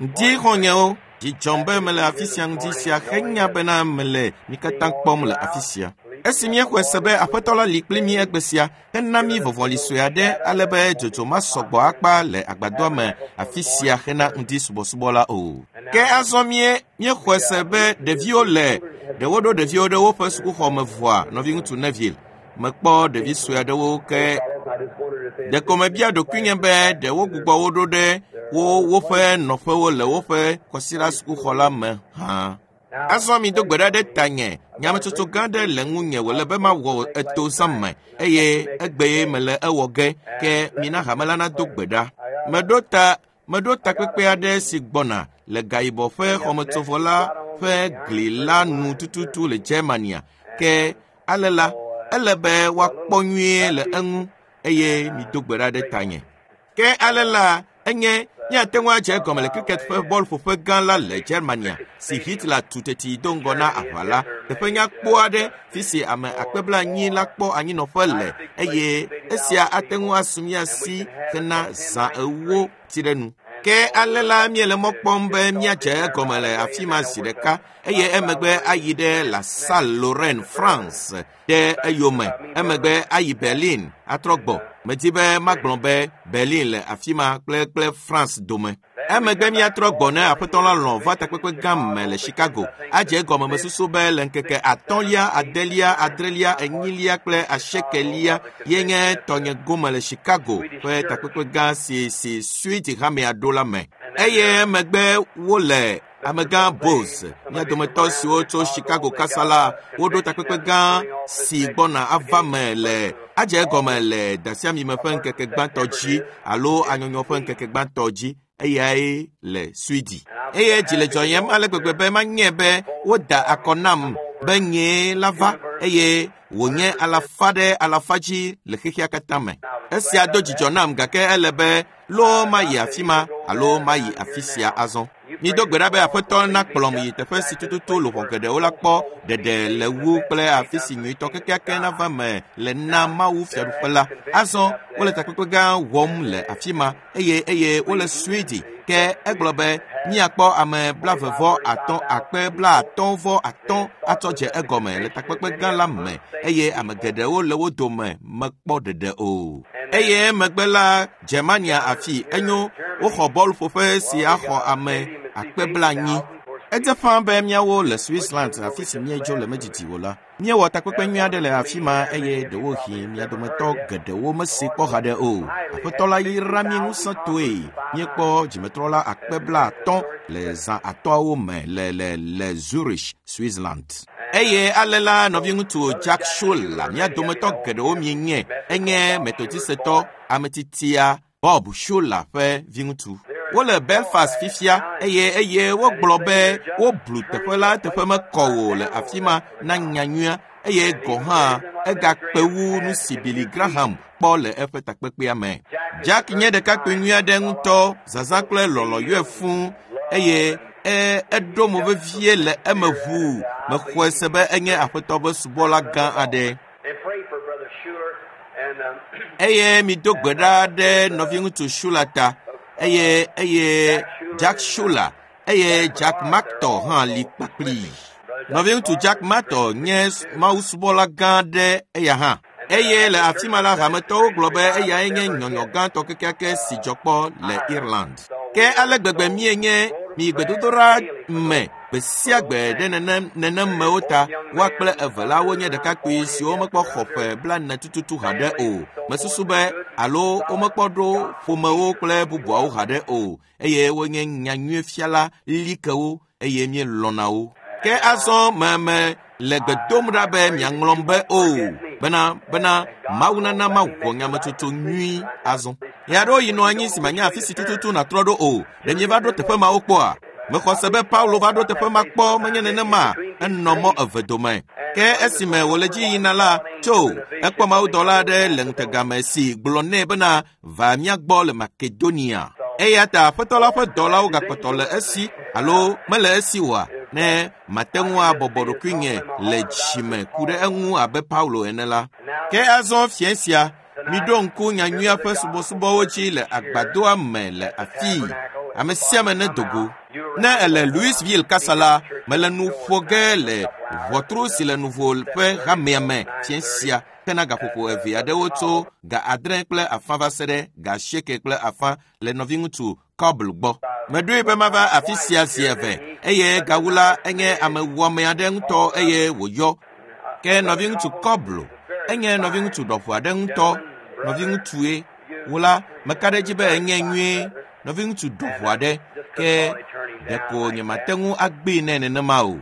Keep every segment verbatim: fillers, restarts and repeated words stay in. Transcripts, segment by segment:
Ŋdi xɔnyewo dzidzɔm be mele afi sia ŋdi sia henya bena mele mi katã kpɔm le afi sia. Esi míexɔe se be aƒetɔ la li kpli mí egbe sia hena mí vɔvɔli sue aɖe ale be dzodzo masɔgbɔ akpa le agbadɔa me afi sia hena ŋdi subɔsubɔ la o. Ke azɔ mie míexɔe se be ɖeviwo le ɖewo ɖo ɖeviwo ɖe woƒe sukuxɔ me vɔa nɔviŋutsu Neville. Mekpɔ ɖevi sue aɖewo ke ɖeko mebia ɖokuinye be ɖe wogbugbɔ wo ɖo ɖe wo woƒe nɔƒewo le woƒe kɔsiɖa sukuxɔ la me hã. Azɔ mi do gbe ɖa ɖe tanye nyametsotso gã aɖe le ŋunye wòle be mawɔ eto zã me eye egbe mele ewɔ ge ke mina hame la nado gbe ɖa. Meɖo ta meɖo takpekpe aɖe si gbɔna le gayibɔ ƒe xɔmetsovɔ la ƒe gli la nu tututu le Germania ke ale la ele be woakpɔ nyuie le eŋu eye mido gbe ɖa ɖe tanye. Ke ale la enye míate ŋu adze egɔme le cricket ƒe bɔlƒoƒe gã la le Germania si Hitler tu teti do ŋgɔ na aʋa la. Teƒe nyakpɔ aɖe fi si ame akpe blaenyi la kpɔ anyinɔƒe le eye esia ate ŋu asu mía si hena zã ewo tsi ɖe nu. Ke ale la míele mɔ kpɔm be míadze egɔme le afi ma zi ɖeka eye emegbe ayi ɖe La Salle Lorraine, France ɖe eyome. Emegbe ayi Berlin atrɔ gbɔ. Medi be magblɔ be Berlin le afi ma kple kple France dome. Emegbe míatrɔ gbɔ ne aƒetɔ la lɔ̃ va takpekpe gã me le Chicago. Adze egɔme mesusu be le ŋkeke atɔ̃lia, adelia, adrelia, enyilia kple asiekelia ye nye tɔnye gome le Chicago ƒe takpekpe gã si si Swede hamea ɖo la me. Eye emegbe wole amegã Bose, mía dometɔ siwo tso Chicago kasa la, woɖo takpekpe gã si gbɔna ava me le adze egɔme le dasiamime ƒe ŋkeke gbãtɔ dzi alo anyɔnyɔ ƒe ŋkeke gbãtɔ dzi eyae le Sweden. Eye dzi le dzɔyem ale gbegbe be manye be woda akɔ nam be nyee la va eye wònye alafa ɖe alafa dzi le xexea katã me. Esia do dzidzɔ nam gake ele be loo mayi afi ma alo mayi afi sia azɔ. Mido gbe ɖa be aƒetɔ nakplɔm yi teƒe si tututu luʋɔ geɖewo la kpɔ ɖeɖe le wu kple afi si nyuitɔ kekeake nava me le na Mawu fiaɖuƒe la. Azɔ wole takpekpe gã wɔm le afi ma eye eye wole Sweden ke egblɔ be míakpɔ ame blaeve vɔ atɔ̃ akpe blaatɔ̃ vɔ atɔ̃ atsɔ dze egɔme le takpekpe gã la me eye ame geɖewo le wo dome mekpɔ ɖeɖe o. Eye megbe la Germania afi enyo woxɔ bɔlƒoƒe si axɔ ame akpe blaenyi. Edze ƒã be míawo le Switzerland afi si míedzo le medidi o la. Míewɔ takpekpe nyui aɖe le afi ma eye ɖewohĩ mia dometɔ geɖewo mesi kpɔ haɖe o. Aƒetɔ la yra mí ŋusẽtɔe. Míekpɔ dzimetrɔla akpe blaatɔ̃ le zã atɔ̃awo me le le le Zurich, Switzerland. Eye ale la nɔviŋutsu Jack Schuler mía dometɔ geɖewo mienye enye metodisetɔ ametitia Bob Schuler ƒe viŋutsu. Wole Belfast fifia eye eye wogblɔ be woblu teƒe la teƒe mekɔ o le afi ma na nyanyuia eye gɔ hã egakpe wu nu si Billy Graham kpɔ le eƒe takpekpea me. Jack nye ɖekakpui nyui aɖe ŋutɔ, zazã kple lɔlɔ̃ yɔe fũu eye e eɖo mo vevie le eme ʋuu. Mexɔe se be enye aƒetɔ ƒe subɔla gã aɖe. Eye mido gbe ɖa ɖe nɔviŋutsu Schuler ta eye eye Jack Schuler eye Jack Mactor hã li kpakplii. Nɔviŋutsu Jack Mactor nye mawusubɔla gã aɖe eya hã. Eye le afi ma la hametɔwo gblɔ be eyae nye nyɔnyɔ gãtɔ kekeake si dzɔ kpɔ le Ireland. Ke ale gbegbe míenye mi gbedodoɖa me gbe sia gbe ɖe nenem nenemewo ta woa kple eve la wonye ɖekakpui siwo mekpɔ xɔ ƒe blaene tututu haɖe o. Mesusu be alo womekpɔ ɖo ƒomewo kple bubuawo haɖe o eye wonye nyanyuiefiala likewo eye míelɔ̃na wo. Ke azɔ meme le gbe dom ɖa be miaŋlɔm be o bena bena Mawu nana mawɔ nyametsotso nyui azɔ. Ya ɖewo yi nɔ anyi si manya afi si tututu nàtrɔ ɖo o. Ɖe mieva ɖo teƒe mawo kpɔa? Mexɔ se be Paulo va ɖo teƒe ma kpɔ menye nenema enɔ mɔ eve dome. Ke esime wòle dzi yina la tso ekpɔ mawudɔla aɖe le ŋutegame si gblɔ nɛ bena va mía gbɔ le Makedonia. Eya ta aƒetɔ la ƒe dɔlawo gakpɔtɔ le esi alo mele esi oa ne mate ŋu abɔbɔ ɖokuinye le dzime ku ɖe eŋu abe Paulo ene la. Ke azɔ fiẽ sia Miɖo ŋku nyanyuia ƒe subɔsubɔwo dzi le agbadɔa me le afii. Ame sia ame nedo go. Ne ele Louisville kasa la, mele nu ƒo ge le ʋɔtru si le nuvo ƒe hamea me fiẽ sia hena gaƒoƒo eve aɖewo tso ga adre kple afã va se ɖe ga asieke kple afã le nɔviŋutsu Coble gbɔ. Meɖoe be mava afi sia zi eve eye gawu la enye ame wɔame aɖe ŋutɔ eye wòyɔ. Ke nɔviŋutsu Coble enye nɔviŋutsu ɖɔʋu aɖe ŋutɔ, nɔviŋutsue. Wò la, meka ɖe edzi be enye nyuie, nɔviŋutsu ɖɔʋu aɖe, ke ɖeko nyemate ŋu agbee nɛ nenema o.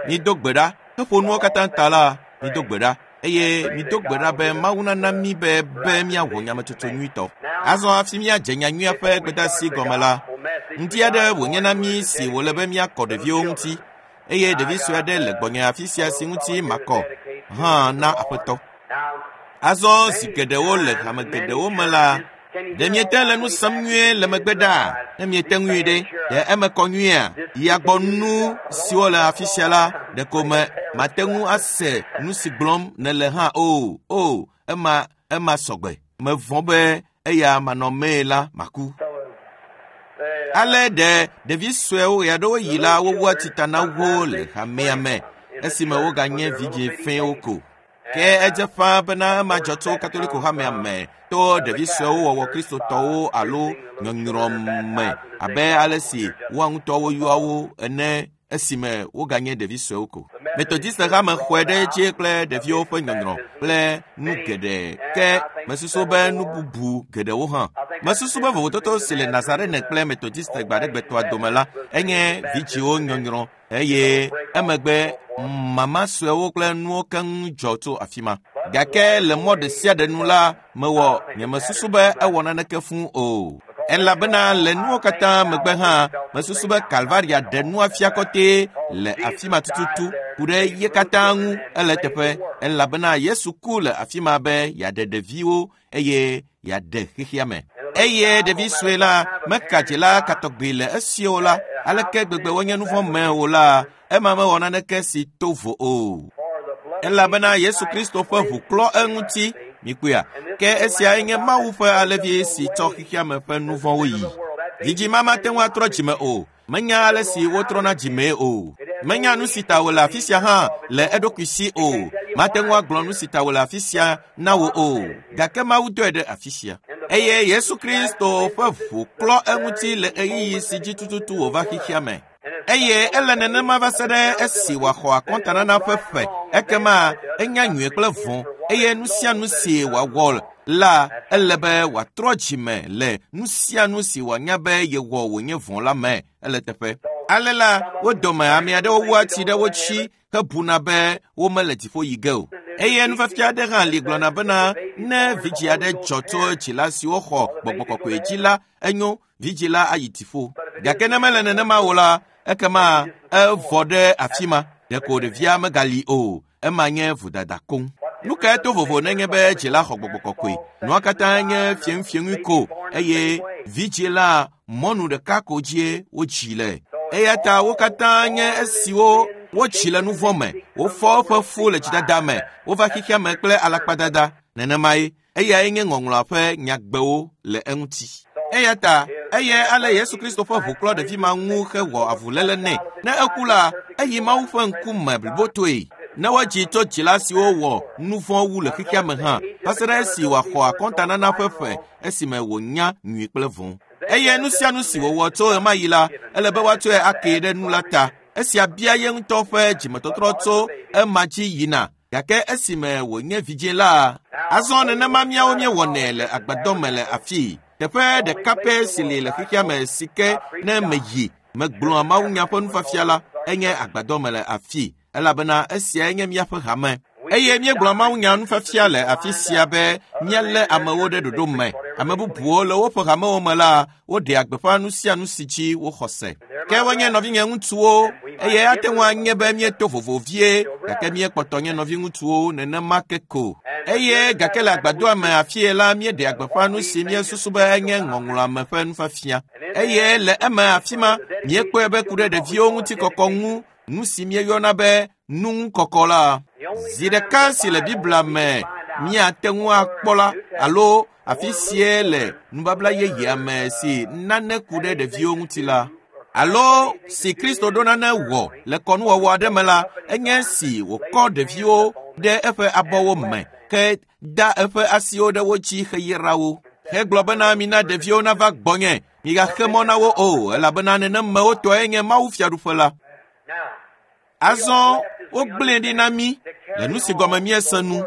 Mido gbe ɖa, heƒo nuwo katã ta la, mido gbe ɖa. Eye mido gbe ɖa be Mawu nana mí be be míawɔ nyametsotso nyuitɔ. Azɔ hafi míadze nyanyuia ƒe gbedeasi gɔme la, ŋdi aɖe wònye na mí si wòle be míakɔ ɖeviwo ŋuti eye ɖevi sue aɖe le gbɔnye afi sia si ŋuti makɔ hã na aƒetɔ. Azɔ zi geɖewo le hame geɖewo me la, ɖe miete le nu sem nyuie le megbe ɖaa? Ne miete ŋui ɖe, ɖe eme kɔ nyuiea? Yagbɔ nu siwo le afi sia la, ɖeko me mate ŋu ase nu si gblɔm nèle hã o. O, ema ema sɔgbe. Mevɔ̃ be eya manɔmee la maku. Ale ɖe ɖevi suewo ɣeaɖewo yi la wowua tsita na wo le hamea me esime woganye vidzĩ fẽwo ko. Ke edze ƒãa bena ema dzɔ tso Katoliko hamea me to ɖevi suewo wɔwɔ kristotɔwo alo nyɔnyrɔ me abe ale si woa ŋutɔ woyɔa wo ene esime woganye ɖevi suewo ko. Metodist hame xɔe ɖe edzi kple ɖeviwo ƒe nyɔnyrɔ kple nu geɖe ke mesusu be nu bubu geɖewo hã. Mesusu be vovototo si le Nazarene kple Metodist gbaɖegbetɔa dome la enye vidzĩwo nyɔnyrɔ eye emegbe mama suewo kple nuwo keŋ dzɔ tso afi ma. Gake le mɔ ɖe sia ɖe nu la, mewɔ nyemesusu be ewɔ naneke fũu o. Elabena le nuwo katã megbe hã, mesusu be Kalvaria ɖe nua fia kɔtɛ le afi ma tututu ku ɖe ye katã ŋu ele teƒe elabena Yesu ku le afi ma be yeaɖe ɖeviwo eye yeaɖe xexea me. Eye ɖevi sue la meka dzila katɔgbi le esiwo la, aleke gbegbe wonye nu vɔ̃ me o la, ema mewɔ naneke si to vo o. Elabena Yesu Kristo ƒe ʋu klɔ eŋuti, mikpɔea? Ke esiae nye Mawu ƒe alevi si tsɔ xexea me ƒe nu vɔ̃wo yi. Vidzĩ ma mate ŋu atrɔ dzime o. Menya ale si wotrɔna dzimee o. Menya nu si ta wòle afi sia hã le eɖokui si o. Mate ŋu agblɔ nu si ta wòle afi sia na wò o. Gake Mawu dɔe ɖe afi sia. Eye Yesu Kristo ƒe ʋu klɔ eŋuti le ɣeyiɣi si dzi tututu wòva xexea me. Eye ele nenema va se ɖe esi wòaxɔ akɔntanana ƒe ƒe ekema enya nyui kple vɔ̃ eye nu sia nu si wòawɔ la ele be wòatrɔ dzime le nu sia nu si wòanya be yewɔ wònye vɔ̃ la me ele teƒe. Ale la wo dome ame aɖewo wua tsi ɖe wo tsi hebuna be womele dziƒo yi ge o. Eye nufiafia aɖe hã li gblɔna bena ne vidzĩ aɖe dzɔ tso dzila siwo xɔ gbɔgbɔ kɔkɔe dzi la, enyo vidzĩ la ayi dziƒo. Gake ne mele nenema o la, ekema evɔ ɖe afi ma. Ɖeko ɖevia megali o. Ema nye vodada koŋ. Nu kae to vovo nenye be dzila xɔ gbɔgbɔ kɔkɔe? Nua katã nye fiẽŋufiẽŋui ko eye vidzĩ la mɔnu ɖeka ko dzie wodzi le. Eya ta wo katã nye esiwo wotsi le nu vɔ̃ me. Wofɔ woƒe fu le dzidada me. Wova xexea me kple alakpadada. Nenemae eyae nye ŋɔŋlɔa ƒe nyagbewo le eŋuti. Eya ta eye ale Yesu Kristo ƒe ʋu klɔ ɖevi ma ŋu hewɔ avuléle nɛ. Ne eku la, eyi Mawu ƒe ŋkume blibotoe. Ne wodzi tso dzila siwo wɔ nu vɔ̃ wu le xexea me hã, va se ɖe esi wòaxɔ akɔntanana ƒe ƒe esime wònya nyui kple vɔ̃. Eye nu sia nu si wòwɔ tso ɣemaɣi la, ele be woatsɔe akee ɖe nu la ta. Esia bia ye ŋutɔ ƒe dzimetɔtrɔ tso ema dzi yina. Gake esime wònye vidzĩ la, azɔ nenema míawo míewɔnɛ le agbadɔ me le afii. Teƒe ɖeka pɛ si li le xexea me si ke ne meyi megblɔa mawunya ƒe nufiafia la, enye agbadɔ me le afii elabena esiae nye míaƒe hame. Eye míegblɔa mawunya nufiafia le afi sia be míalé amewo ɖe ɖoɖo me. Ame bubuwo le woƒe hamewo me la, woɖea gbeƒã nu sia nu si dzi woxɔ se. Ke wonye nɔvinye ŋutsuwo eye ate ŋu anye be míeto vovo vie gake míekpɔtɔ nye nɔviŋutsuwo nenema ke ko. Eye gake le agbadɔa me afie la míeɖea gbeƒã nu si míesusu be enye ŋɔŋlɔa me ƒe nufiafia. Eye le eme afi ma míekpɔe be ku ɖe ɖeviwo ŋuti kɔkɔ ŋu nu si míeyɔna be nuŋukɔkɔ la. Zi ɖeka si le Biblia me míate ŋu akpɔ la alo afi sie le nubabla yeyea me si nane ku ɖe ɖeviwo ŋuti la alo si Kristo ɖo nane wɔ le kɔnuwɔwɔ aɖe me la enye si wòkɔ ɖeviwo ɖe eƒe abɔwo me ke da eƒe asiwo ɖe wo dzi heyra wo hegblɔ bena mina ɖeviwo nava gbɔnye migaxe mɔ na wo o elabena nenemewo tɔe nye Mawu fiaɖuƒe la. Azɔ wogblẽe ɖi na mí le nu si gɔme míese nu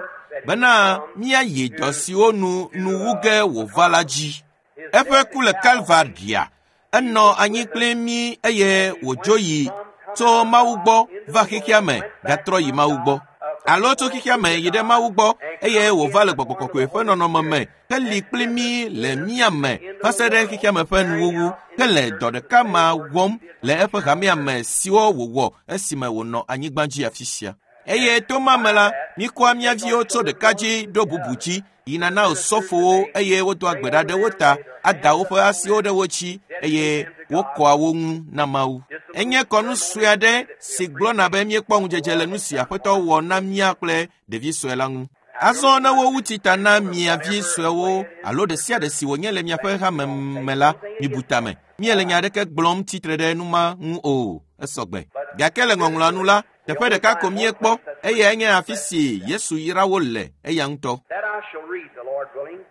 bena míayi dɔ siwo nu nuwu ge wòva la dzi. Eƒe ku le Kalvaria enɔ anyi kpli mí eye wòdzo yi tso Mawu gbɔ va xexea me gatrɔ yi Mawu gbɔ alo tso xexea me yi ɖe Mawu gbɔ eye wòva le gbɔgbɔ kɔkɔe ƒe nɔnɔme me heli kpli mí le mía me va se ɖe xexea me ƒe nuwuwu hele dɔ ɖeka ma wɔm le eƒe hamea me siwo wòwɔ esime wònɔ anyigba dzi afi sia. Eye to ma me la, míkɔa mía viwo tso ɖeka dzi ɖo bubu dzi yina na osɔfowo eye wodoa gbe ɖa ɖe wo ta ada woƒe asiwo ɖe wo dzi eye wokɔa wo ŋu na Mawu. Enye kɔnu sue aɖe si gblɔna be míekpɔ ŋudzedze le nu si Aƒetɔ wɔ na mía kple ɖevi sue la ŋu. Azɔ ne wowu tsita na mia vi suewo alo ɖe sia ɖe si wònye le miaƒe hame me la, mibu tame. Míele nya aɖeke gblɔm tsitre ɖe nu ma ŋu o, esɔgbe. Gake le ŋɔŋlɔa nu la, teƒe ɖeka ko míekpɔ eyae nye afi si Yesu yra wo le eya ŋutɔ. That I shall read, the Lord willing.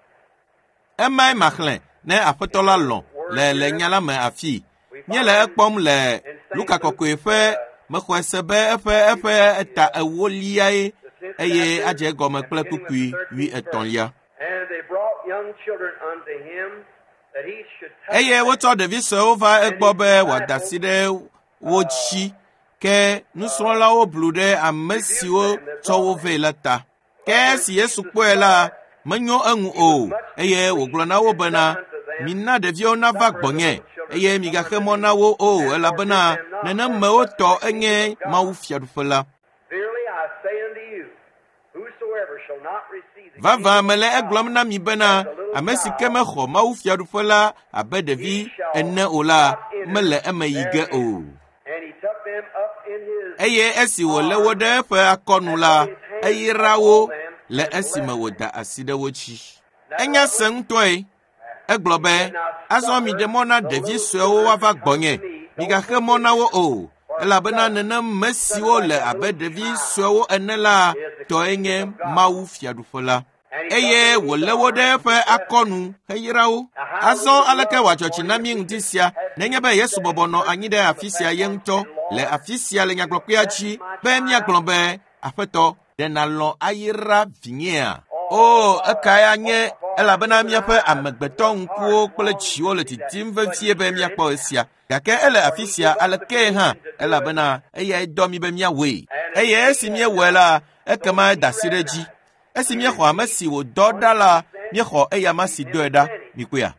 Emae maxlẽ ne Aƒetɔ la lɔ̃ le le nya la me afii. Míele ekpɔm le Luka kɔkɔe ƒe mexɔe se be eƒe eƒe eta ewoliae eye adze egɔme kple kpukpui wuietɔ̃lia. And they brought young children unto him that he should touch Eye them. wotsɔ ɖevi suewo va egbɔ be wòada asi ɖe wo dzi ke nusrɔ̃lawo blu ɖe ame siwo tsɔ wo vɛ la ta. Ke esi Yesu kpɔe la, menyo eŋu o eye wògblɔ na wo bena mina ɖeviwo nava gbɔnye eye migaxe mɔ na wo o elabena nenemewo tɔ enye Mawu fiaɖuƒe la. Verily I say unto you, whosoever shall not receive the Vavã kingdom mele of God egblɔm na mi bena ame si ke mexɔ Mawu fiaɖuƒe la abe ɖevi ene o la mele eme yi ge o. And he took them up in his Eye esi wòlé wo ɖe eƒe akɔnu la, eyra wo le esime wòda asi ɖe wo dzi. Enya se ŋutɔe. Egblɔ be, azɔ miɖe mɔ na ɖevi suewo woava gbɔnye. Migaxe mɔ na wo o, elabena nenem me siwo le abe ɖevi suewo ene la tɔe nye Mawu fiaɖuƒe la. Eye wòlé wo ɖe eƒe akɔnu heyra wo. Azɔ aleke wòadzɔ dzi na mí ŋdi sia nenye be Yesu bɔbɔ nɔ anyi ɖe afi sia ye ŋutɔ le afi sia le nyagblɔkpea dzi be míagblɔ be Aƒetɔ, ɖe nàlɔ̃ ayra vinyea? O, ekae anye elabena míaƒe amegbetɔ ŋkuwo kple dziwo le didim vevie be míakpɔ esia. Gake ele afi sia alekee hã elabena eyae dɔ mí be míawɔe. Eye esi míewɔe la, ekema eda asi ɖe edzi. Esi míexɔ ame si wòdɔ ɖa la, míexɔ eyama si dɔe ɖa. Mikpɔea?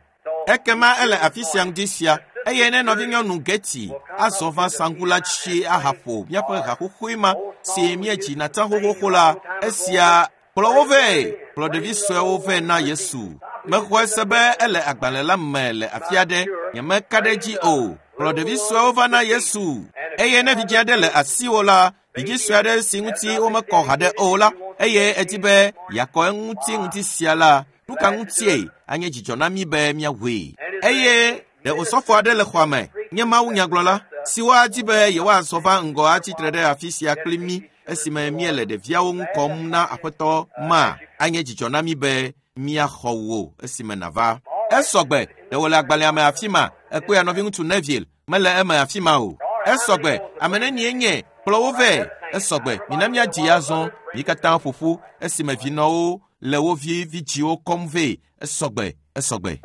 Ekema ele afi sia ŋdi sia eye ne nɔvinyɔnu Geti azɔ va saŋku la dzi ahaƒo míaƒe haxoxoe ma si míedzi na tsã xoxoxo la, esia kplɔ wo vɛ, kplɔ ɖevi suewo vɛ na Yesu. Mexɔe se be ele agbalẽ la me le afi aɖe, nyemeka ɖe edzi o. Kplɔ ɖevi suewo va na Yesu. Eye ne vidzĩ aɖe le asiwò la, vidzĩ sue aɖe si ŋuti womekɔ haɖe o la, eye edi be yeakɔ eŋuti ŋuti sia la, nu ka ŋutie anye dzidzɔ na mí be míawɔe. Eye ɖe osɔfo aɖe le xɔa me nye Mawu nyagblɔla siwo adi be yewoazɔ va ŋgɔ atsitre ɖe afi sia kpli mí esime míele ɖeviawo ŋu kɔm na Aƒetɔ ma anye dzidzɔ na mí be míaxɔ wò esime nàva. Esɔgbe ɖe wòle agbalẽa me afi ma ekpɔe nɔviŋutsu Neville mele eme afi ma o. Esɔgbe ame nenie nye kplɔ wo vɛ. Esɔgbe mina míadzi azɔ mí katã ƒo ƒu esime vinɔwo le wo vi vidziwo kɔm vɛ. Esɔgbe esɔgbe.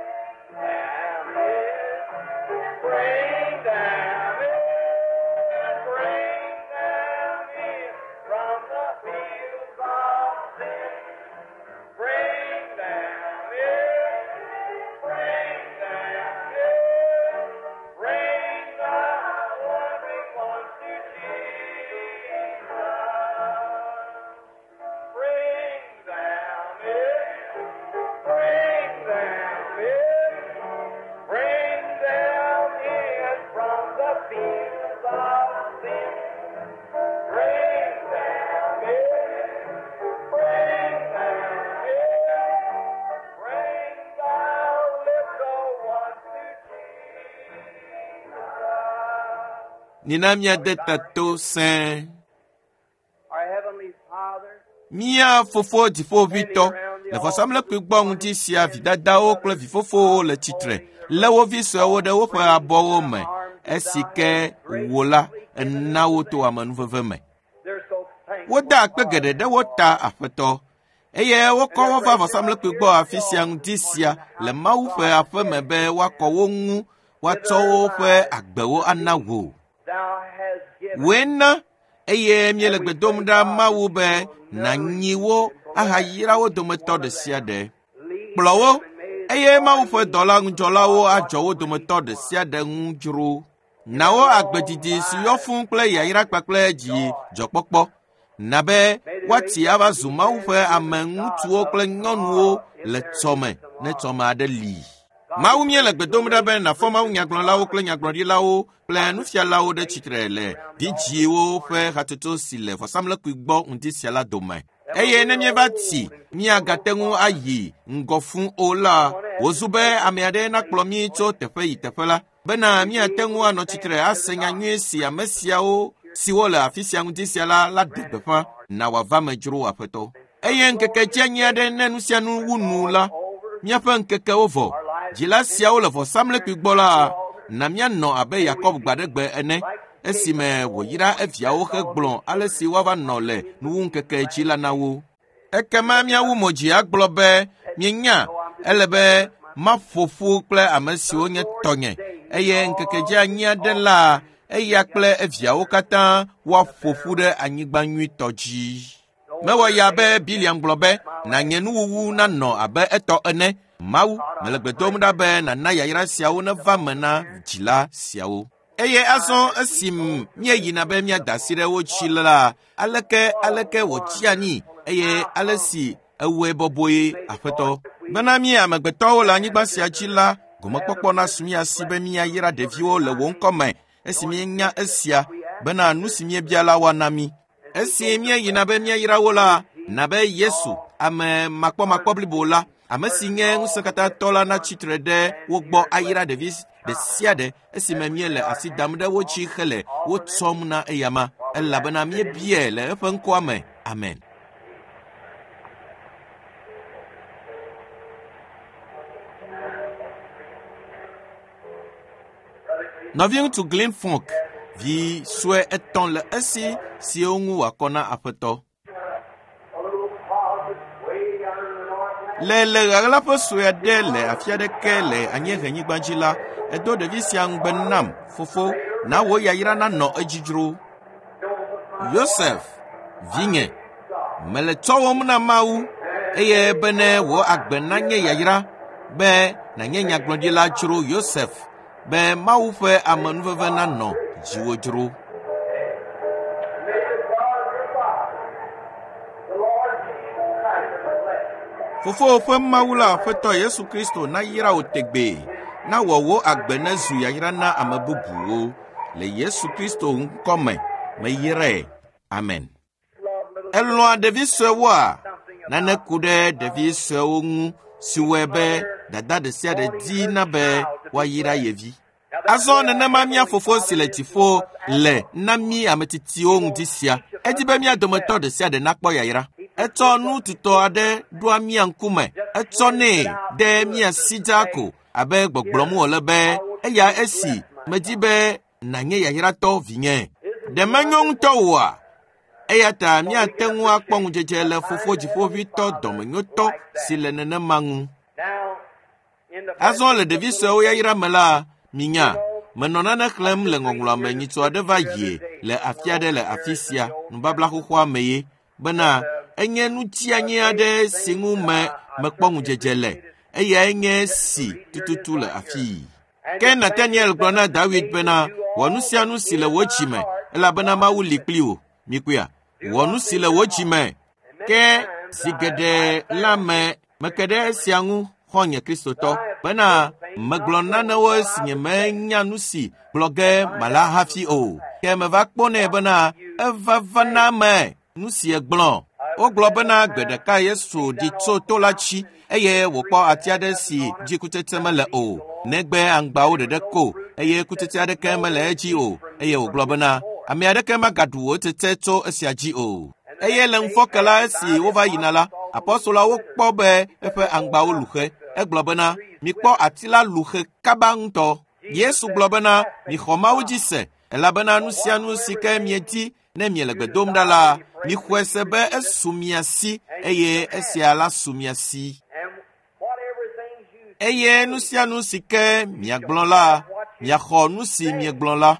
Bring them in, bring them in from the fields of sin. Bring them in, bring them in, bring the wandering ones to Jesus. Bring them in, bring them in, bring them in from the Nina míade ta to sẽe. Our Heavenly Father, Mía fofo dziƒoʋĩtɔ le vɔsamlekpui gbɔ ŋuti sia vidadawo kple vifofowo le tsitre lé wo vi suewo ɖe woƒe abɔwo me esi ke wò la ena wo to amenuveve me. they're so thankful. Woda akpe geɖe ɖe wo ta aƒetɔ eye wokɔ wo va vɔsamlekpui gbɔ afi sia ŋdi sia le Mawu ƒe aƒe me be woakɔ wo ŋu woatsɔ woƒe agbewo ana wò. Thou hast given Wòe na eye míele gbe dom ɖa Mawu be nànyi wo ahayra wo dometɔ ɖe sia ɖe. lead Kplɔ wo eye Mawu ƒe dɔla ŋudzɔlawo adzɔ wo dometɔ ɖe sia ɖe ŋu dzro. Na wo agbedidi si yɔ fũu kple yayra kpakple dzi dzɔkpɔkpɔ. Na be woatsi ava zu Mawu ƒe ame ŋutsuwo kple nyɔnuwo le tsɔme ne tsɔme aɖe li. Mawu míele gbe dom ɖa be nàfɔ Mawu nyagblɔlawo kple nyagblɔɖilawo kple nufialawo ɖe tsitre le vidzĩwo ƒe hatsotso si le vɔsamlekpui gbɔ ŋdi sia la dome. Eye ne míeva tsi míagate ŋu ayi ŋgɔ fũu o la, wòzu be ame aɖe nakplɔ mí tso teƒe yi teƒe la, bena míate ŋu anɔ tsitre ase nya nyui si ame siawo siwo le afi sia ŋdi sia la la ɖe gbeƒã na wòava me dzro aƒetɔ. Eye ŋkeke dzianyi aɖe ne nu sia nu wu nu la, míaƒe ŋkekewo vɔ. Dzila siawo le vɔsamlekpui gbɔ la, na míanɔ abe Yakob gbaɖegbe ene esime wòyra eviawo hegblɔ ale si woava nɔ le nuwuŋkeke dzi la na wo. Ekema míawu mo dzi agblɔ be míenya ele be maƒo ƒu kple ame siwo nye tɔnye eye ŋkeke dzianyi aɖe la eya kple eviawo katã woaƒo ƒu ɖe anyigba nyuitɔ dzi. Mewɔ ya be Biliam gblɔ be nànye nuwuwu nanɔ abe etɔ ene. Mawu, mele gbe dom ɖa be nàna yayra siawo neva me na dzila siawo. Eye azɔ esi míeyina be míada asi ɖe wo dzi la, aleke aleke wòtsi anyi eye ale si ewɔe bɔbɔe aƒetɔ. Bena mí amegbetɔwo le anyigba sia dzi la, gomekpɔkpɔ nasu mía si be míayra ɖeviwo le wò ŋkɔ me esi míenya esia bena nu si míebia la woana mí. Esi míeyina be míayra wo la, na be Yesu, ame makpɔmakpɔ blibo la, ame si nye ŋusẽkatãtɔ la natsi tre ɖe wo gbɔ ayra ɖevi ɖe sia ɖe esime míele asi dam ɖe wo dzi hele wo tsɔm na eyama elabena míebiae le eƒe ŋkɔa me. Amen. Nɔviŋutsu Glenn Funk vi sue etɔ̃ le esi siwo ŋu wòakɔ na aƒetɔ. a little closet way down in the north. Le le ɣaɣlaƒe sue aɖe le afi aɖeke le anyiehenyigba dzi la, edo ɖevi sia ŋugbe nam, fofo, na wò yayra nanɔ edzi dzro. Yosef, vinye, mele tsɔwòm na Mawu eye bene wò agbe nanye yayra be nànye nyagblɔɖila dzro Yosef be Mawu ƒe amenuveve nanɔ dziwò dzro. May the God of your father, the Lord Jesus Christ, bless you. Fofowò ƒe Mawu la Aƒetɔ Yesu Kristo nayra wò tegbee, nawɔ wò agbe nezu yayra na ame bubuwo. Le Yesu Kristo ŋkɔ me, meyrae. Amen. Love little Elɔ̃a ɖevi suewoa? Nane ku ɖe ɖevi suewo ŋu si wɔe be dada ɖe sia ɖe dina be woayra ye vi. Azɔ nenema mía fofo si le dziƒo le na mí ame tsitsiwo ŋdi sia. Edi be mía dometɔ ɖe sia ɖe nakpɔ yayra. Etsɔ nu tutɔ aɖe ɖoa mía ŋkume. Etsɔnɛ ɖe mía si dzaa ko abe gbɔgblɔm wòle be eya esi medi be nànye yayratɔ vinye. Ɖe menyo ŋutɔ oa? Eya ta míate ŋu akpɔ ŋudzedze le fofo dziƒoʋĩtɔ dɔmenyotɔ si le nenema ŋu. Now, in the Azɔ le ɖevi suewo yayra me la, minya, menɔ nane xlẽm le ŋɔŋlɔa me nyitsɔ aɖe va yie le afi aɖe le afi sia nubabla xoxoa me ye bena enye nutsianyi aɖe si ŋu me mekpɔ ŋudzedze le eyae nye si tututu le afii. Ke Nataniel gblɔ na Dawid bena wɔ nu sia nu si le wò dzi me elabena Mawu li kpli wò. Mikpɔea, wɔ nu si le wò dzi me. Ke zi geɖe la me meke ɖe esia ŋu xɔ̃nye Kristotɔ bena megblɔ nanewo esi nyemenya nu si gblɔ ge mala hafi o. Ke meva kpɔnɛ bena eva va na me nu si egblɔ. Wogblɔ bena gbe ɖeka Yesu ɖi tso to la dzi eye wòkpɔ ati aɖe si dzi kutsetse mele o, negbe aŋgbawo ɖeɖe ko eye kutsetse aɖeke mele edzi o. Eye wògblɔ bena, ame aɖeke magaɖu wò tsetse tso esia dzi o. Eye le ŋufɔke la esi wova yina la, apɔstolawo kpɔ be eƒe aŋgbawo lu xe. Egblɔ bena, mikpɔ ati la lu xe kaba ŋutɔ. Yesu gblɔ bena, mixɔ Mawu dzi se, elabena nu sia nu si ke miedi ne miele gbe dom ɖa la, mixɔe se be esu mia si eye esia la su mia si. Eye nu sia nu si ke miagblɔ la, miaxɔ nu si miegblɔ la.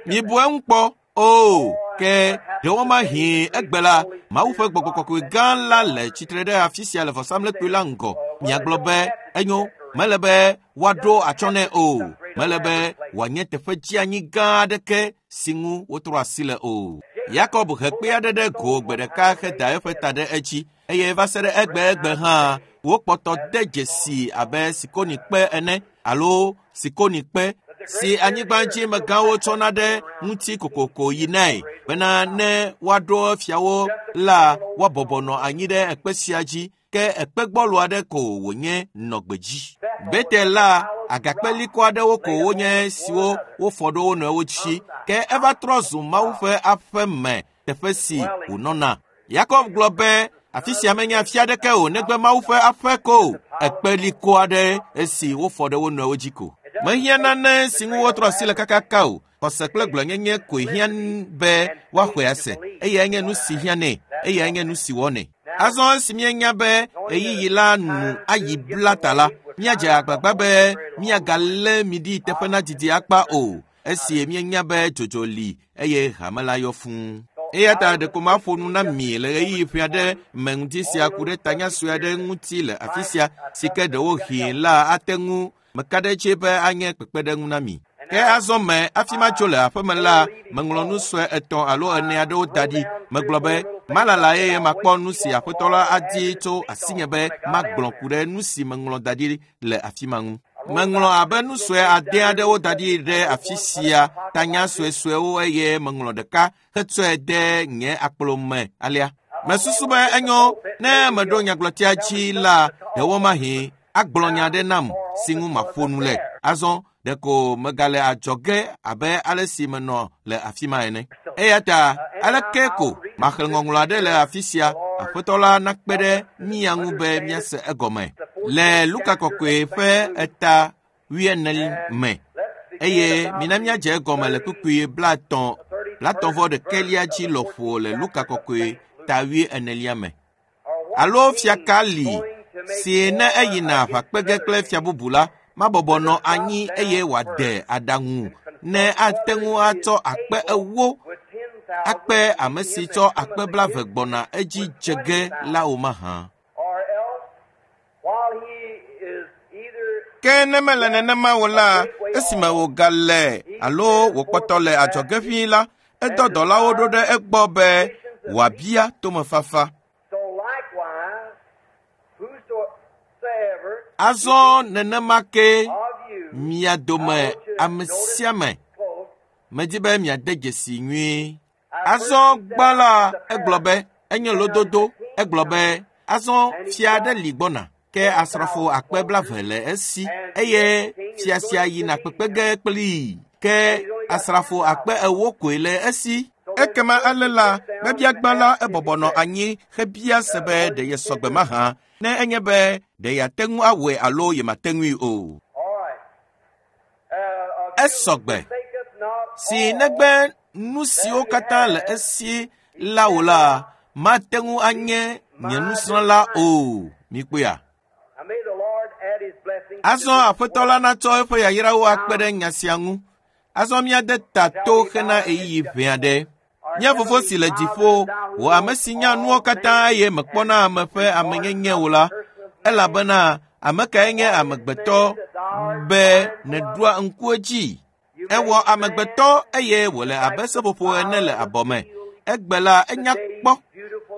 Mibu eŋu kpɔ. O, ke ɖewomahi egbe la, Mawu ƒe gbɔgbɔ kɔkɔe gã la le tsitre ɖe afi sia le vɔsamlekpui la ŋgɔ. Miagblɔ be, enyo, mele be woaɖo atsyɔ̃ nɛ o. Mele be wòanye teƒe dzeanyi gã aɖeke si ŋu wotrɔ asi le o. Yakob he kpe aɖe ɖe go gbe ɖeka heda eƒe ta ɖe edzi eye va se ɖe egbegbe hã wokpɔtɔ de dzesi abe sikonikpe ene alo sikonikpe si anyigbadzimegãwo tsɔna ɖe ŋuti kokoko yinae bena ne woaɖo fiawo la woabɔbɔ nɔ anyi ɖe ekpe sia dzi ke ekpe gbɔlo aɖe ko wònye nɔ gbedzi. Betel la agakpe liko aɖewo ko wonye siwo wofɔ ɖo wo nɔewo dzi ke eva trɔ zu Mawu ƒe aƒe me teƒe si wònɔna. Yakob gblɔ be afi sia menye afi aɖeke o negbe Mawu ƒe aƒe ko ekpe liko aɖe esi wofɔ ɖe wo nɔewo dzi ko. Mehiã nane si ŋu wotrɔ asi le kakaka o. Xɔse kple gblɔnyenye koe hiã be woaxɔe ase. Eyae nye nu si hiã nɛ, eyae nye nu si wɔnɛ. Azɔ esi míenya be ɣeyiɣi la nu ayi bla ta la, míadze agbagba be míagalé mi ɖi teƒe na didi akpa o. Esi míenya be dzodzo li eye hame la yɔ fũu. Eya ta ɖeko maƒo nu na mi le ɣeyiɣi ƒe aɖe me ŋuti sia ku ɖe tanya sue aɖe ŋuti le afi sia si ke ɖewohĩ la ate ŋu meka ɖe edzi be anye kpekpeɖeŋu na mi. Ke azɔ me hafi matso le aƒeme la, meŋlɔ nu sue etɔ̃ alo ene aɖewo da ɖi. Megblɔ be malala eye makpɔ nu si aƒetɔ la adi tso asinye be magblɔ ku ɖe nu si meŋlɔ da ɖi le afi ma ŋu. Meŋlɔ abe nu sue ade aɖewo da ɖi ɖe afi sia, tanya suesuewo eye meŋlɔ ɖeka hetsɔe de nye akplo me alea. Mesusu be enyo ne meɖo nyagblɔtia dzi la, ɖewomahi agblɔ nya aɖe nam si ŋu maƒo nu le. Azɔ ɖeko megale adzɔge abe ale si menɔ le afi ma ene. Eya ta aleke ko maxlẽ ŋɔŋlɔ aɖe le afi sia, aƒetɔ la nakpe ɖe mía ŋu be míase egɔme. Le Luka kɔkɔe ƒe eta wuiene me eye mina míadze egɔme le kpukpui blaetɔ̃ blaetɔ̃ vɔ ɖekɛlia dzi lɔƒo le Luka kɔkɔe ta wuienelia me. Alo fia ka li si ne eyina aʋa kpe ge kple fia bubu la, mabɔbɔ nɔ anyi eye wòade aɖaŋu ne ate ŋu atsɔ akpe ewo akpe ame si tsɔ akpe blaeve gbɔna edzi dze ge la o mahã. Ke ne mele nenema o la, esime wògale alo wòkpɔtɔ le adzɔge ʋĩi la, edɔ dɔlawo ɖo ɖe egbɔ be wòabia tomefafa. Azɔ nenema ke mia dome ame sia ame medi be miade dzesi nyuie. Azɔ gbã la egblɔ be enye lododo. Egblɔ be azɔ fia aɖe li gbɔna ke asrafo akpe blaeve le esi eye fia sia yina kpekpe ge kplii ke asrafo akpe ewo koe le esi. Ekema ale la mebia gbã la ebɔbɔ nɔ anyi hebia se be ɖe yesɔgbe mahã ne enye be ɖe yeate ŋu awɔe alo yemate ŋui o. Esɔgbe si negbe nu siwo katã le esi la o la, mate ŋu anye nye nusrɔ̃la o. Mikpɔea? Azɔ aƒetɔ la natsɔ eƒe yayrawo akpe ɖe nya sia ŋu. Azɔ míade ta to hena ɣeyiɣi ʋɛ aɖe. Mía fofo si le dziƒo, wò ame si nya nuwo katã eye mekpɔna ame ƒe amenyenye o la, elabena ame kae nye amegbetɔ be nèɖoa ŋku edzi? Ewɔ amegbetɔ eye wòle abe seƒoƒo ene le abɔ me. Egbe la enya kpɔ.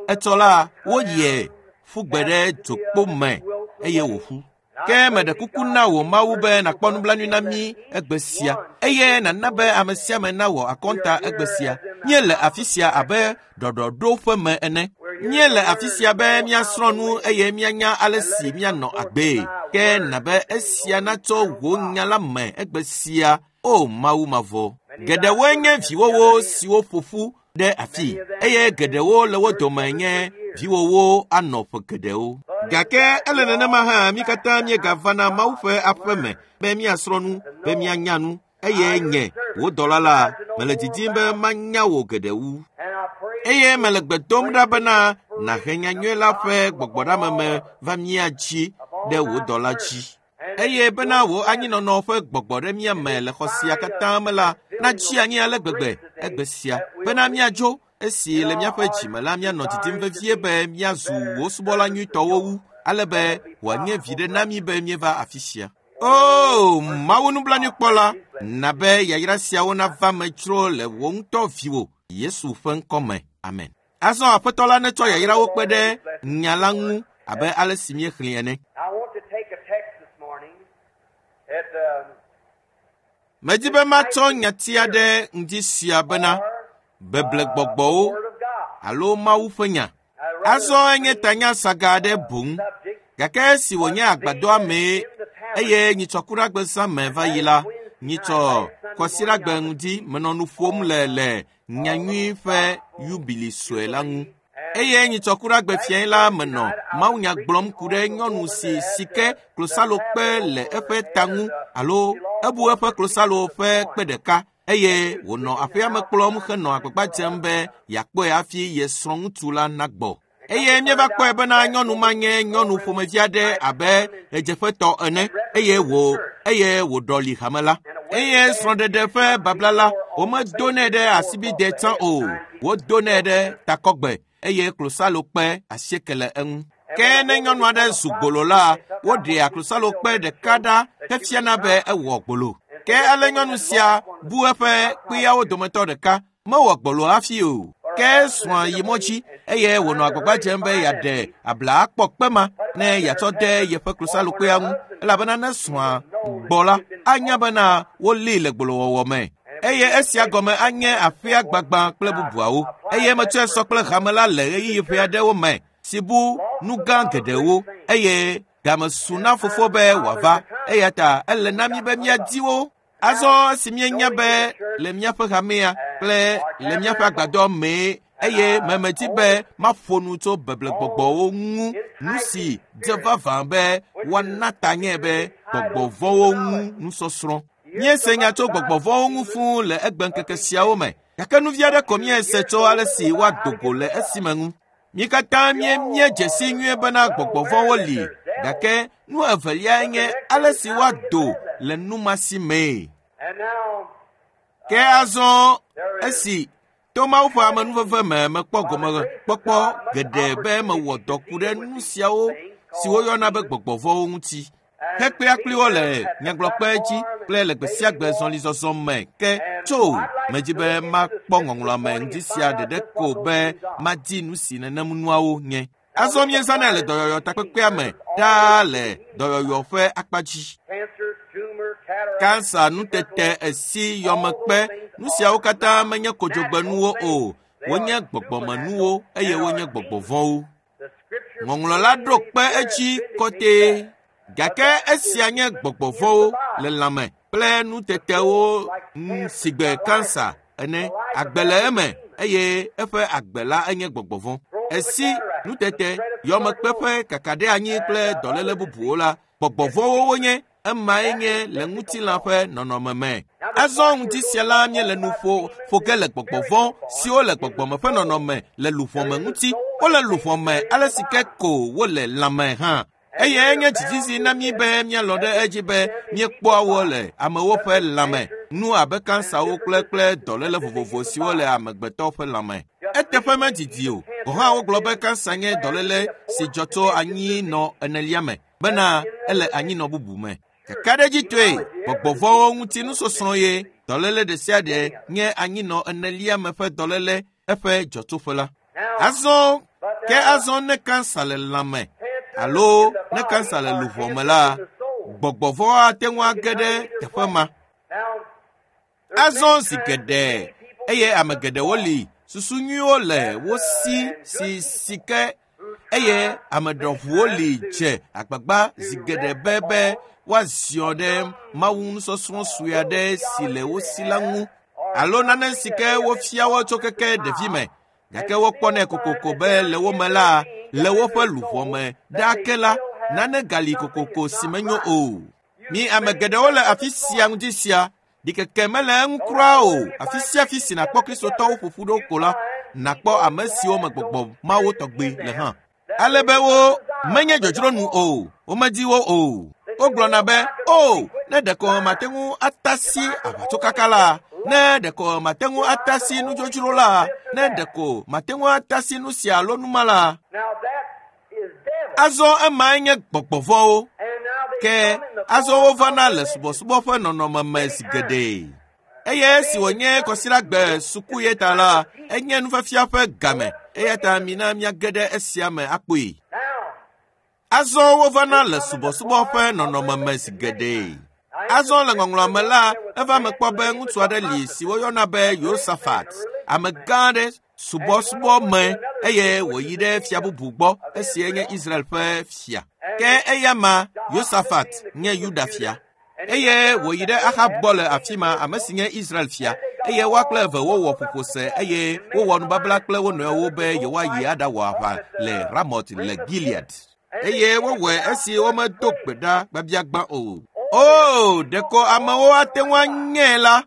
Etsɔ la woyie ƒu gbe ɖe dzokpo me eye wòƒu. Ke meɖe kuku na wò Mawu be nàkpɔ nublanui na mí egbe sia eye nàna be ame sia ame nawɔ akɔnta egbe sia. Míele afi sia abe ɖɔɖɔɖoƒe me ene. Míele afi sia be míasrɔ̃ nu eye míanya ale si míanɔ agbee. Ke na be esia natsɔ wò nya la me egbe sia, o Mawu mavɔ. Geɖewoe nye viwòwo siwo ƒo ƒu ɖe afii eye geɖewo le wo dome nye viwòwo anɔ ƒe geɖewo. Gake ele nenema hã mí katã míegavana Mawu ƒe aƒe me be míasrɔ̃ nu, be míanya nu eye nye wò dɔla la mele didim be manya wò geɖe wu. Eye mele gbe dom ɖa bena nàhe nyanyui la ƒe gbɔgbɔɖameme va mía dzi ɖe wò dɔla dzi. Eye bena wò anyinɔnɔ ƒe gbɔgbɔ ɖe mía me le xɔ sia katã me la natsi anyi ale gbegbe egbe sia bena míadzo esi le míaƒe dzime la míanɔ didim vevie be míazu wò subɔla nyuitɔwo wu ale be wòanye viɖe na mí be míeva afi sia. O Mawu nublanuikpɔla, na be yayra siawo nava me tsro le wò ŋutɔ viwò Yesu ƒe ŋkɔ me. Amen. Azɔ Aƒetɔ la netsɔ yayrawo kpe ɖe nya la ŋu abe ale si míexlẽ ene. I want to take a text this morning at um, Medi be matsɔ nyati aɖe ŋdi sia bena beblegbɔgbɔwo Word of God. alo Mawu ƒe nya. Azɔ enye tanya saga aɖe boŋ gake esi wònye agbadɔa mee eye nyitsɔkuɖagbe zã me va yi la, nyitsɔ kɔsiɖagbe ŋdi menɔ nu ƒom le le nyanyui ƒe yubili sue la ŋu. Eye nyitsɔkuɖagbe fiae la menɔ mawunya gblɔm ku ɖe nyɔnu si sike klosalokpe le eƒe ta ŋu alo ebu eƒe klosalo ƒe kpe ɖeka eye wònɔ aƒea me kplɔm henɔ agbagba dzem be yeakpɔe hafi ye srɔ̃ŋutsu la nagbɔ. Eye míeva kpɔe bena nyɔnu ma nye nyɔnu ƒomevi aɖe abe ɣedzeƒetɔ ene eye wò eye wòɖɔli hame la. Eye srɔ̃ɖeɖe ƒe babla la womedonɛ ɖe asibide tsã o, wodonɛ ɖe takɔgbe eye klosalokpe asieke le eŋu. Ke ne nyɔnu aɖe zu gbolo la, woɖea klosalokpe ɖeka ɖa hefiana be ewɔ gbolo. Ke ale nyɔnu sia bu eƒe kpeawo dometɔ ɖeka mewɔ gbolo hafi o. Ke srɔ̃a yi mɔ dzi eye wònɔ agbagba dzem be yeaɖe abla akpɔ kpe ma ne yeatsɔ de yeƒe klosalokpea ŋu elabena ne srɔ̃a gbɔ la anya bena wolée le gbolowɔwɔ me. Eye esia gɔme anye aƒea gbagbã kple bubuawo. Eye metsɔe sɔ kple hame la le ɣeyiɣi ƒe aɖewo me si bu nu gã geɖewo eye game su na fofo be wòava eya ta ele na mí be míadi wo. Azɔ esi míenya be le míaƒe hamea kple le míaƒe agbadɔ mee eye memedi be maƒo nu tso beblegbɔgbɔwo ŋu nu si dze vavã be woana ta nye be gbɔgbɔvɔ̃wo ŋu nusɔsrɔ̃. Míese nya tso gbɔgbɔvɔ̃wo ŋu fũu le egbeŋkeke siawo me gake nu vi aɖe ko míese tso ale si woado go le esime ŋu. Mí katã míedze si nyuie bena gbɔgbɔvɔ̃wo li gake nu eveliae nye ale si woado le nu ma si mee. And now, Ke azɔ esi to Mawu ƒe amenuveve me mekpɔ gɔmekpɔkpɔ geɖe be mewɔ dɔ ku ɖe nu siawo si woyɔna be gbɔgbɔvɔ̃wo ŋuti. Hekpea kpli wo le nyagblɔkpe dzi kple le gbe sia gbe zɔlizɔzɔ me ke tso medzi be makpɔ ŋɔŋlɔa me ŋdi sia ɖeɖe ko be madi nu si nenem nuawo nye. Azɔ míezãnɛ le dɔyɔyɔ takpekpea me ɖaa le dɔyɔyɔ ƒe akpa dzi. cancer, tumor, cataract, Kansa, nutete, esi, yɔmekpe, nu siawo katã menye kodzogbenuwo o. Wonye gbɔgbɔmenuwo eye wonye gbɔgbɔvɔ̃wo. the scripture Ŋɔŋlɔ la ɖo kpe edzi kɔtɛe. Gake esia nye gbɔgbɔvɔ̃wo le lãme kple nutetewo ŋu sigbe kansa ene. Agbe le eme eye eƒe agbe la enye gbɔgbɔvɔ̃. Esi, nutete, yɔmekpe ƒe kakaɖeanyi kple dɔléle bubuwo la, gbɔgbɔvɔ̃wo wonye emae nye le ŋutilã ƒe nɔnɔme me. Azɔ ŋdi sia la míele nu ƒo ƒo ge le gbɔgbɔvɔ̃ siwo le gbɔgbɔme ƒe nɔnɔme le luʋɔ me ŋuti. Wole luʋɔ me ale si ke ko wole lãme hã. Eye enye dzizizi na mí be míalɔ̃ ɖe edzi be míekpɔa wo le amewo ƒe lãme, nu abe kansawo kple kple dɔléle vovovo siwo le amegbetɔ ƒe lãme. Eteƒe medidi o, gɔ̃ hã wogblɔ be kansa nye dɔléle si dzɔ tso anyinɔ enelia me bena ele anyinɔ bubu me. Kakaɖedzitɔe, gbɔgbɔvɔ̃wo ŋuti nusɔsrɔ̃ ye dɔléle ɖe sia ɖe nye anyinɔ enelia me ƒe dɔléle eƒe dzɔtsoƒe la. Azɔ ke azɔ ne kansa le lãme alo ne kansa le luʋɔ me la, gbɔgbɔvɔ̃ ate ŋu age ɖe teƒe ma. Now, Azɔ zi geɖe eye ame geɖewo li susu nyuiwo le wo si si si ke eye ame ɖɔʋuwo li dze agbagba zi geɖe be be woaziɔ ɖe Mawu nusɔsrɔ̃ sue aɖe si le wo si la ŋu. alo nane si ke wofia wo tso keke ɖevime gake wokpɔnɛ kokoko be le wo me la le woƒe luʋɔ me ɖaa ke la nane gali kokoko si menyo o. Mi ame geɖewo le afi sia ŋdi sia ɖikeke mele eŋu kura o. Afi sia afi si nàkpɔ kristotɔwo ƒoƒu ɖo ko la nàkpɔ ame siwo me gbɔgbɔ mawo tɔgbe le hã. Ale be wo menye dzodzro nu o, womedi wo o. Wogblɔna be, o, ne ɖeko mate ŋu atasi aʋatsokaka la, ne ɖeko mate ŋu atasi nudzodzro la, ne ɖeko mate ŋu atasi nu sia alo numa la. Azɔ emae nye gbɔgbɔ vɔ̃wo. Ke azɔ wovana le subɔsubɔ ƒe nɔnɔme me zi geɖe. Eye esi wònye kɔsiɖagbe suku ye ta la, enye nufiafia ƒe game. Eya ta mina míage ɖe esia me akpɔe. Azɔ wovana le subɔsubɔ ƒe nɔnɔme me zi geɖe. Azɔ le ŋɔŋlɔa me la, eva me kpɔ be ŋutsu aɖe li si woyɔna be Yosafat, ame gã aɖe subɔsubɔ me eye wòyi ɖe fia bubu gbɔ esi nye Israel ƒe fia. Ke eya ma Yosafat nye Yuda fia. Eye wòyi ɖe Ahab gbɔ le afi ma, ame si nye Israel fia. Eye woa kple eve wowɔ ƒoƒose eye wowɔ nubabla kple wo nɔewo be yewoayi aɖawɔ aʋa le Ramot le Gilead. Eye wowɔe esi womedo gbe ɖa gbabiagbã o. O, ɖeko amewo ate ŋu anyae la.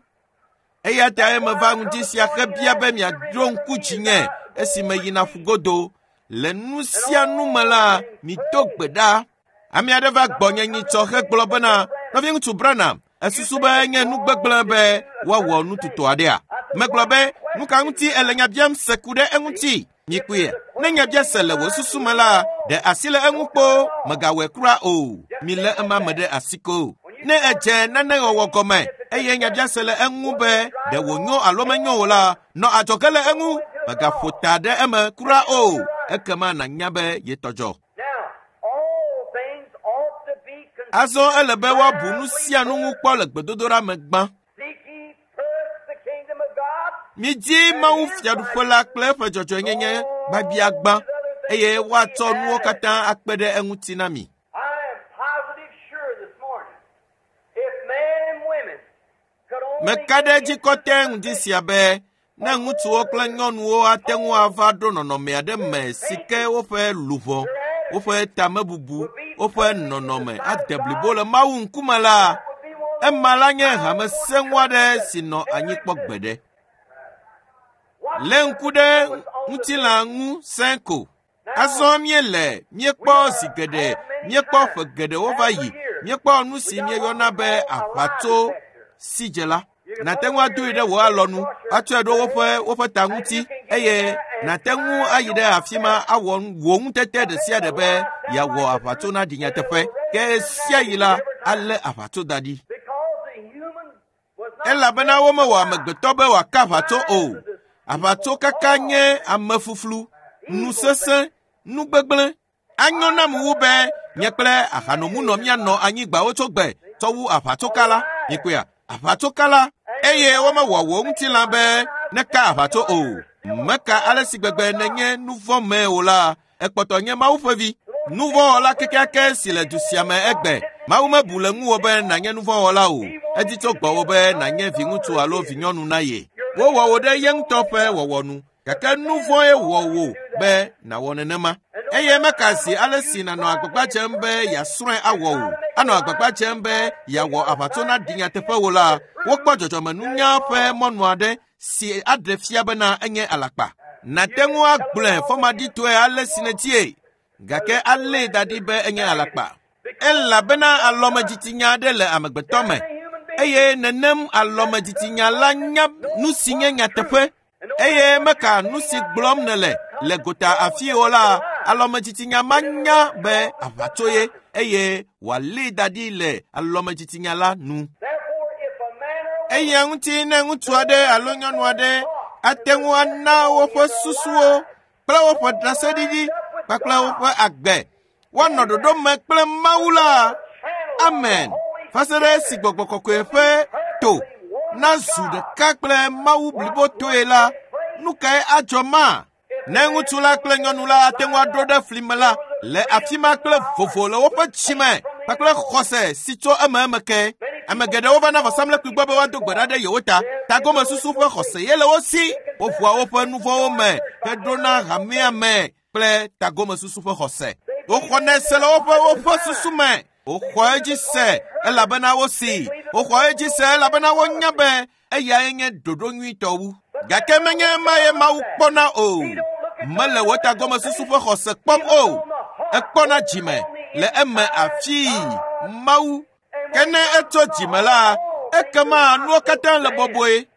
Eya ta meva ŋdi sia hebia be miaɖo ŋku dzinye esi meyina ƒugodo. Le nu sia nu me la, mito gbe ɖa. Ame aɖe va gbɔnye nyitsɔ hegblɔ bena, nɔviŋutsu Branham, esusu be enye nu gbegblẽ be woawɔ nututu aɖea? Megblɔ be, nu ka ŋuti ele nya biam se ku ɖe eŋuti? Mikpɔe, ne nya bia se le wò susu me la, ɖe asi le eŋu kpo, mègawɔe kura o. Milé ema me ɖe asi ko. Ne edze nane wɔwɔ gɔme eye nya bia se le eŋu be ɖe wònyo alo menyo o la, nɔ adzɔge le eŋu, mègaƒo ta ɖe eme kura o. Ekema nànya be yetɔ dzɔ. Azɔ ele be woabu nu sia nu ŋu kpɔ le gbedodoɖa me gbã. Midi Mawu fiaɖuƒe la kple eƒe dzɔdzɔenyenye gbabiagbã eye woatsɔ nuwo katã akpe ɖe eŋuti na mi. Meka ɖe edzi kɔtɛ ŋdi sia be ne ŋutsuwo kple nyɔnuwo ate ŋu ava ɖo nɔnɔme aɖe me si ke woƒe luʋɔ, woƒe tamebubu, woƒe nɔnɔme ade blibo le Mawu ŋkume la, ema la nye hame sẽŋu aɖe si nɔ anyi kpɔ gbeɖe. Lé ŋku ɖe ŋutilã ŋu sẽ ko. Azɔ míele, míekpɔ zi geɖe, míekpɔ ƒe geɖewo va yi, míekpɔ nu si míeyɔna be aʋatso sidzela. Nàte ŋu adoe ɖe wò alɔnu, atsɔe ɖo woƒe woƒe ta ŋuti eye nàte ŋu ayi ɖe afi ma awɔ wò ŋutete ɖe sia ɖe be yeawɔ aʋatso naɖi nyateƒe. Ke sia yi la, alé aʋatso da ɖi. Elabena womewɔ amegbetɔ be wòaka aʋatso o. Aʋatso kaka nye amefuflu, nu sesẽ, nu gbegblẽ. Anyo nam wu be nye kple ahanomunɔ míanɔ anyigbawo tso gbe tsɔ wu aʋatsokala. Mikpɔea? Aʋatsokala eye womewɔ wò ŋutilã be neka aʋatso o. Meka ale si gbegbe nenye nu vɔ̃ me o la, ekpɔtɔ nye Mawu ƒe vi. Nu vɔ̃wɔla kekeake si le du sia me egbe. Mawu mebu le ŋuwò be nànye nu vɔ̃wɔla o. Edi tso gbɔwò be nànye viŋutsu alo vinyɔnu na ye. Wowɔ wò ɖe ye ŋutɔ ƒe wɔwɔ nu. Gake nu vɔ̃e wɔ wò be nàwɔ nenema. Eye meka zi ale si nànɔ agbagba dzem be yeasrɔ̃e awɔ o, anɔ agbagba dzem be yeawɔ aʋatso naɖi nyateƒe o la, wokpɔ dzɔdzɔmenunya ƒe mɔnu aɖe si aɖe fia bena enye alakpa. Nàte ŋu agblɔe fɔmaɖitɔe ale si nèdzie, gake alée da ɖi be enye alakpa. Elabena alɔmedzitsinya aɖe le amegbetɔ me eye nenem alɔmedzitsinya la nya nu si nye nyateƒe. Eye meka nu si gblɔm nèle le gota afi o la, alɔmedzitsinya manya be aʋatso ye eye wòalée da ɖi le alɔmedzitsinya la nu. Eya ŋuti ne ŋutsu aɖe alo nyɔnu aɖe ate ŋu ana woƒe susuwo kple woƒe ɖaseɖiɖi kpakple woƒe agbe woanɔ ɖoɖo me kple Mawu la, amen. Va se ɖe esi gbɔgbɔ kɔkɔe ƒe to nazu ɖeka kple Mawu blibotoe la, nu kae adzɔ ma? Ne ŋutsu la kple nyɔnu la ate ŋu aɖo ɖe fli me la, le afi ma kple vovo le woƒe dzime kpakple xɔse si tso ememe ke. Ame geɖewo va na vɔsamlekpui gbɔ be woado gbe ɖa ɖe yewo ta. Tagomesusu ƒe xɔse ye le wo si. Woƒoa woƒe nu vɔ̃wo me heɖona hamea me kple tagomesusu ƒe xɔse. Woxɔnɛ se le woƒe woƒe susu me. Woxɔ edzi se elabena wosi. Woxɔ edzi se elabena wonya be eyae nye ɖoɖo nyuitɔ wu. Gake menye ema ye Mawu kpɔna o. Mele wò tagomesusu ƒe xɔse kpɔm o. Ekpɔna dzime le eme afii Mawu. Ke ne etso dzime la, ekema nuwo katã le bɔbɔe.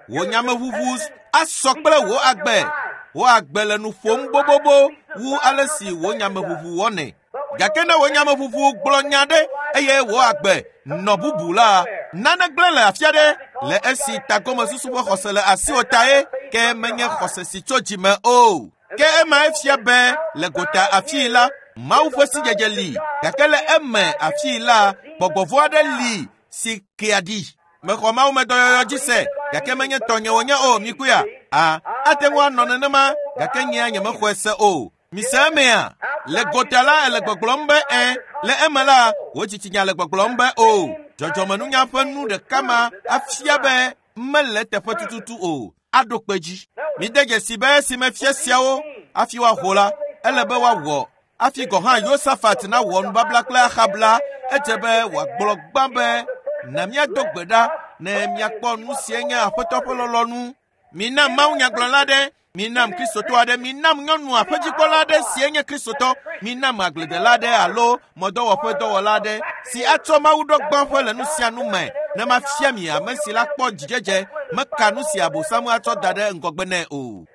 Wò nyameʋuʋu asɔ kple wò agbe. Wò agbe le nu ƒom bobobo wu ale si wò nyameʋuʋu wɔnɛ. Gake ne wò nyameʋuʋu gblɔ nya ɖe eye wò agbe nɔ bubu la, nane gblẽ le afi aɖe le esi tagomesusu ƒe xɔse le asiwò ta ye, ke menye xɔse si tso dzime o. Ke ema efia be le gota afii la, Mawu ƒe sidzedze li, gake le eme afii la, gbɔgbɔ vɔ̃ aɖe li si kea ɖi. Mexɔ Mawu me dɔyɔyɔ dzi se, gake menye tɔnye wònye o, mikuya. A, ate ŋu anɔ nenema, gake nyea nyemexɔe se o. Mise emea? Le gota la ele gbɔgblɔm be ẽ, le eme la, wò dzitsinya le gbɔgblɔm be o. Dzɔdzɔmenunya ƒe nu ɖeka ma afia be mele teƒe tututu o. Aɖo kpe dzi. Mide dzesi be esime fia siawo hafi woaho la, ele be woawɔ. Hafi gɔ̃ hã Yosafat nawɔ nubabla kple Ahab la, edze be wòagblɔ gbã be na míado gbe ɖa ne míakpɔ nu sie nye Aƒetɔ ƒe lɔlɔ̃nu. Minam mawunyagblɔla aɖe, minam Kristotɔ aɖe, minam nyɔnu aƒedzikpɔla aɖe sie nye Kristotɔ, minam agbledela aɖe alo mɔdɔwɔƒe dɔwɔla aɖe si atsɔ Mawu ɖo gbãƒe le nu sia nu me ne mafia mi ame si la kpɔ dzidzedze meka nu si Abosam atsɔ da ɖe ŋgɔgbe nɛ o.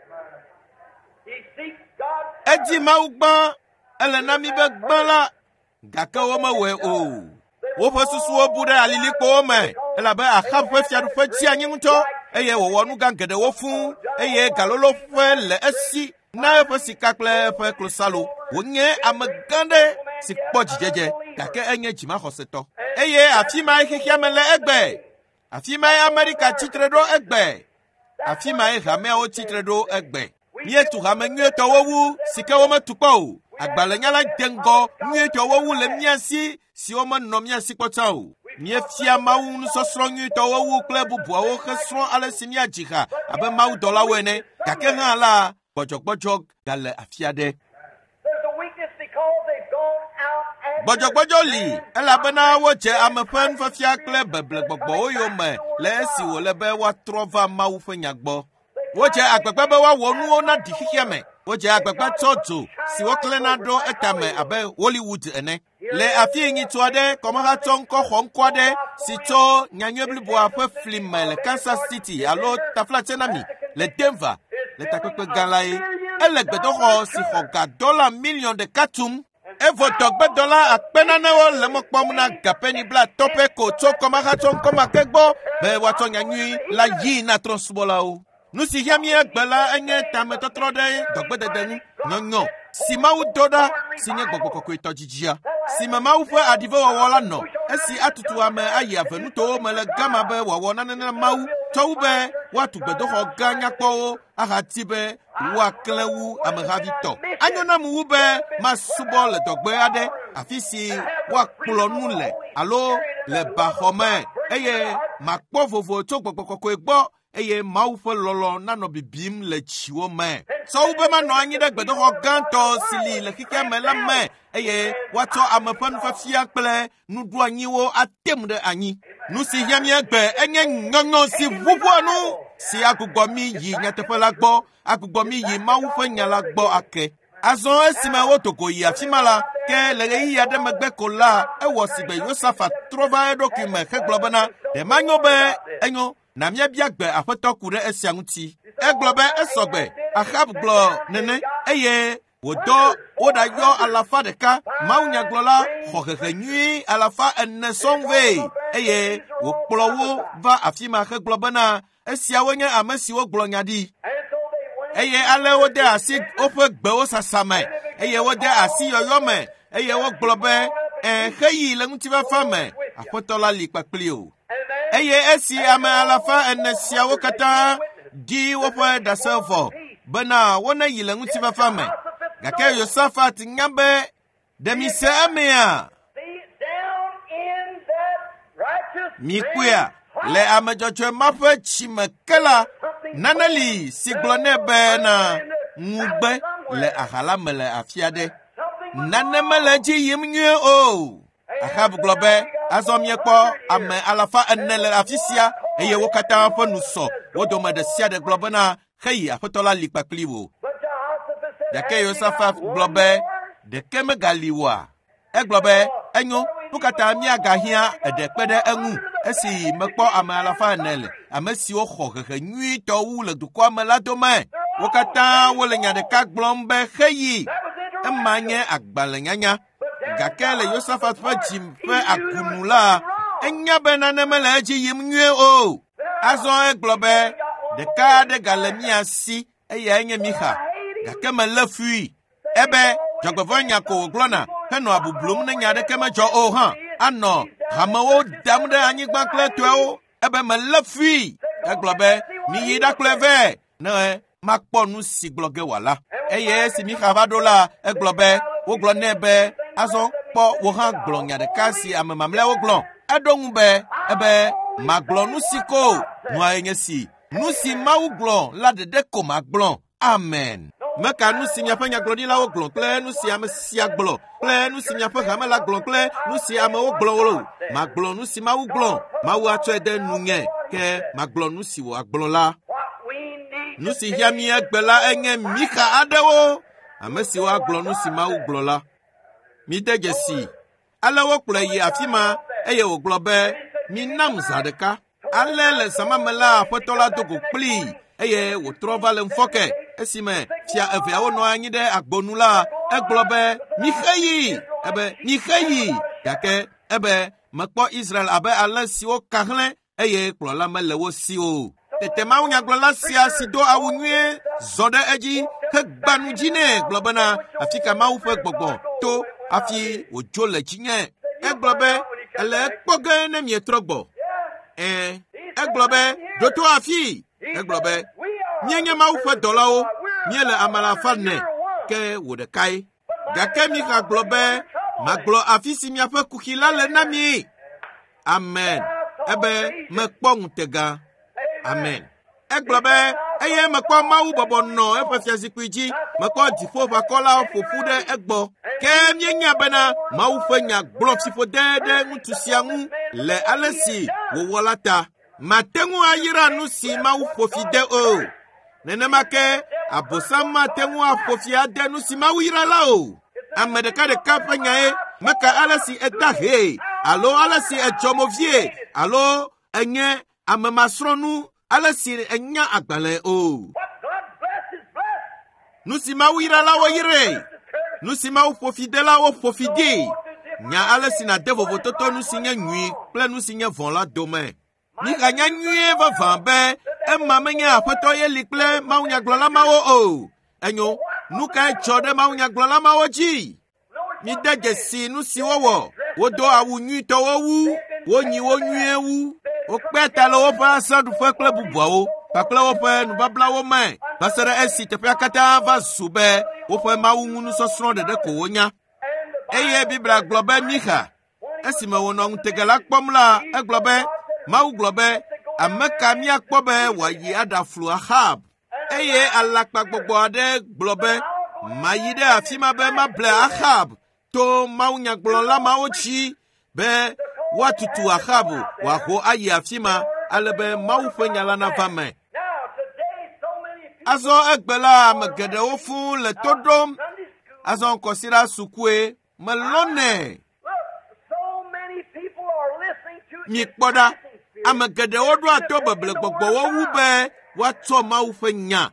Edi Mawu gbã, ele na mi be gbã la, gake womewɔe o. Woƒe susuwo bu ɖe alilikpowo me elabe Ahab ƒe fiaɖuƒe tsi anyi ŋutɔ eye wòwɔ nu gã geɖewo fũu eye galoloƒe le esi na eƒe sika kple eƒe klosalo. Wònye ame gã ɖe si kpɔ dzidzedze gake enye dzimaxɔsetɔ. Eye afi mae xexea me le egbe. Afi mae Amerika tsitre ɖo egbe. Afi mae hameawo tsitre ɖo egbe. Míetu hame nyuietɔwo wu si ke wometu kpɔ o. Agbalẽnyala de ŋgɔ nyuietɔwo wu le mía si siwo menɔ mía si kpɔ tsã o. Míefia Mawu nusɔsrɔ̃ nyuitɔwo wu kple bubuawo hesrɔ̃ ale si míadzi ha abe mawudɔlawo ene. Gake hã la, gbɔdzɔgbɔdzɔ gale afi aɖe. There's a weakness because they've gone out and Gbɔdzɔgbɔdzɔ li elabena wodze ame ƒe nufiafia kple beblegbɔgbɔwo yome le esi wòle be woatrɔ va Mawu ƒe nya gbɔ. Wodze agbagba be woawɔ nuwo na ɖi xexea me. Wodze agbagba tsɔ dzo si woklẽna ɖo etame abe Hollywood ene. Le afi nyitsu aɖe, kɔmehatsɔ ŋkɔ xɔ ŋkɔ aɖe si tso nyanyui bliboa ƒe fli me le Kansas City alo Taflatsenami le Denver le takpekpe gã la ye. Ele gbedoxɔ si xɔ ga dɔla miliɔn ɖeka tum. Evɔ dɔgbedɔla akpe nanewo le mɔ kpɔm na gapeni blatɔ̃ pɛ ko tso kɔmehatsɔ ŋkɔ ma ke gbɔ be woatsɔ nyanyui la yii na trɔ̃subɔlawo. Nu si hiã mí egbe la enye tametɔtrɔ ɖe dɔgbedede ŋu, nyɔnyɔ si Mawu do ɖa si nye gbɔgbɔ kɔkɔetɔ dzidzia, si me Mawu ƒe aɖivewɔwɔ la nɔ, esi atutu ame ayi avenutowo me le gama be wòawɔ nane na Mawu tsɔ wu be woatu gbedoxɔ gã nyakpɔwo ahati be woaklẽ wu amehavi tɔ. Anyo nam wu be masubɔ le dɔgbe aɖe afi si woakplɔ nu le alo le baxɔ me eye makpɔ vovo tso gbɔgbɔ kɔkɔe gbɔ eye Mawu ƒe lɔlɔ̃ nanɔ bibim le dziwo me. Tsɔ wu be manɔ anyi ɖe gbedoxɔ gãtɔ si li le xexea me la me eye woatsɔ ame ƒe nufiafia kple nuɖoanyiwo atem ɖe anyi. Nu si hiã mí egbe enye nyɔnyɔ si ʋuʋua nu si agbugbɔ mí yi nyateƒe la gbɔ, agbugbɔ mí yi Mawu ƒe nya la gbɔ ake. Azɔ esime wodo go yi afi ma la, ke le ɣeyiɣi aɖe megbe ko la, ewɔ sigbe Yosafat trɔ va eɖokui me hegblɔ bena, ɖe manyo be enyo na míabia gbe Aƒetɔ ku ɖe esia ŋuti. Egblɔ be esɔgbe. Ahab gblɔ nene eye wòdɔ woɖayɔ alafa ɖeka mawunyagblɔla xɔ hehe nyui alafa ene sɔŋ vɛ eye wòkplɔ wo va afi ma hegblɔ bena esiawo nye ame siwo gblɔ nya ɖi. And so they went Eye ale wode asi woƒe gbewo sasa me eye wode asi yɔyɔ me eye wogblɔ be ẽ xeyi le ŋutifafa me Aƒetɔ la li kpakpli o. and then Eye esi ame alafa ene siawo katã di woƒe ɖase vɔ bena woneyi le ŋutifafa me. Gake Yosafat nya be ɖe mi se emea see down in that righteous Mikpɔea, le ame dzɔdzɔe ma ƒe tsime ke la, nane li si gblɔ nɛ bena ŋugbe le aha la me le afi aɖe. Nane mele edzi yim nyuie o. Ahab gblɔ be, azɔ miekpɔ ame alafa ene le afi sia eye wo katã ƒe nu sɔ. Wo dome ɖe sia ɖe gblɔ bena, heyi aƒetɔ la li kpakpli wò. Gake Yosafat gblɔ be, ɖeke megali oa? Egblɔ be, enyo, nu katã míagahiã eɖe kpe ɖe eŋu esi mekpɔ ame alafa ene le ame siwo xɔ hehe nyuitɔ wu le dukɔa me la dome. Wo katã wole nya ɖeka gblɔm be heyi. Ema nye agbalẽnyanya. Gake le Yosafat ƒe dzi ƒe agunu la, enya be nane mele edzi yim nyuie o. Azɔ egblɔ be, ɖeka aɖe gale mía si, eyae nye Mixa. Gake melé fui. Ebe dzɔgbevɔ̃enya ko wògblɔna henɔ abublum ne nya aɖeke medzɔ o hã. Anɔ hamewo dam ɖe anyigba kple tɔewo. Ebe melé fui. Egblɔ be, miyi ɖakplɔe vɛ ne makpɔ nu si gblɔ ge wòala. Eye esi Mixa va ɖo la, egblɔ be, wogblɔ nɛ be, azɔ kpɔ wò hã gblɔ nya ɖeka si ame mamlɛawo gblɔ. Eɖo ŋu be, ebe magblɔ nu si ko nuae nye si. Nu si Mawu gblɔ la ɖeɖe ko magblɔ. Amen. Meka nu si miaƒe nyagblɔɖilawo gblɔ kple nu si ame sia gblɔ kple nu si miaƒe hame la gblɔ kple nu si amewo gblɔ o. Magblɔ nu si Mawu gblɔ. Mawu atsɔe de nunye ke magblɔ nu si wòagblɔ la. Nu si hiã mí egbe la enye Mixa aɖewo, ame siwo agblɔ nu si Mawu gblɔ la. Mide dzesi. Ale wokplɔe yi afi ma eye wògblɔ be, minam zã ɖeka. Ale le zã ma me la, aƒetɔ la do go kplii eye wòtrɔ va le ŋufɔke. Esime fia eveawo nɔ anyi ɖe agbonu la, egblɔ be, mixe yi. Ebe, mixe yi. Gake ebe, mekpɔ Israel abe ale siwo ka hlẽ eye kplɔla mele wo si o. Tete mawunyagblɔla sia si do awu nyuie zɔ ɖe edzi hegba nu dzi nɛ gblɔ bena, afi ka Mawu ƒe gbɔgbɔ to hafi wòdzo le dzinye. Egblɔ be, ele ekpɔ ge ne mietrɔ gbɔ. Ɛ̃, egblɔ be, ɖo to afii. Egblɔ be, míenye Mawu ƒe dɔlawo, míele ame alafa ene, ke wò ɖekae. Gake Mixa gblɔ be, magblɔ afi si miaƒe kuxi la le na mi. Amen. Ebe mekpɔ ŋutega. Amen. Egblɔ be, eye mekpɔ Mawu bɔbɔ nɔ eƒe fiazikpui dzi, mekpɔ dziƒoʋakɔlawo ƒo ƒu ɖe egbɔ. Ke míenya bena Mawu ƒe nya gblɔ fiƒode ɖe ŋutsu sia ŋu le ale si wòwɔ la ta. Mate ŋu ayra nu si Mawu ƒo fi de o. Nenema ke Abosam mate ŋu aƒo fi ade nu si Mawu yra la o. Ame ɖekaɖeka ƒe nyae meka ale si eda hee alo ale si edzɔ mo vie alo enye ame masrɔ̃nu ale si enya agbalẽ o. Nu si Mawu yra la woyrae. Nu si Mawu ƒo fi de la woƒo fi dee. Nya ale si nàde vovototo nu si nye nyui kple nu si nye vɔ̃ la dome. Miganya nyuie vavã be ema menye aƒetɔ ye li kple mawunyagblɔla mawo o. Enyo, nu kae dzɔ ɖe mawunyagblɔla mawo dzi? Mide dzesi nu si wowɔ. Wodo awu nyuitɔwo wu, wonyi wo nyuie wu, wokpe ta le woƒe azãɖuƒe kple bubuawo kpakple woƒe nubablawo me va se ɖe esi teƒea katã va zu be woƒe Mawu ŋu nusɔsrɔ̃ ɖeɖe ko wonya. Eye Biblia gblɔ be Mixa, esime wònɔ ŋutega la kpɔm la, egblɔ be, Mawu gblɔ be, ame ka míakpɔ be wòayi aɖaflu Ahab? Eye alakpagbɔgbɔ aɖe gblɔ be, mayi ɖe afi ma be mable Ahab to mawunyagblɔla mawo dzi be woatutu Ahab wòaho ayi afi ma ale be Mawu ƒe nya la nava me. Azɔ egbe la, ame geɖewo fũu le to ɖom. Azɔ kɔsiɖa sukue melɔnɛ. Mikpɔ ɖa, ame geɖewo ɖoa to beble gbɔgbɔwo wu be woatsɔ Mawu ƒe nya.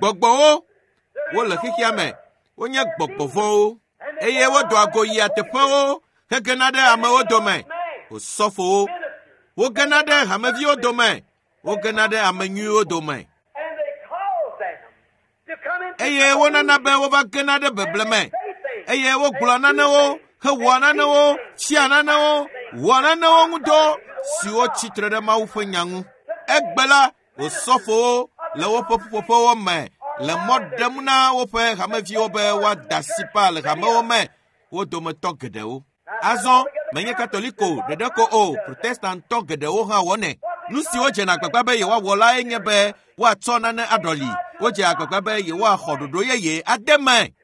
Gbɔgbɔwo wole xexea me, wonye gbɔgbɔ vɔ̃wo eye wodoa go yia teƒewo hegena ɖe amewo dome. Osɔfowo, wogena ɖe hameviwo dome, wogena ɖe ame nyuiwo dome. Eye wonana be wova gena ɖe beble me. Eye wogblɔa nanewo, hewɔa nanewo, fia nanewo, wɔa nanewo ŋudɔ siwo tsitre ɖe Mawu ƒe nya ŋu. Egbe la, osɔfowo le woƒe ƒuƒoƒewo me le mɔ ɖem na woƒe hameviwo be woada asi pa le hamewo me, wo dometɔ geɖewo. Azɔ, Menye Katoliko ɖeɖe ko o, Protestantɔ geɖewo hã wɔnɛ. Nu si wodzena agbagba be yewoawɔ lae nye be woatsɔ nane aɖɔli. Wodze agbagba be yewoaxɔ ɖoɖo yeye ade me.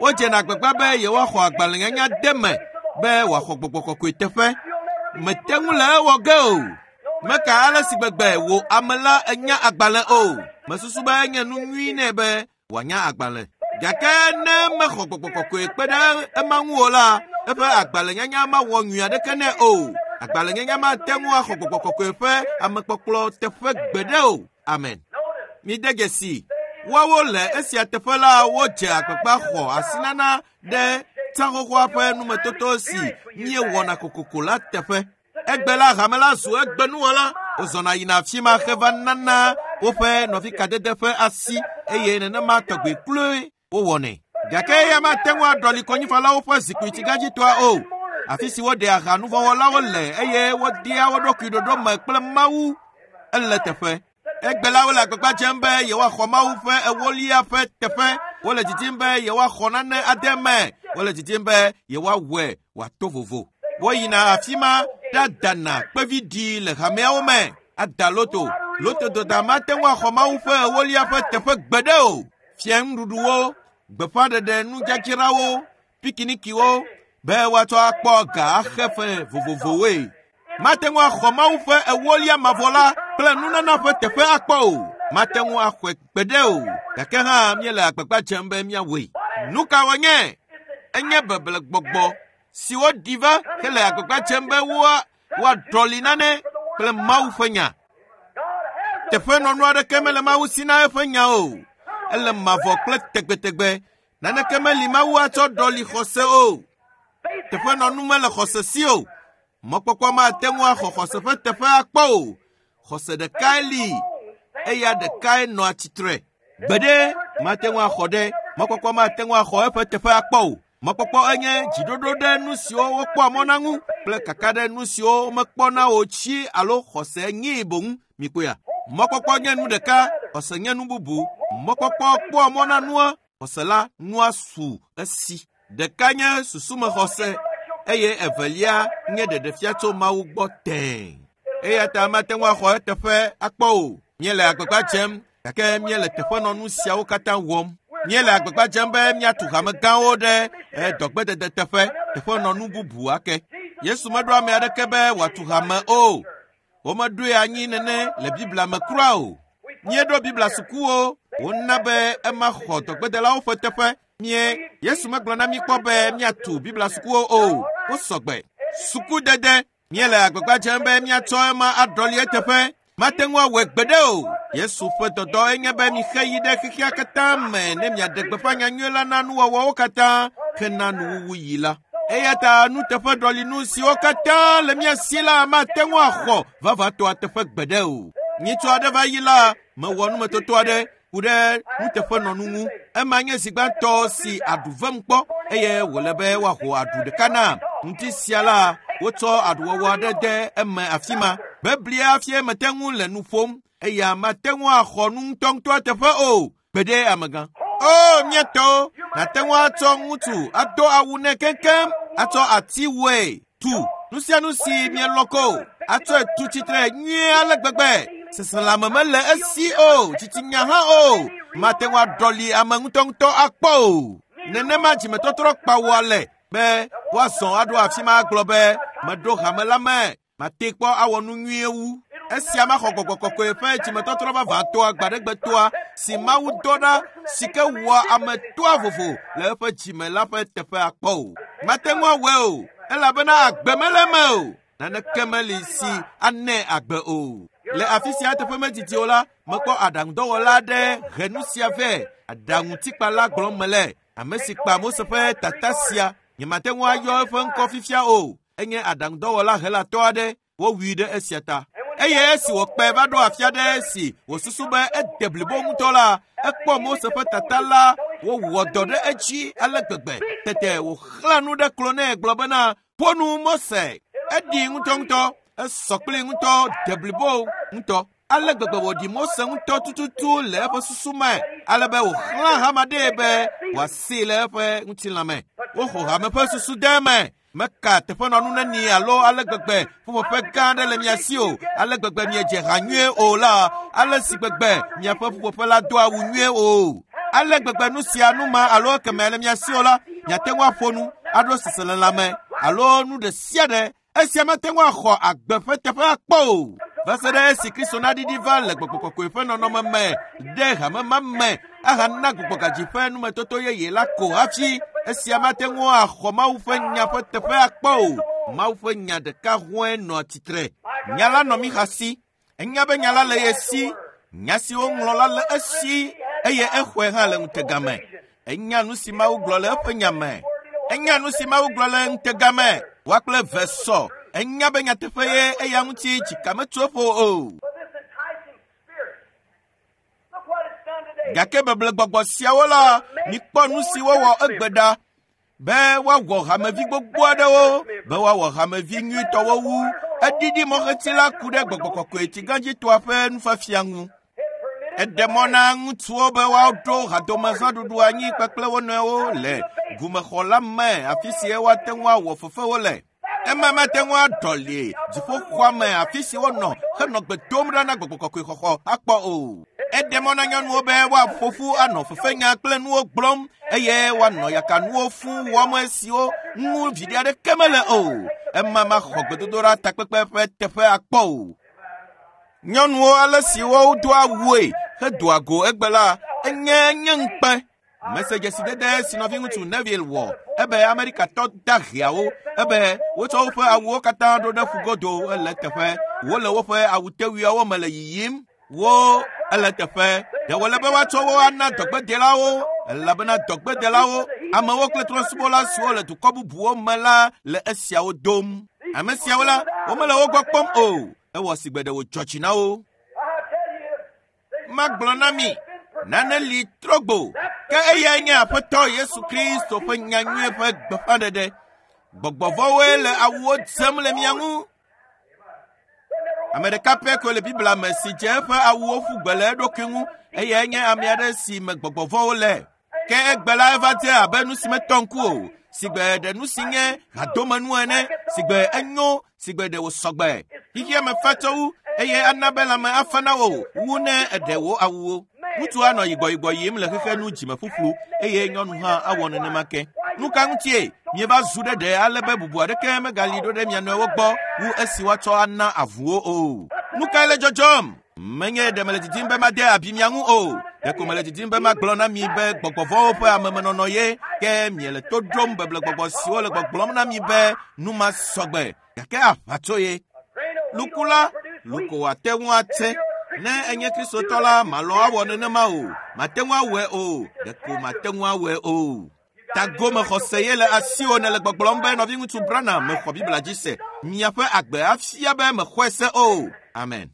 Wodzena agbagba be yewoaxɔ agbalẽnyanya de me be wòaxɔ gbɔgbɔ kɔkɔe teƒe. Mete ŋu le ewɔ ge o. Meka ale si gbegbe wò ame la enya agbalẽ o. Mesusu be enye nu nyui nɛ be wòanya agbalẽ. Gake ne mexɔ gbɔgbɔ kɔkɔe kpe ɖe ema ŋu o la, eƒe agbalẽnyanya mawɔ nyui aɖeke nɛ o. Agbalẽnyanya mate ŋu axɔ gbɔgbɔ kɔkɔe ƒe amekpɔkplɔ teƒe gbeɖe o. Amen. Mide dzesi, woawo le esia teƒe la wodze agbagba xɔ asinana ɖe tsaxoxoa ƒe numetoto si míewɔna kokoko la teƒe. Egbe la hame la zu egbenuwɔla. Wozɔna yina afi ma heva nana woƒe nɔvikadede ƒe asi eye nenema tɔgbe kloe wowɔnɛ. Gake eya mate ŋu aɖɔli kɔnyifalawo ƒe zikpui tsigadzitɔa o. Afi si woɖea ha nuvɔ̃wɔlawo le eye wodea wo ɖokui ɖoɖo me kple Mawu ele teƒe. Egbe la wole agbagba dzem be yewoaxɔ Mawu ƒe ewolia ƒe teƒe. Wole didim be yewoaxɔ nane ade me. Wole didim be yewoawɔe wòato vovo. Woyina afi ma ɖadana kpeviɖi le hameawo me. Ada loto. Loto doda mate ŋu axɔ Mawu ƒe ewolia ƒe teƒe gbeɖe o. Fia nuɖuɖuwo, gbeƒãɖeɖe nudzadzrawo, pikinikiwo be woatsɔ akpɔ ga axe fe vovovowoe. Mate ŋu axɔ Mawu ƒe ewolia mavɔ la kple nunana ƒe teƒe akpɔ o. Mate ŋu axɔe gbeɖe o. Gake hã míele agbagba dzem be míawɔe. Nu ka wònye? Enye beble gbɔgbɔ si woɖi va hele agbagba dzem be woa woaɖɔli nane kple Mawu ƒe nya. Teƒenɔnu aɖeke mele Mawu si na eƒe nya o. Ele mavɔ kple tegbetegbe. Naneke meli Mawu atsɔ ɖɔli xɔse o. Teƒenɔnu mele xɔse si o. Mɔkpɔkpɔ mate ŋu axɔ xɔse ƒe teƒe akpɔ o. Xɔse ɖekae li, eya ɖekae nɔa tsitre. Gbeɖe mate ŋu axɔ ɖe mɔkpɔkpɔ mate ŋu axɔ eƒe teƒe akpɔ o. Mɔkpɔkpɔ enye dziɖoɖo ɖe nu siwo wokpɔa mɔ na ŋu kple kaka ɖe nu siwo womekpɔna o tsi alo xɔse nyii boŋ. Mikpɔea? Mɔkpɔkpɔ nye nu ɖeka, xɔse nye nu bubu. Mɔkpɔkpɔ kpɔa mɔ na nua, xɔse la nua su esi. Ɖeka nye susumexɔse eye evelia nye ɖeɖefia tso Mawu gbɔ tẽe. Eya ta mate ŋu axɔ eteƒe akpɔ o. Míele agbagba dzem gake míele teƒenɔnu siawo katã wɔm. Míele agbagba dzem be míatu hame gãwo ɖe dɔgbedede teƒe, teƒenɔnu bubu ake. Yesu meɖo ame aɖeke be wòatu hame o. Womeɖoe anyi nene le Biblia me kura o. Míeɖo Biblia sukuwo, wona be ema xɔ dɔgbedelawo ƒe teƒe. Mie Yesu megblɔ na mí kpɔ be míatu Biblia sukuwo o. Wosɔgbe. Sukudede, míele agbagba dzem be míatsɔ ema aɖɔli eteƒe. Mate ŋu awɔe gbeɖe o. Yesu ƒe dɔdɔ enye be mixe yi ɖe xexea katã me ne miaɖe gbeƒã nyanyui la na nuwɔwɔwo katã hena nuwuwu yi la. Eya ta nuteƒeɖɔlinu siwo katã le mía si la mate ŋu axɔ vavãtɔa teƒe gbeɖe o. Nyitsu aɖe va yi la, mewɔ numetoto aɖe ku ɖe nuteƒenɔnu ŋu. Ema nye zi gbãtɔ si aɖu vem kpɔ eye wòle be woaho aɖu ɖeka nam. Ŋuti sia la, wotsɔ aɖuwɔwɔ aɖe de eme afi ma. Beblia fie mete ŋu le nu ƒom eya mate ŋu axɔ nu ŋutɔŋutɔa teƒe o. Gbeɖe amegã. O míatɔwo, nàte ŋu atsɔ ŋutsu ado awu nɛ keŋkeŋ, atsɔ ati wɔe tu nu sia nu si mielɔ̃ ko, atsɔe tu tsitre nyuie ale gbegbe. Seselãme mele esi o, dzitsinya hã o. Mate ŋu aɖɔli ame ŋutɔŋutɔ akpɔ o. Nenema dzimetɔtrɔ kpawɔa le be woazɔ aɖo afi ma agblɔ be meɖo hame la me, mate kpɔ awɔ nu nyuie wu. Esia maxɔ gbɔgbɔ kɔkɔe ƒe dzimetɔtrɔ vavãtɔa gbaɖegbetɔa si Mawu dɔ ɖa si ke wɔa ame toa vovo le eƒe dzime la ƒe teƒe akpɔ o. Mate ŋu awɔe o, elabena agbe mele eme o. Naneke meli si anɛ agbe o. Le afi sia teƒe medidi o la, mekpɔ aɖaŋudɔwɔla aɖe he nu sia vɛ. Aɖaŋutikpala gblɔm mele. Ame si kpa Mose ƒe tata sia, nyemate ŋu ayɔ eƒe ŋkɔ fifia o. Enye aɖaŋudɔwɔla Helatɔ aɖe. Wowui ɖe esia ta. Eye esi wòkpe va ɖo afi aɖe si wòsusu be ede blibo ŋutɔ la, ekpɔ Mose ƒe tata la wowɔ dɔ ɖe edzi ale gbegbe. Tete wòxlã nu ɖe klo nɛ gblɔ bena, ƒo nu Mose. Eɖi ŋutɔŋutɔ, esɔ kpli ŋutɔ, de blibo ŋutɔ. Ale gbegbe wòɖi Mose ŋutɔ tututu le eƒe susu me, ale be wòxlã hama ɖee be wòasee le eƒe ŋutilã me. Woxɔ hame ƒe susu de eme. Meka teƒenɔnu neni alo ale gbegbe ƒuƒoƒe gã aɖe le mia si o, ale gbegbe miedze ha nyuie o la, ale si gbegbe miaƒe ƒuƒoƒe la do awu nyuie o. Ale gbegbe nu sia nu ma alo ekeme le mia si o la, miate ŋu aƒo nu, aɖo seselelãme alo nu ɖe sia ɖe. Esia mate ŋu axɔ agbe ƒe teƒe akpɔ o. Va se ɖe esi Kristo naɖiɖi va le gbɔgbɔ kɔkɔe ƒe nɔnɔme me ɖe hame ma me ahana gbɔgbɔgadzi ƒe numetoto yeye la ko hafi esia mate ŋu axɔ Mawu ƒe nya ƒe teƒe akpɔ o. Mawu ƒe nya ɖeka hɔe nɔa tsitre. Nya la nɔ Mixa si. Enya be nya la le ye si. Nya si woŋlɔ la le esi eye exɔe hã le ŋutega me. Enya nu si Mawu gblɔ le eƒe nya me. Enya nu si Mawu gblɔ le ŋutega me. Woa kple eve sɔ. Enya be nyateƒe ye eya ŋuti dzika metso eƒo o. But this enticing spirit, look what it's done today. Gake beblegbɔgbɔ siawo la, mikpɔ nu si wowɔ egbe ɖa be woawɔ hamevi gbogbo aɖewo, be woawɔ hamevi nyuitɔwo wu. Eɖiɖi mɔxeti la ku ɖe gbɔgbɔ kɔkɔe tsigãdzitɔa ƒe nufiafia ŋu. It permitted Eɖe mɔ na ŋutsuwo be woaɖo hadomezãɖuɖu anyi kpakple wo nɔewo le gumexɔ la me afi si woate ŋu awɔ fefewo le. Ema mate ŋu aɖɔli dziƒoxɔa me afi si wonɔ henɔ gbe dom ɖa na gbɔgbɔ kɔkɔe xɔxɔ akpɔ o. Eɖe mɔ na nyɔnuwo be woaƒo ƒu anɔ fefenya kple nuwo gblɔm eye woanɔ yakanuwo fũ wɔm esiwo ŋu viɖe aɖeke mele o. Ema maxɔ gbedodoɖa takpekpe ƒe teƒe akpɔ o. Nyɔnuwo ale si wodoa awue hedoa go egbe la, enye nye ŋukpe. Mese dzesidede si nɔviŋutsu Neville wɔ ebe Amerikatɔ daheawo ebe wotsɔ woƒe awuwo katã ɖo ɖe ƒugodo ele teƒe. Wole woƒe awutewuiawo me le yiyim. Wo ele teƒe. Ɖe wòle be woatsɔ wo ana dɔgbedelawo elabena dɔgbedelawo, amewo kple trɔ̃subɔla siwo le dukɔ bubuwo me la le esiawo dom. Ame siawo la, womele wo gbɔ kpɔm o. Ewɔ sigbe ɖe wòdzɔ dzi na wo. I tell you, there's Magblɔ na mi, nane li trɔgbo, ke eyae nye Aƒetɔ Yesu Kristo ƒe nyanyui ƒe gbeƒãɖeɖe. Gbɔgbɔvɔwoe le awuwo dzem le mia ŋu. Ame ɖeka pɛ koe le Biblia me si dze eƒe awuwo ƒu gbe le eɖokui ŋu eyae nye ame aɖe si me gbɔgbɔvɔwo le. Ke egbe la eva dze abe nu si metɔ ŋku o, sigbe ɖe nu si nye hadomenu ene, sigbe enyo, sigbe ɖe wòsɔgbe. Xexea me fa tsɔ wu eye ana be lãme afa na wò wu ne eɖe wò awuwo. Ŋutsu anɔ yigbɔyigbɔ yim le xexe nu dzime ƒuƒlu eye nyɔnu hã awɔ nenema ke. Nu ka ŋutie mieva zu ɖe ɖe ale be bubu aɖeke megali ɖo ɖe mia nɔewo gbɔ wu esi woatsɔ ana avuwo o. Nu kae le dzɔdzɔm? Menye ɖe mele didim be made abi mia ŋu o. Ɖeko mele didim be magblɔ na mi be gbɔgbɔvɔwo ƒe amemenɔnɔ ye ke miele to ɖom beblegbɔgbɔ siwo le gbɔgblɔm na mi be nu ma sɔgbe gake aʋatso ye. grain of wheat Luku la, will produce luko wheat. wòate ŋu atse. Ne enye Kristotɔ la, malɔ̃ awɔ nenema o. Mate ŋu awɔe o. Ɖeko mate ŋu awɔe o. Tagomexɔse ye le asiwò nele gbɔgblɔm be nɔviŋutsu Branham mexɔ Biblia dzi se. Miaƒe agbe afia be mexɔe se o. Amen.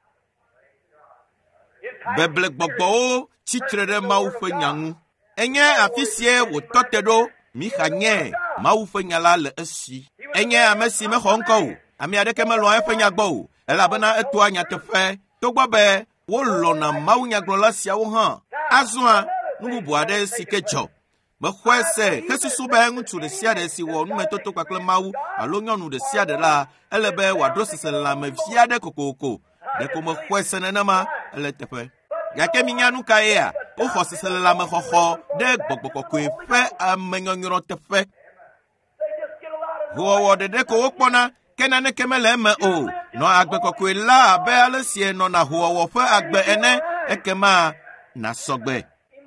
Enticing Beblegbɔgbɔwo tsitre ɖe Mawu ƒe nya ŋu. Enye afi sie wòtɔ te ɖo. Mixa nye Mawu ƒe nya la le esi. Enye ame si mexɔ ŋkɔ o. Ame aɖeke melɔ̃a eƒe nya gbɔ o elabena etoa nyateƒe. Togbɔ be wolɔ̃na mawunyagblɔla siawo hã. Azɔa, nu bubu aɖe si ke dzɔ. Mexɔe se hesusu be ŋutsu ɖe sia ɖe si wɔ numetoto kpakple Mawu alo nyɔnu ɖe sia ɖe la, ele be wòaɖo seselelãme vi aɖe kokoko. Ɖeko mexɔe se nenema ele teƒe. Gake minya nu ka yea? Woxɔ seselelãme xɔxɔ ɖe gbɔgbɔ kɔkɔe ƒe amenyɔnyrɔ teƒe. They just get a lot of Hoowɔwɔ ɖeɖe ko wokpɔna ke naneke mele eme o. Nɔ agbe kɔkɔe la abe ale si nɔna hoowɔwɔ ƒe agbe ene ekema nasɔgbe.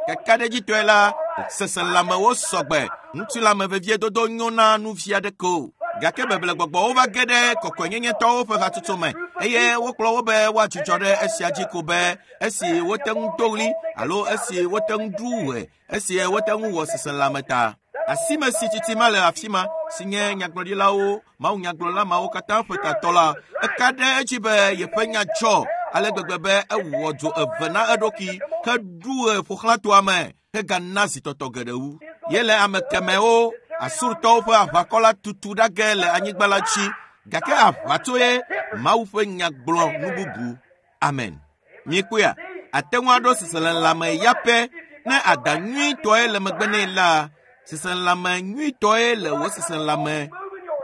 Kakaɖedzitɔe la, seselãmewo sɔgbe. Ŋutilãme veviedodo nyo na nu vi aɖeke o. Gake beblegbɔgbɔwo va ge ɖe kɔkɔenyenyetɔwo ƒe hatsotso me eye wokplɔ wo be woadzudzɔ ɖe esia dzi ko be esi wote ŋu do ɣli alo esi wote ŋu ɖu ɣe, esi wote ŋu wɔ seselãme ta. Asime si tsitsi ma le afi ma si nye nyagblɔɖilawo, mawunyagblɔla mawo katã ƒe tatɔ la, eka ɖe edzi be yeƒe nya dzɔ ale gbegbe be ewɔ dzo eve na eɖokui heɖu ɣe ƒoxlãtoa me hegana zitɔtɔ geɖe wu. Ye le ame kemɛwo, Asurtɔwo ƒe aʋakɔ la tutu ɖa ge le anyigba la dzi gake aʋatso ye Mawu ƒe nya gblɔ nu bubu. Amen. Miekpɔea, ate ŋu aɖo seselelãme ya pɛ ne ada nyuitɔe le megbe nɛ la, seselelãme nyuitɔe le wò seselelãme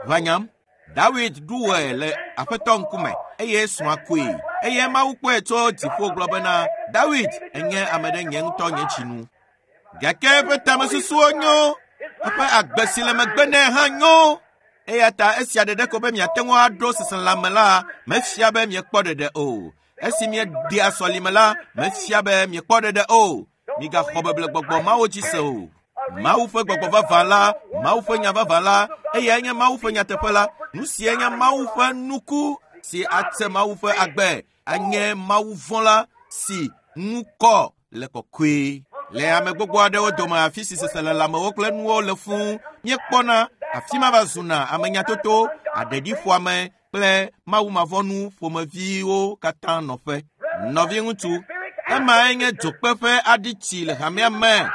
Ʋanyam. Dawid ɖu wɔe le aƒetɔ ŋkume eye srɔ̃a koe. Eye Mawu kpɔe tso dziƒo gblɔ bena, Dawid enye ame ɖe nye ŋutɔ nye dzinu. Gake eƒe tamesusuwo nyo, eƒe agbe si le megbe nɛ hã nyo. Eya ta esia ɖeɖe ko be miate ŋu aɖo seselãme la mefia be miekpɔ ɖeɖe o. Esi miedea sɔlime la mefia be miekpɔ ɖeɖe o. Migaxɔ beble gbɔgbɔ mawo dzi se o. Mawu ƒe gbɔgbɔ vavã la, Mawu ƒe nya vavã la, eyae nye Mawu ƒe nyateƒe la. Nu sia nye Mawu ƒe nuku si ate Mawu ƒe agbe, anye Mawu vɔ̃ si ŋu kɔ le kɔkɔe. Le ame gbogbo aɖewo dome afi si seselelãmewo kple nuwo le fũu míekpɔna afi ma va zuna ame nyatoto, aɖeɖiƒoame kple mawumavɔnu ƒomeviwo katã nɔƒe. Nɔviŋutsu, emae nye dzokpe ƒe aɖitsi le hamea me.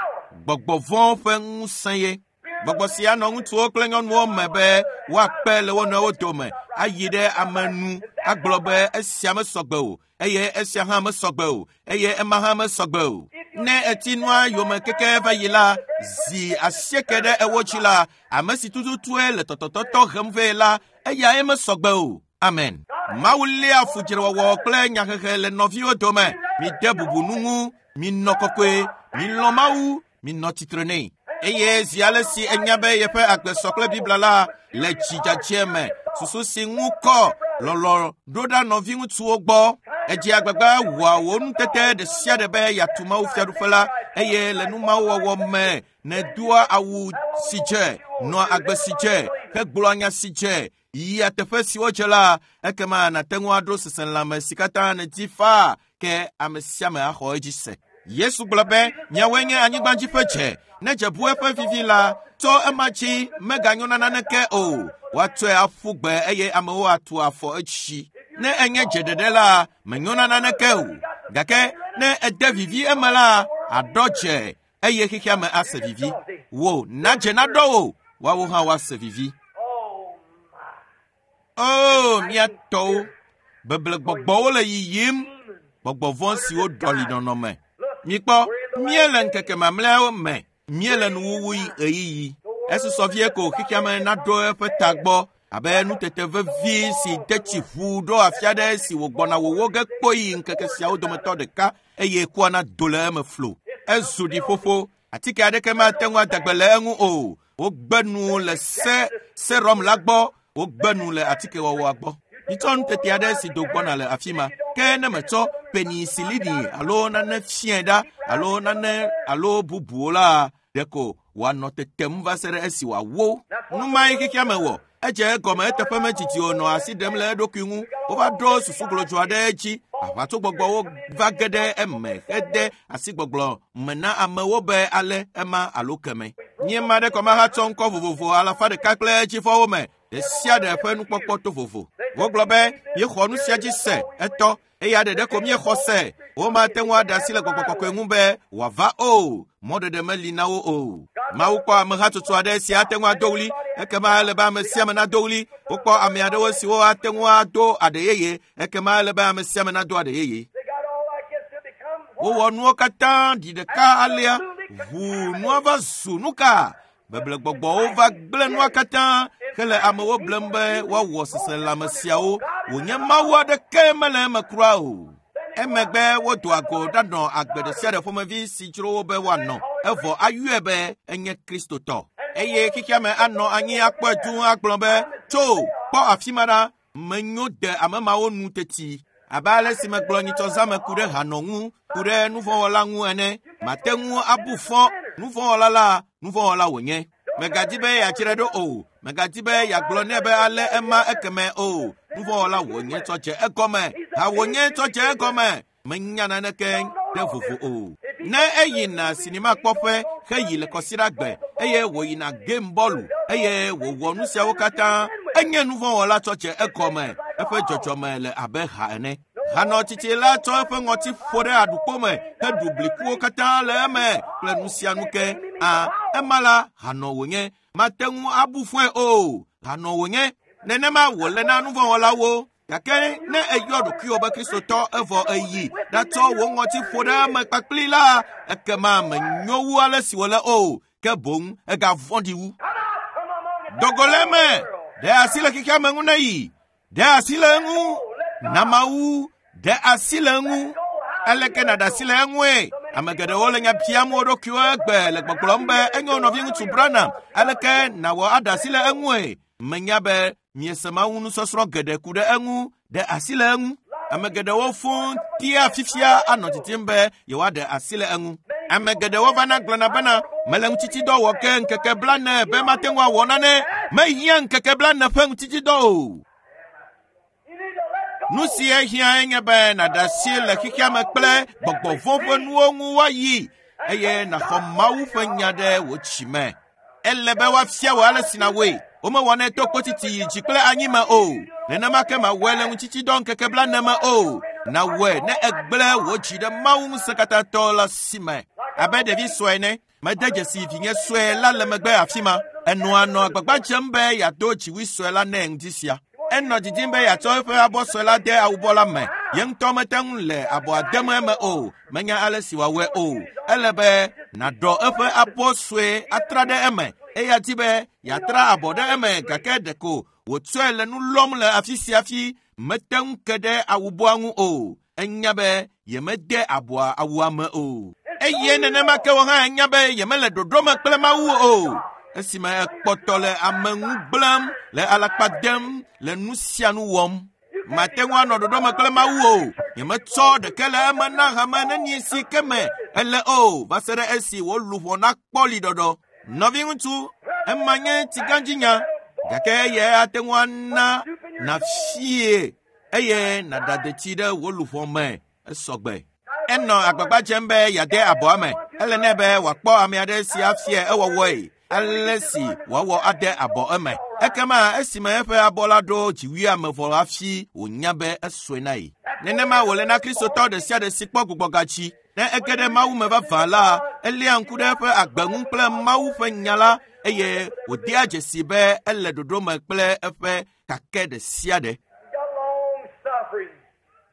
Gbɔgbɔ vɔ̃ ƒe ŋusẽ ye. Gbɔgbɔ sia nɔ ŋutsuwo kple nyɔnuwo me be woakpe le wo nɔewo dome, ayi ɖe ame nu agblɔ be esia mesɔgbe o, eye esia hã mesɔgbe o, eye ema hã mesɔgbe o. Ne eti nua yome keke va yi la, zi asieke ɖe ewo dzi la, ame si tututue le tɔtɔtɔtɔ hem vɛ la, eyae mesɔgbe o. Amen. Mawu léa fudzrewɔwɔ kple nyahehe le nɔviwo dome. Mide bubu nu ŋu, minɔ kɔkɔe, milɔ̃ Mawu, minɔ tsitre nɛ. Eye zi ale si enya be yeƒe agbe sɔ kple Biblia la le dzidzadzɛ me, susu si ŋu kɔ lɔlɔ̃ ɖo ɖa nɔviŋutsuwo gbɔ. Edze agbagba wɔa wò nutete ɖe sia ɖe be yeatu Mawu fiaɖuƒe la, eye le nu mawo wɔwɔ me nèdoa awu si dze, nɔa agbe si dze, hegblɔa nya si dze, yia teƒe siwo dze la, ekema nàte ŋu aɖo seselãme si katã nèdi faa ke ame sia ame axɔ edzi se. Yesu gblɔ be, miawoe nye anyigbadzi ƒe dze. Ne dze bu eƒe vivi la, tso ema dzi meganyo na naneke o. Woatsɔe aƒu gbe eye amewo atu afɔ etsi. Ne enye dze ɖeɖe la, menyo na naneke o. Gake ne ede vivi eme la, aɖɔ dze eye xexea me ase vivi. Wò nadze naɖɔ wò, woawo hã woase vivi. O, mía tɔwo, beble gbɔgbɔwo le yiyim, gbɔgbɔ vɔ̃ siwo ɖɔli nɔnɔme. Mikpɔ, míele ŋkeke mamlɛawo me, míele nuwuwu ɣeyiɣi. Esusɔ vie ko xexea me naɖo eƒe ta gbɔ abe nutete vevi si de tsi ʋu ɖo afi aɖe si wògbɔna wòwó ge kpoyi ŋkeke siawo dometɔ ɖeka eye kua nado le eme flo. Ezu ɖiƒoƒo, atike aɖeke mate ŋu ada gbe le eŋu o. Wogbe nu le se serum la gbɔ, wogbe nu le atikewɔwɔa gbɔ. Mitsɔ nutete aɖe si do gbɔna le afi ma. Ke ne metsɔ penisilini alo nane fiae ɖa alo nane alo bubuwo la, ɖeko wòanɔ tetem va se ɖe esi wòawó. Nu mae xexea me wɔ. Edze egɔme eteƒe medzidzi o nɔ asi ɖem le eɖokui ŋu. Wova ɖo susu glodzo aɖe dzi. Aʋatsogbɔgbɔwo va ge ɖe eme hede asigbɔgblɔ me na amewo be ale ema alo keme. Míema ɖe kɔmahatsɔ ŋkɔ vovovo alafa ɖeka kple edzivɔwo me. Ɖe sia ɖe ƒe nukpɔkpɔ to vovo. Wogblɔ be míexɔ nu sia dzi se etɔ eya ɖeɖe ko míexɔ se. Womate ŋu aɖe asi le gbɔgbɔ kɔkɔe ŋu be wòava o. Mɔɖeɖe meli na wo o. Mawu kpɔ amehatsotso aɖe si ate ŋu ado ɣli, ekema ele be ame sia ame nado ɣli. Wokpɔ ame aɖewo siwo ate ŋu ado aɖe yeye, ekema ele be ame sia ame nado aɖe yeye. Wowɔ nuwo katã ɖi ɖeka alea, ʋu nua va zu nu ka? Beble gbɔgbɔwo va gblẽ nua katã hele amewo blem be woawɔ seselãme siawo wònye Mawu aɖeke mele eme kura o. Emegbe wodoa go ɖanɔ agbe ɖe sia ɖe ƒomevi si dzro wo be woanɔ, evɔ ayɔe be enye Kristotɔ. Eye xexea me anɔ anyi akpɔe dũu agblɔ be, tso, kpɔ afi ma ɖa, menyo de ame mawo nu teti. Abe ale si megblɔ nyitsɔzãme ku ɖe hanɔ ŋu, ku ɖe nuvɔ̃wɔla ŋu ene, mate ŋu abu fɔ nuvɔ̃wɔla la, nuvɔ̃wɔla wònye. Megadi be yeatsrɔe ɖo o, megadi be yeagblɔ nɛ be ale ema ekeme o. Nuvɔ̃wɔla wònye tsɔ dze egɔme, ha wònye tsɔ dze egɔme, menya naneke ɖe vovo o. Ne eyina sinimakpɔƒe heyi le kɔsiɖagbe eye wòyina game bɔlu eye wòwɔ nu siawo katã, enye nuvɔ̃wɔla tsɔ dze egɔme, eƒe dzɔdzɔme le abe ha ene. Hanɔ tsitsi la tsɔ eƒe ŋɔti ƒo ɖe aɖukpo me heɖu blikuwo katã le eme kple nu sia nu ke. A, ema la hanɔ wònye, mate ŋu abu fɔe o. Hanɔ wònye. Nenema wòle na nuvɔ̃wɔlawo. Gake ne eyɔ ɖokuiwò be Kristotɔ evɔ eyi ɖatsɔ wò ŋɔti ƒo ɖe eme kpakpli la, ekema menyo wu ale si wòle o, ke boŋ egavɔ̃ɖi wu. Dogo le eme, Ɖe asi le xexea me ŋu ne yi. Ɖe asi le eŋu. Na Mawu. Ɖe asi le eŋu. Aleke nàɖe asi le eŋue? Ame geɖewo le nya biam wo ɖokuiwo egbe le gbɔgblɔm be enyo nɔviŋutsu Branham. Aleke nàwɔ aɖe asi le eŋue? Menya be miese Mawu nusɔsrɔ̃ geɖe ku ɖe eŋu. Ɖe asi le eŋu. Ame geɖewo fũu tia fifia anɔ didim be yewoaɖe asi le eŋu. Ame geɖewo vana gblɔna bena mele ŋutitsidɔ wɔ ke ŋkeke blane be mate ŋu awɔ nane. Mehiã ŋkeke blane ƒe ŋutitsidɔ o. You need to let go. Nu si ehiã nye be nàɖe asi le xexea me kple gbɔgbɔ vɔ̃ ƒe nuwo ŋu woayi eye nàxɔ Mawu ƒe nya ɖe wò tsi me. Ele be woafia wò ale si nàwɔe. Womewɔnɛ to kpotiti yi dzi kple anyi me o. Nenema ke màwɔe le ŋutitsidɔ ŋkeke blane me o. Nàwɔe ne ègblẽ wò dzi ɖe Mawu ŋusẽkatãtɔ la si me. Abe ɖevi sue ene, mede dzesi vinye sue la le megbe afi ma. Enɔa nɔ agbagba dzem be yeado dziwui sue la nɛ ŋdi sia. Enɔ didim be yeatsɔ eƒe abɔ sue la de awubɔ la me. Ye ŋutɔ mete ŋu le abɔa dem eme o. Menya ale si wòawɔe o. Ele be nàɖɔ eƒe abɔ sue atra ɖe eme. Eya di be yeatra abɔ ɖe eme gake ɖeko wòtsɔe le nu lɔm le afi sia fi mete ŋu ke ɖe awubɔa ŋu o. Enya be yemede abɔa awua me o. Eye nenema ke wò hã enya be yemele ɖoɖo me kple Mawu o. Esime ekpɔtɔ le ame ŋu gblẽm, le alakpa dem, le nu sia nu wɔm. Mate ŋu anɔ ɖoɖo me kple Mawu o. Nyemetsɔ ɖeke le eme na hame neni si ke me ele o va se ɖe esi wò luʋɔ nakpɔ liɖɔɖɔ. Nɔviŋutsu, ema nye tsigãdzinya gake eya ate ŋu ana nàfie eye nàɖa detsi ɖe wò luʋɔ me esɔgbe. Enɔ agbagba dzem be yeade abɔa me. Ele nɛ be wòakpɔ ame aɖe si afia ewɔwɔe ale si wòawɔ ade abɔ eme. Ekema esime eƒe abɔ la ɖo dziwuia me vɔ hafi wònya be esɔe na ye. Nenema wòle na Kristotɔ ɖe sia ɖe si kpɔ gbugbɔgatsi. Ne ege ɖe Mawu me vavã la, eléa ŋku ɖe eƒe agbe ŋu kple Mawu ƒe nya la eye wòdea dzesi be ele ɖoɖo me kple eƒe kake ɖe sia ɖe. Got long suffering.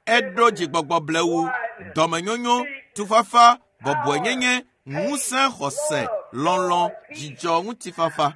Eɖo dzigbɔgbɔ blewu, dɔmenyonyo, tufafa, bɔbɔenyenye, ŋusẽ xɔse, lɔlɔ̃, dzidzɔ, ŋutifafa.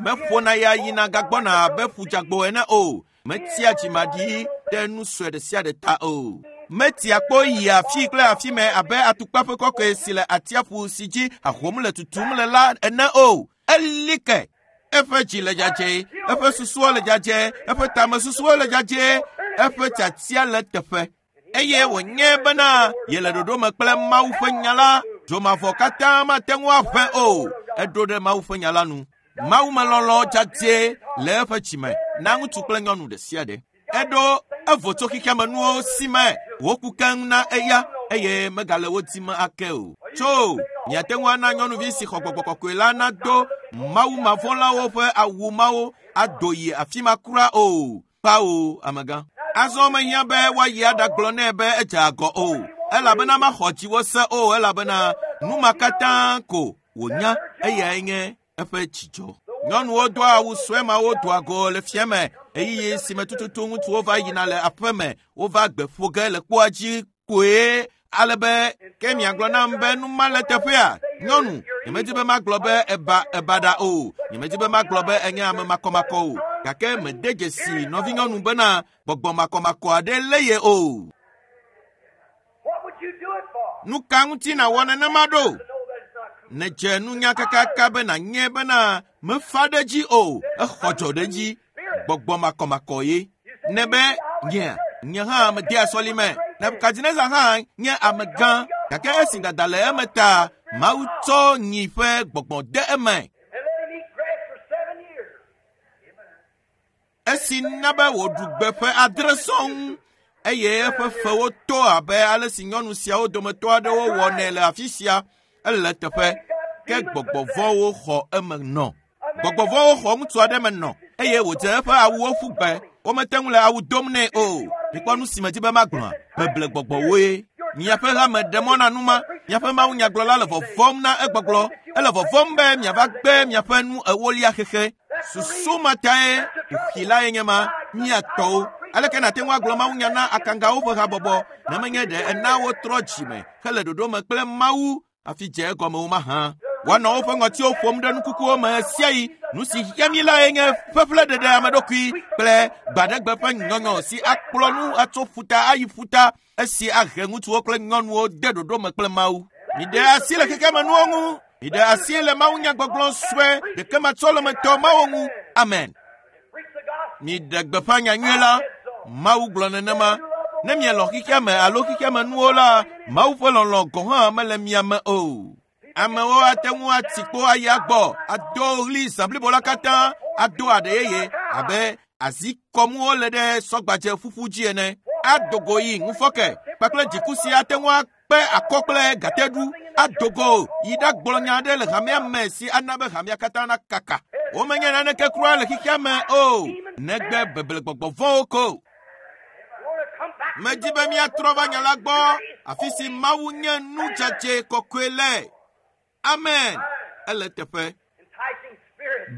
Meƒona ya yina gagbɔna abe ƒudzagbo ene o. Metia dzimaɖi ɖe nu sue ɖe sia ɖe ta o. Metia kpo yia afi kple afi me abe atukpa ƒe kɔkɔe si le atsiaƒu si dzi ahom le tutum le la ene o. Eli ke. Eƒe dzi le dzadzɛ, eƒe susuwo le dzadzɛ, eƒe tamesusuwo le dzadzɛ, eƒe tiatia le teƒe. Eye wònye bena yele ɖoɖo me kple Mawu ƒe nya la, dzomavɔ katã mate ŋu aʋẽ o. Eɖo ɖe Mawu ƒe nya la nu. Mawu me lɔlɔ̃ dzadzɛ le eƒe dzime na ŋutsu kple nyɔnu ɖe sia ɖe. Eɖo evo tso xexea me nuwo si me wòku keŋ na eya eye megale wo dim ake o. Tso miate ŋu ana nyɔnuvi si xɔ gbɔgbɔ kɔkɔe la nado Mawu mavɔ̃lawo ƒe awu mawo ado yi afi ma kura o. Kpawo amegã. Azɔ mehiã be woayi aɖagblɔ nɛ be edze agɔ o. Elabena maxɔ dziwò se o elabena nu ma katã ko wònya eyae nye eƒe dzidzɔ. Nyɔnuwo doa awu sue mawo doa go le fiame ɣeyiɣi si me tututu ŋutsuwo va yina le aƒe me wova gbe ƒo ge le kpoa dzi koe ale be ke miagblɔ nam be nu ma le teƒea. Nyɔnu, nyemedi be magblɔ be eba ebaɖa o. Nyemedi be magblɔ be enye ame makɔmakɔ o. Gake mede dzesi nɔvinyɔnu bena gbɔgbɔ makɔmakɔ aɖe lé ye o. What would you do it for? Nu ka ŋuti nàwɔ nenema ɖo? To know that it's not true. Nèdze nunya kakaka be nànye bena mefa ɖe dzi o, exɔ dzɔ ɖe dzi. Gbɔgbɔ makɔmakɔ ye. Ne be nye, nye hã medea sɔlime. Nebukadnezar hã nye amegã gake esi dada le eme ta, Mawu tsɔ nyi ƒe gbɔgbɔ de eme. And let him eat grass for seven years. Esi na be wòɖu gbe ƒe adre sɔŋ eye eƒe fewo to abe ale si nyɔnu siawo dometɔ aɖewo wɔnɛ le afi sia ele teƒe ke gbɔgbɔ vɔ̃wo xɔ eme nɔ. Gbɔgbɔ vɔ̃wo xɔ ŋutsu aɖe me nɔ eye wòdze eƒe awuwo ƒu gbe. Womete ŋu le awu dom nɛ o. Mikpɔ nu si me di be magblɔa? Beble gbɔgbɔwoe. Miaƒe hame ɖe mɔ na nu ma. Miaƒe mawunyagblɔla le vɔvɔ̃m na egbɔgblɔ. Ele vɔvɔ̃m be miava gbe miaƒe nu ewolia xexe. Susu ma tae kuxi lae nye ma miatɔwo. Aleke nàte ŋu agblɔ mawunya na akangawo ƒe habɔbɔ ne menye ɖe ena wotrɔ dzime hele ɖoɖo me kple Mawu hafi dze egɔme wo mahã. Woanɔ woƒe ŋɔtiwo ƒom ɖe nukukuwo me sia yi. Nu si hiã mí lae nye ƒeƒleɖeɖe ame ɖokui kple gbaɖegbe ƒe nyɔnyɔ si akplɔ nu atso ƒuta ayi ƒuta esi ahe ŋutsuwo kple nyɔnuwo de ɖoɖo me kple Mawu. Miɖe asi le xexemenuwo ŋu. Miɖe asi le mawunyagbɔgblɔ sue ɖekematsɔlemetɔ mawo ŋu. Amen. Miɖe gbeƒã nyanyui la. Mawu gblɔ nenema. Ne mielɔ xexeame alo xexemenuwo la, Mawu ƒe lɔlɔ̃ gɔ̃ hã mele mia me o. Amewo ate ŋu ati kpo ayi agbɔ, ado ɣli zã blibo la katã, ado aɖe yeye abe azikɔmuwo le ɖe sɔgbadze ƒuƒu dzi ene. Ado go yi ŋufɔke kpakple dziku si ate ŋu akpe akɔ kple gateɖu. Ado go yi ɖagblɔ nya aɖe le hamea me si ana be hamea katã nakaka. Womenye naneke kura le xexea me o, negbe beblegbɔgbɔ vɔ̃wo ko. Medi be míatrɔ va nya la gbɔ, afi si Mawu nye nu dzadzɛ kɔkɔe le. Amen. Ele teƒe.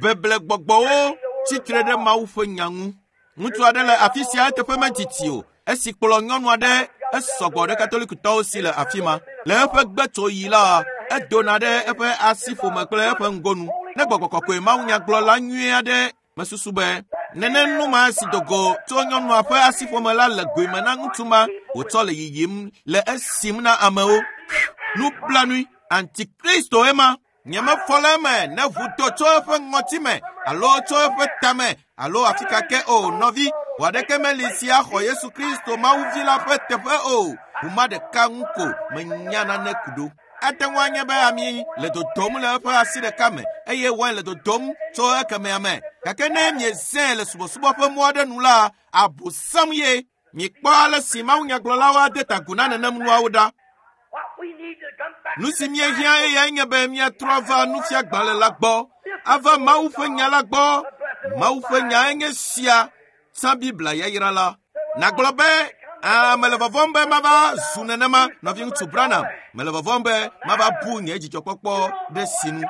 Beblegbɔgbɔwo tsitre ɖe Mawu ƒe nya ŋu. Ŋutsu aɖe le afi sia eteƒe medidi o. Esi kplɔ nyɔnu aɖe esɔgbɔ ɖe Katolikitɔwo si le afi ma. Le eƒe gbetsoɣi la, edona ɖe eƒe asiƒome kple eƒe ŋgonu. Ne gbɔgbɔ kɔkɔe mawunyagblɔla nyui aɖe mesusu be nene nu ma si do go tso nyɔnua ƒe asiƒome la le goe me na ŋutsu ma wòtsɔ le yiyim le esim na amewo. Nublanui, Antikristo ema. Nyemefɔ le eme ne ʋu do tso eƒe ŋɔtime alo tso eƒe tame alo afi ka ke o. Nɔvi, ʋu aɖeke meli si axɔ Yesu Kristo Mawuvi la ƒe teƒe o. Ʋu ma ɖeka ŋu ko menya nane ku ɖo. Ate ŋu anye be ami le dodom le eƒe asi ɖeka me eye wain le dodom tso ekemea me. Gake ne miezãe le subɔsubɔ ƒe mɔ aɖe nu la, abosam ye. Mikpɔ ale si mawunyagblɔlawo ade ta agu na nenem nuawo ɖa. Nu si míehiã eyae nye be míatrɔ va nufiagbalẽ la gbɔ, ava Mawu ƒe nya la gbɔ. Mawu ƒe nyae nye sia, tsã Biblia yayra la. Nagblɔ be, aa, mele vɔvɔ̃m be mava zu nenema, nɔviŋutsu Branham. Mele vɔvɔ̃m be mava bu nye dzidzɔkpɔkpɔ ɖe sinu.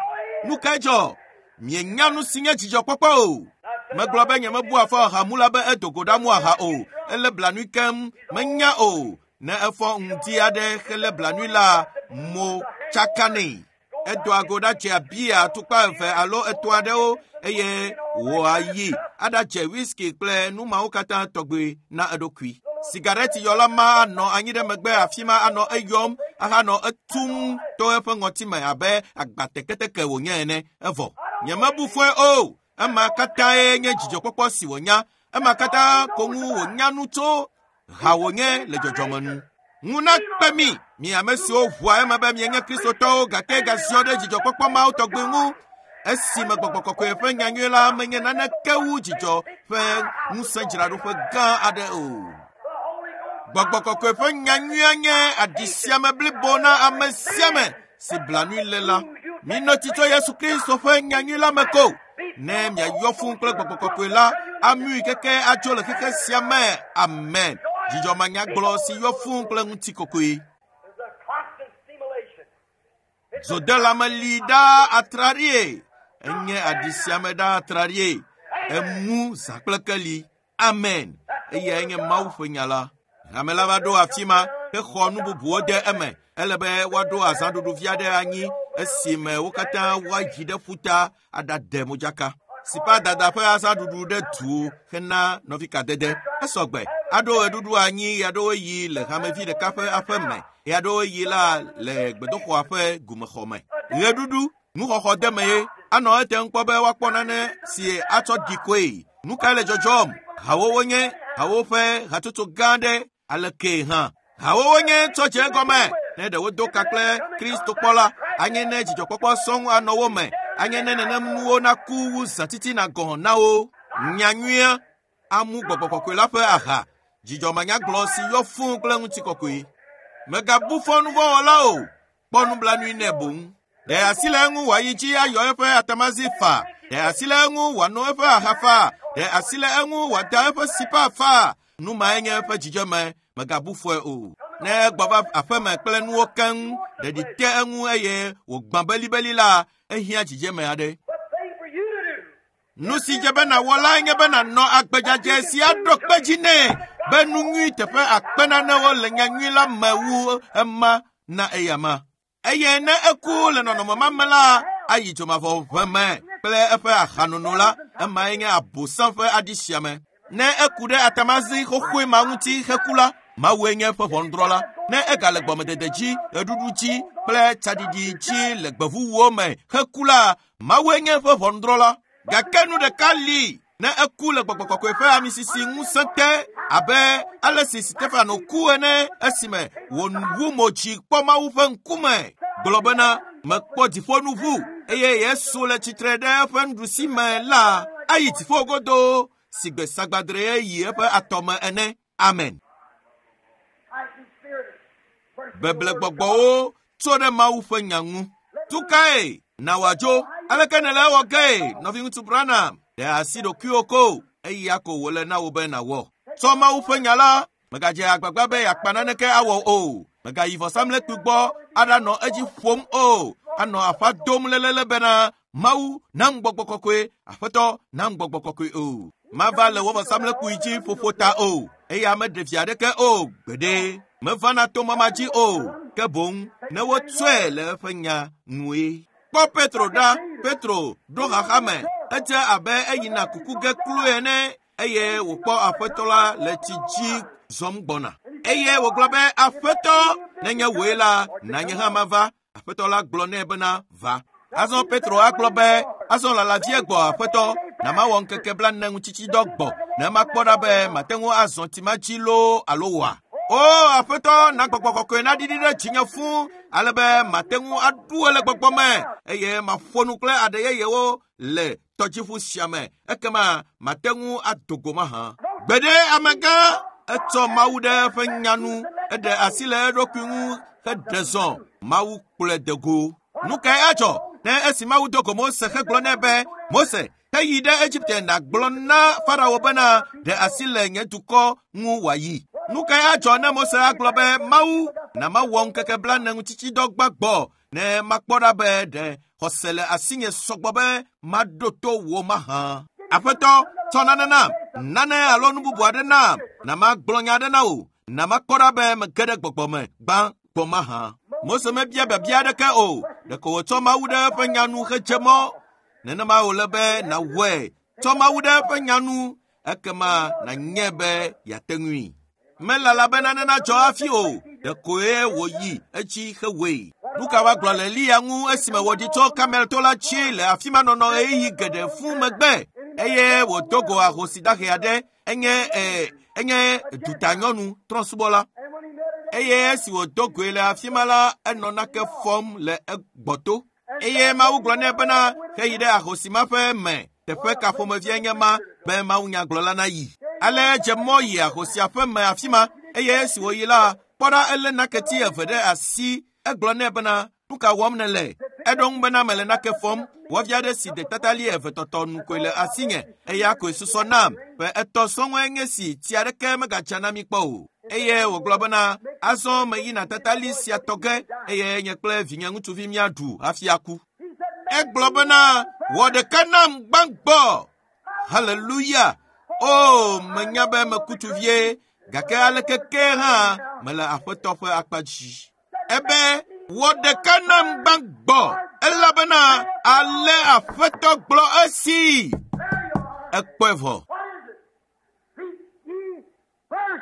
Nu kae dzɔ? Mienya nu si nye dzidzɔkpɔkpɔ o. Megblɔ be nyemebu afɔ ahamula be edo go ɖamu aha o. Ele blanui keŋ, menya o. Ne efɔ ŋdi aɖe hele blanui la, mo tsaka nɛ. Edoa go ɖadze bia atukpa eve alo etɔ̃ aɖewo eye wòayi aɖadze whisky kple nu mawo katã tɔgbe na eɖokui. Sigareti yɔla ma anɔ anyi ɖe megbe afi ma anɔ eyɔm ahanɔ etum to eƒe ŋɔtime abe agbateketeke wònye ene. Evɔ. Nyemebu fɔe o. Ema katãe nye dzidzɔkpɔkpɔ si wònya. Ema katã ko ŋu wònya nu tso ha wònye le dzɔdzɔme nu. Ŋu nakpe mi, mi ame siwo ʋua eme be mienye Kristotɔwo gake gaziɔ ɖe dzidzɔkpɔkpɔ mawo tɔgbe ŋu. Esime gbɔgbɔ kɔkɔe ƒe nyanyui la menye naneke wu dzidzɔ ƒe ŋusẽdzraɖoƒe gã aɖe o. Gbɔgbɔ kɔkɔe ƒe nyanyuia nye aɖisiame blibo na ame sia ame si blanui le la. Minɔ tsi tso Yesu Kristo ƒe nyanyui la me ko. Ne miayɔ fũu kple gbɔgbɔ kɔkɔe la, amui keke atso le xexe sia me. Amen. Dzidzɔmanyagblɔ si yɔ fũu kple ŋutikɔkɔe. Zodelame li ɖaa atraɖie. Enye aɖisiame ɖaa atraɖie. Emu zã kple keli. Amen. Eyae nye Mawu ƒe nya la. Hame la va ɖo afi ma hexɔ nu bubuwo de eme. Ele be woaɖo azãɖuɖu vi aɖe anyi esime wo katã woayi ɖe ƒuta aɖade modzaka. Sipa dada ƒe azãɖuɖu ɖe du hena nɔvikadede. Esɔgbe. Aɖo ɣeɖuɖu anyi ɣeaɖewoɣi le hamevi ɖeka ƒe aƒe me, ɣeaɖewoɣi la le gbedoxɔa ƒe gumexɔ me. Ɣeɖuɖu, nuxɔxɔ deme ye. Anɔ ete ŋu kpɔ be woakpɔ nane si atsɔ ɖi koe. Nu kae le dzɔdzɔm? Hawo wonye, hawo ƒe hatsotso gã aɖe aleke hã. Hawo wonye tsɔ dze egɔme. Ne ɖe wodo ka kple Kristo kpɔ la, anye ne dzidzɔkpɔkpɔ sɔŋ anɔ wo me. Anye ne nenem nuwo naku wu zã titina gɔ̃ na wo. Nyanyuia amu gbɔgbɔ kɔkɔe la ƒe aha. Dzidzɔmanyagblɔ si yɔ fũu kple ŋutikɔkɔe. Mègabu fɔ nuvɔ̃wɔla o. Kpɔ nublanui nɛ boŋ. Ɖe asi le eŋu wòayi dzi ayɔ eƒe atamazi fa. Ɖe asi le eŋu wòano eƒe aha fa. Ɖe asi le eŋu wòada eƒe sipa fa. Nu mae nye eƒe dzidzeme. Mègabu fɔe o. Ne egbɔ va aƒeme kple nuwo keŋ, ɖeɖi te eŋu eye wògbã belibeli la, ehiã dzidzeme aɖe. Nu si dze be nàwɔ lae nye be nànɔ agbe dzadzɛ si aɖo kpe dzi nɛ be nu nyui teƒe akpe nanewo le nyanyui la me wu ema na eyama. Eye ne eku le nɔnɔme ma me la, ayi dzomavɔ ʋe me kple eƒe ahanono la, emae nye abosam ƒe aɖi sia me. Ne eku ɖe atamazi xoxoe ma ŋuti heku la, Mawue nye eƒe ʋɔnudrɔ̃la. Ne egale gbɔmedede dzi, ɣeɖuɖu dzi kple tsaɖiɖi dzi le gbevuwo me heku la, Mawue nye eƒe ʋɔnudrɔ̃la. Gake nu ɖeka li, ne eku le gbɔgbɔ kɔkɔe ƒe amisisi ŋusẽ te abe ale si Stefano ku ene esime wòwu mo dzi kpɔ Mawu ƒe ŋkume, gblɔ bena mekpɔ dziƒonuʋu eye Yesu le tsitre ɖe eƒe nuɖusi me la, ayi dziƒo godoo si gbe sagbadre yi eƒe atɔme ene. Amen. Beblegbɔgbɔwo tso ɖe Mawu ƒe nya ŋu. Tukae na wòadzo? Aleke nèle ewɔ gee, nɔviŋutsu Branham? Ɖe asi ɖokuiwò ko, eya ko wòle na wò be nàwɔ. Tsɔ Mawu ƒe nya la, mègadze agbagba be yeakpa naneke awɔ o. Mègayi vɔsamlekpui gbɔ aɖanɔ edzi ƒom o. Anɔ aƒa dom lelele bena Mawu nam gbɔgbɔ kɔkɔe, Aƒetɔ nam gbɔgbɔ kɔkɔe o. Mava le wò vɔsamlekpui dzi ƒoƒo ta o. Eya meɖe vi aɖeke o gbeɖe. Mevana to mɔ ma dzi o. Ke boŋ ne wotsɔe le eƒe nya nue. Kpɔ Petro ɖa. Petro ɖo xaxa me. Edze abe eyina kuku ge kloe ene eye wòkpɔ Aƒetɔ la le tsi dzi zɔm gbɔna. Eye wògblɔ be, Aƒetɔ, nenye wòe la, na nye hã mava. Aƒetɔ la gblɔ nɛ bena, va. Azɔ Petro agblɔ be, azɔ lala vie gbɔ Aƒetɔ, na mawɔ ŋkeke blaene ŋutitsidɔ gbɔ, ne makpɔ ɖa be mate ŋu azɔ tsi ma dzi loo alo wɔa. O Aƒetɔ, na gbɔgbɔ kɔkɔe naɖiɖi ɖe dzinye fũu ale be mate ŋu aɖu le gbɔgbɔ me eye maƒo nu kple aɖe yeyewo le tɔdziʋu sia me, ekema mate ŋu ado go mahã. Gbeɖe amegã etsɔ Mawu ɖe eƒe nya nu, eɖe asi le eɖokui ŋu heɖe zɔ. Mawu kplɔe de go. Nu kae adzɔ ne esi Mawu do go Mose hegblɔ nɛ be, Mose, heyi ɖe Egipte nàgblɔ na Farao bena ɖe asi le nye dukɔ ŋu wòayi. Nu kae adzɔ ne Mose agblɔ be, Mawu, na mawɔ ŋkeke blaene ŋutitsidɔ gbãgbɔ ne makpɔ ɖa be ɖe xɔse le asinye sɔgbɔ be maɖo to wò mahã. Aƒetɔ, tsɔ nane nam, nane alo nu bubu aɖe nam, na magblɔ nya aɖe na wò, na makpɔ ɖa be mege ɖe gbɔgbɔ me gbã gbɔ mahã. Mose mebia biabia aɖeke o, ɖeko wòtsɔ Mawu ɖe eƒe nya nu hedze mɔ. Nenema wòle be nàwɔe. Tsɔ Mawu ɖe eƒe nya nu, ekema nànyae be yeate ŋui. Melala be nane nadzɔ hafi o, ɖekoe wòyi edzi hewɔe. Nu ka woagblɔ le Eliya ŋu esime wòɖi tso Karmel to la dzi le afi ma nɔnɔ ɣeyiɣi geɖe fũu megbe eye wòdo go ahosi dahe aɖe, enye e, enye dutanyɔnu trɔ̃subɔla. Eye esi wòdo goe le afi ma la, enɔ nake fɔm le egbɔto. Eye Mawu gblɔ nɛ bena, heyi ɖe ahosi ma ƒe me, teƒe ka ƒomevie nye ma be mawunyagblɔla nayi. Ale edze mɔ yi ahosia ƒe me afi ma, eye esi wòyi la, kpɔ ɖa elé naketi eve ɖe asi. Egblɔ nɛ bena, nu ka wɔm nèle? Eɖo ŋu bena mele nake fɔm. Wɔvi aɖe si de tatali eve tɔtɔ nu koe le asinye, eya koe susɔ nam. Ƒe etɔ̃ sɔŋue nye si tsi aɖeke megadza na mi kpɔ o. Eye wògblɔ bena, azɔ meyina tatali sia tɔ ge eye nye kple vinye ŋutsuvi míaɖu hafi aku. Egblɔ bena, wɔ ɖeka nam gbãgbɔ. Haleluya! O, menya be meku tu vie, gake aleke ke hã mele Aƒetɔ ƒe akpa dzi. Ebe, wɔ ɖeka nam gbãgbɔ, elabena ale Aƒetɔ gblɔ esi. Ekpɔe vɔ.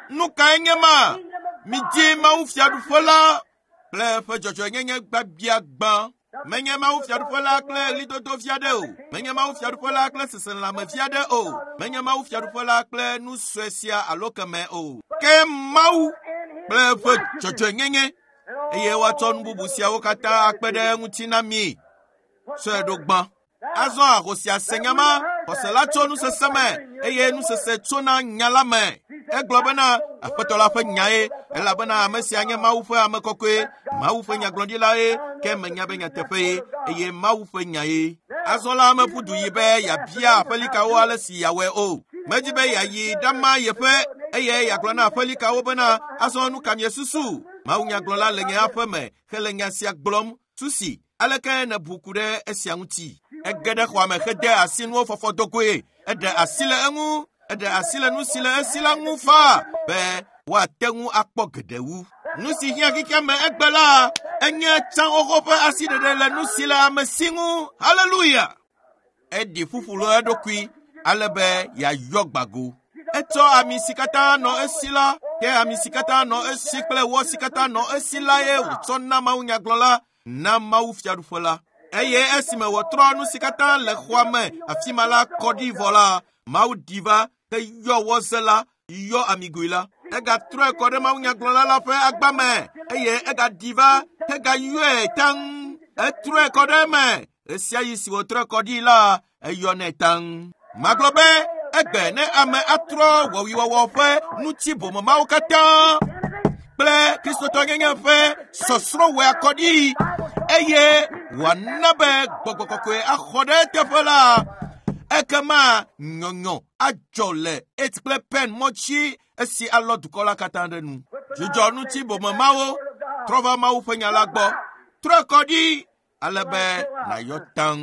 Nu kae nye ma? Midi Mawu fiaɖuƒe la kple eƒe dzɔdzɔenyenye gbagbia gbã. Menye Mawu fiaɖuƒe la kple ɣlidodo vi aɖe o. Menye Mawu fiaɖuƒe la kple seselelãme vi aɖe o. Menye Mawu fiaɖuƒe la kple nu sue sia alo keme o. Ke Mawu kple eƒe dzɔdzɔenyenye eye woatsɔ nu bubu siawo katã akpe ɖe eŋuti na mi. Tsɔe ɖo gbã. Azɔ ahosia se nya ma, xɔse la tso nusese me eye nusese tsona nya la me. Egblɔ bena Aƒetɔ la ƒe nyae, elabena ame sia nye Mawu ƒe ame kɔkɔe, Mawu ƒe nyagblɔɖilae, ke menya be nyateƒee eye Mawu ƒe nyae. Azɔ la meƒu du yi be yeabia aƒelikawo ale si yeawɔe o. Medi be yeayi ɖama yeƒe eye yeagblɔ na aƒelikawo bena, azɔ nu ka miesusu? Mawu nyagblɔla le nye aƒe me hele nya sia gblɔm. Susi, aleke nèbu ku ɖe esia ŋuti? Ege ɖe xɔa me hede asi nuwo fɔfɔ do goe. Eɖe asi le eŋu, eɖe asi le nu si le esi la ŋu faa be woate ŋu akpɔ geɖe wu. Nu si hiã xexea me egbe la Enye tsã xoxo ƒe asiɖeɖe le nu si le ame si ŋu. Haleluya! Eɖi ƒuƒlu eɖokui ale be yeayɔ gbago. Etsɔ ami si katã nɔ esi la, ke ami si katã nɔ esi kple wɔ si katã nɔ esi la ye wòtsɔ na mawunyagblɔla na Mawu fiaɖuƒe la. Eye esime wòtrɔ nu si katã le xɔa me afi ma la kɔ ɖi vɔ la, Mawu ɖi va heyɔ wɔze la, yɔ amigoe la. Egatrɔe kɔ ɖe mawunyagblɔla la ƒe agba me eye egaɖi va hegayɔe taŋ. Etrɔe kɔ ɖe eme. Ɣesiaɣi si wòtrɔe kɔ ɖi la, eyɔnɛ taŋ. Magblɔ be egbe ne ame atrɔ wɔwuiwɔwɔ ƒe ŋuti bomemawo katã kple kristotɔnyenye ƒe sɔsrɔ̃wɔe akɔ ɖi eye wòana be gbɔgbɔ kɔkɔe axɔ ɖe eteƒe la, ekema nyɔnyɔ adzɔ le eight kple pen mɔtsi esi alɔ dukɔ la katã ɖe nu. Dzudzɔ ŋuti bomemawo trɔ va Mawu ƒe nya la gbɔ. Trɔe kɔ ɖi ale be nàyɔ taŋ.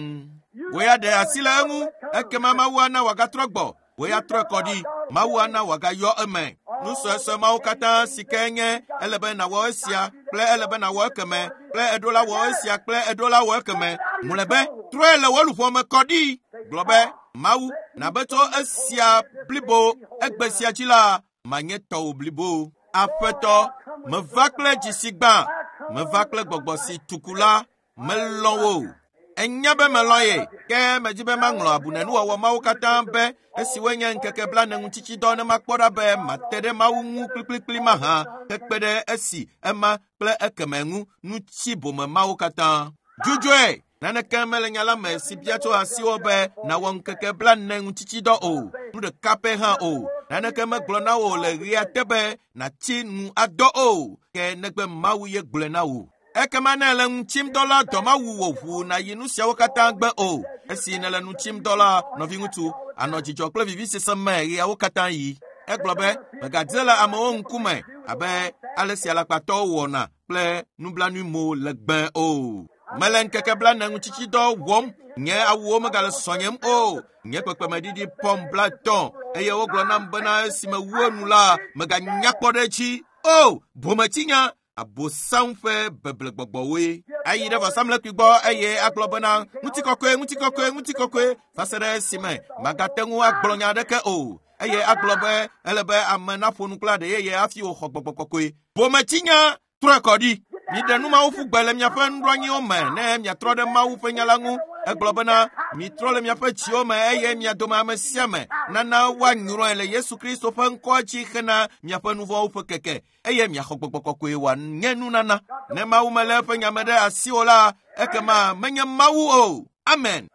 Wò ya ɖe asi le eŋu, ekema Mawu ana wòagatrɔ gbɔ. Wò ya trɔe kɔ ɖi, Mawu ana wòagayɔ eme. Nu suesue mawo katã si ke nye ele be nàwɔ esia kple ele be nàwɔ ekeme kple eɖo la wɔ esia kple eɖo la wɔ ekeme. Mlɔebe trɔe le wò luʋɔ me kɔ ɖi. Gblɔ be Mawu nabe tso esia blibo egbe sia dzi la manye tɔwò blibo. Aƒetɔ, meva kple dzi si gbã, meva kple gbɔgbɔ si tuku la, melɔ̃ wò. Enya be melɔ̃ ye, ke medzi be maŋlɔ abunenuwɔwɔ mawo katã be esi woenye ŋkeke blaene ŋutitsidɔ ne makpɔ ɖa be mate ɖe Mawu ŋu kplikplikpli mahã hekpe ɖe esi ema kple ekeme ŋu ŋuti bome mawo katã. Dzudzɔe! Naneke mele nya la me si bia tso asiwò be nàwɔ ŋkeke blaene ŋutitsidɔ o, nu ɖeka pɛ hã o. Naneke megblɔ na wò le ɣea te be nàtsi nu adɔ o, ke negbe Mawu ye gblɔe na wò. Ekema ne ele nu tsim dɔ la, dɔ mawu wò ʋuu nàyi nu siawo katã gbe o. Esi nèle nu tsim dɔ la, nɔviŋutsu, anɔ dzidzɔ kple vivisese me ɣeawo katã yi. Egblɔ be mègadze le amewo ŋkume abe ale si alakpatɔwo wɔna kple nublanuimo legbe o. Mele ŋkeke blaene ŋutitsidɔ wɔm, nye awuwo megale sɔnyem o. Nye kpekpemeɖiɖi pɔm blaetɔ̃ eye wogblɔ nam bena esime wu enu la, meganya kpɔ ɖe edzi. O, bometsinya! Abosam ƒe beblegbɔgbɔwoe. Ayi ɖe vɔsamlekpui gbɔ eye agblɔ bena ŋutikɔkɔe, ŋutikɔkɔe, ŋutikɔkɔe va se ɖe esime magate ŋu agblɔ nya aɖeke o. Eye agblɔ be ele be ame naƒo nu kple aɖe yeye hafi wòxɔ gbɔgbɔ kɔkɔe. Bometsinya trɔe kɔ ɖi. Miɖe nu mawo ƒu gbe le miaƒe nuɖoanyiwo me ne miatrɔ ɖe Mawu ƒe nya la ŋu. Egblɔ bena mitrɔ le miaƒe dziwo me eye mia dome ame sia ame nana woanyrɔe le Yesu Kristo ƒe ŋkɔa dzi hena miaƒe nu vɔ̃wo ƒe keke eye miaxɔ gbɔgbɔ kɔkɔe wòanye nunana. Ne Mawu melé eƒe nya me ɖe asiwò la, ekema menye Mawu o. Amen.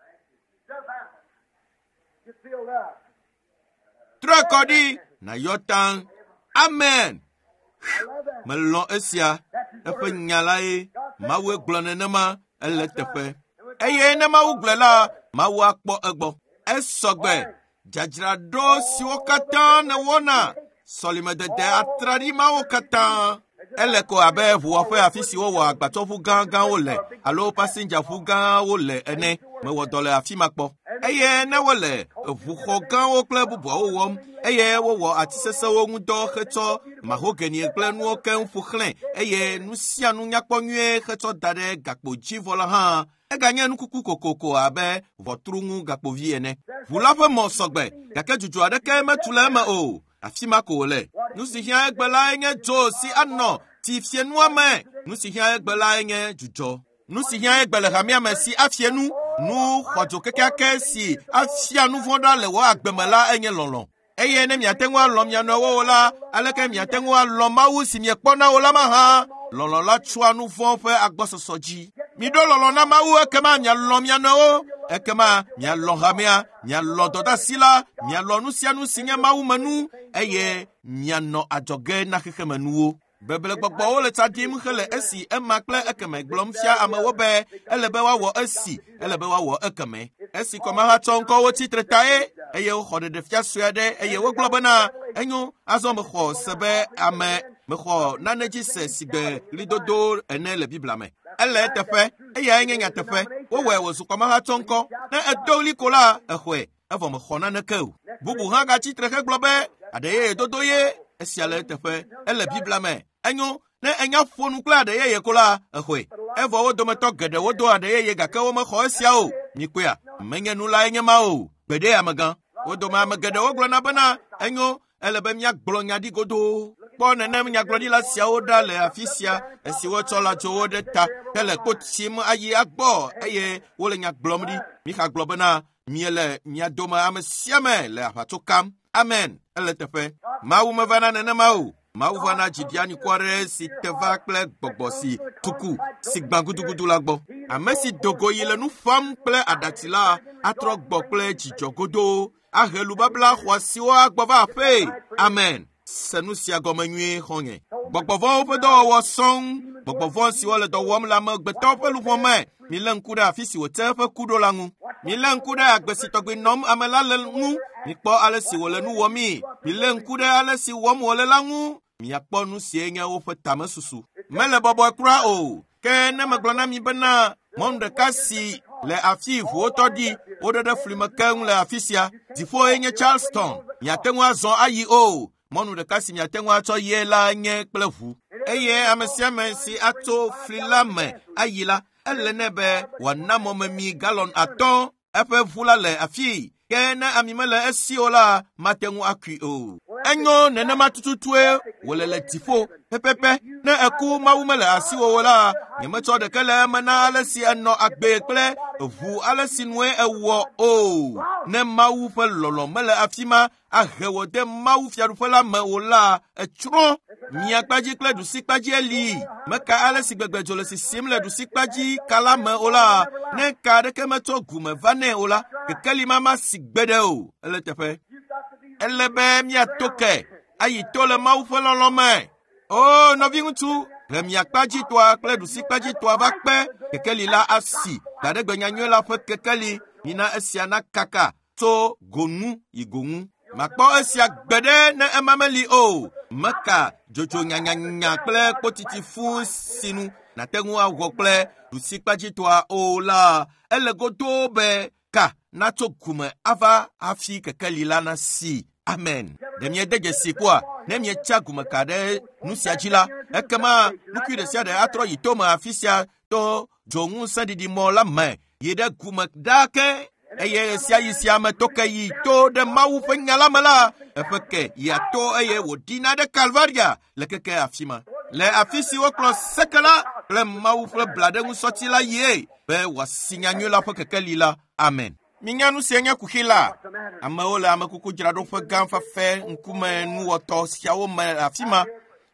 Get filled up. Trɔe kɔ ɖi nàyɔ taŋ. Amen. I love that. Melɔ̃ esia. Eƒe nya lae. Mawue gblɔ nenema ele teƒe. Eye ne Mawu gblɔe la, Mawu akpɔ egbɔ. Esɔgbe. Dzadzraɖo siwo katã nèwɔna, sɔlimedede atraɖi mawo katã. Ele ko abe ʋuwɔƒe afi si wowɔ agbatsɔʋu gãgãwo le alo pasinjaʋu gãwo le ene. Mewɔ dɔ le afi ma kpɔ. Eye ne wole ʋuxɔ gãwo kple bubuawo wɔm eye wowɔ ati sesẽwo ŋudɔ hetsɔ mahogany kple nuwo keŋ ƒo xlãe eye nu sia nu nyakpɔ nyuie hetsɔ da ɖe gakpo dzi vɔ la hã, eganye nukuku kokoko abe ʋɔtru ŋu gakpovi ene. Ʋu la ƒe mɔ sɔgbe gake dzudzɔ aɖeke metu le eme o. Afi ma ko wòle. Nu si hiã egbe lae nye dzo si anɔ tifienua me. Nu si hiã egbe lae nye dzudzɔ. Nu si hiã egbe le hamea me si afie nu, nu xɔdzo kekeake si afia nu vɔ̃ ɖa le wò agbe me la enye lɔlɔ̃. Eye ne miate ŋu alɔ̃ mia nɔewo o la, aleke miate ŋu alɔ̃ Mawu si miekpɔna o la mahã? Lɔlɔ̃ la tsoa nu vɔ̃ ƒe agbɔsɔsɔ dzi. Miɖo lɔlɔ̃ na Mawu ekema mialɔ̃ mia nɔewo, ekema mialɔ̃ hamea, mialɔ̃ dɔdeasi la, mialɔ̃ nu sia nu si nye mawumenu eye mianɔ adzɔge na xexemenuwo. Beblegbɔgbɔwo le tsa ɖim hele esi ema kple ekeme gblɔm fia amewo be ele be woawɔ esi, ele be woawɔ ekeme. Esi kɔmahatsɔ ŋkɔwo tsitre tae eye woxɔ ɖeɖefia sue aɖe eye wogblɔ bena enyo azɔ mexɔ se be ame mexɔ nane dzi se si gbe ɣlidodo ene le Biblia me. Ele eteƒe, eyae nye nyateƒe. Wowɔe wòzu kɔmahatsɔ ŋkɔ. Ne edo ɣli ko la, exɔe evɔ mexɔ naneke o. Bubu hã gatsi tre hegblɔ be aɖe yeye dodo ye esia le eteƒe. Ele Biblia me. Enyo Ne enya ƒo nu kple aɖe yeye ko la, exɔe. Evɔ wo dometɔ geɖewo do aɖe yeye gake womexɔ esia o. Mikpɔea, menye nu lae nye ma o. Gbeɖe amegã. Wo dome ame geɖewo gblɔna bena enyo, ele be míagblɔ nya ɖi godoo. Kpɔ nenem nyagblɔɖila siawo ɖa le afi sia esi wotsɔ lãdzowo ɖe ta hele kpo tsim ayi agbɔ eye wole nya gblɔm ɖi. Mixa gblɔ bena miele mia dome ame sia ame le aʋatso kam. Amen. Ele teƒe. Mawu mevana nenema o. Mawu vana dziɖianikɔ aɖe si te va kple gbɔgbɔ si tuku si gbã gudugudu la gbɔ. Ame si do go yi le nu fam kple aɖatsi la atrɔ gbɔ kple dzidzɔ godoo ahe lubabla xɔasiwo agbɔ va aƒee. Amen. Se nu sia gɔme nyuie xɔ̃nye. Gbɔgbɔvɔ̃wo ƒe dɔwɔwɔ sɔŋ. Gbɔgbɔvɔ̃ siwo le dɔ wɔm le amegbetɔwo ƒe luʋɔ me. Milé ŋku ɖe afi si wòte eƒe ku ɖo la ŋu. Milé ŋku ɖe agbe si tɔgbi nɔm ame la le ŋu. Mikpɔ ale si wòle nu wɔmii. Milé ŋku ɖe ale si wɔm wòle la ŋu. Miakpɔ nu sie nye woƒe tamesusu. Mele bɔbɔe kura o. Ke ne megblɔ na mi bena mɔnu ɖeka si le afi ʋuwo tɔ ɖi woɖe ɖe fli me keŋ le afi sia. Dziƒoe nye Charleston. Miate ŋu azɔ ayi o. Mɔnu ɖeka si miate ŋu atsɔ yie la nye kple ʋu. Eye ame sia ame si atso fli la me ayi la, ele nɛ be wòana mɔmemi galɔn atɔ̃. Eƒe ʋu la le afii. Ke ne ami mele esi o la, mate ŋu akui o. Enyo nenema tututue wòle le dziƒo pɛpɛpɛ. Ne eku Mawu mele asiwò o la, nyemetsɔ ɖeke le eme na ale si enɔ agbe kple ʋu ale si nue ewɔ o. Ne Mawu ƒe lɔlɔ̃ mele afi ma ahe wò de Mawu fiaɖuƒe la me o la, etsrɔ̃. Miakpadzi kple ɖusikpadzi li. Meka ale si gbegbe dzo le sisim le ɖusikpadzi ka la me o la, ne ka aɖeke metso gume va nɛ o la, kekeli ma masi gbeɖe o. Ele teƒe. Ele be míato ke ayi to le Mawu ƒe lɔlɔ̃ me. O nɔviŋutsu, he miakpadzitɔa kple ɖusikpadzitɔa va kpe kekeli la asi. Gbaɖegbe nyanyui la ƒe kekeli mina esia nakaka tso gonu yi gonu. Makpɔ esia gbeɖe ne ema meli o. Meka dzodzo nyanyanya kple kpotiti fũ sinu nate ŋu awɔ kple ɖusikpadzitɔa o la, ele godoo be ka natso gume ava hafi kekeli la nasi. Amen. Ɖe miede dzesi kpɔa? Ne mietsa gume ka ɖe nu sia dzi la, ekema nukui ɖe sia ɖe atrɔ yi tome afi sia to dzoŋusẽɖiɖimɔ la me yi ɖe gume ɖaa ke. Eye ɣe sia ɣi sia ame to ke yi to ɖe Mawu ƒe nya la me la, eƒe ke yia to eye wòɖina ɖe Kalvaria le keke afi ma. Le afi si wokplɔ seke la kple Mawu ƒe blaɖeŋusɔti la yie be wòasi nyanyui la ƒe kekeli la. Amen. Minya nu sie nye kuxi la. Amewo le amekukudzraɖoƒe gã fafɛ ŋkume nuwɔtɔ siawo me le afi ma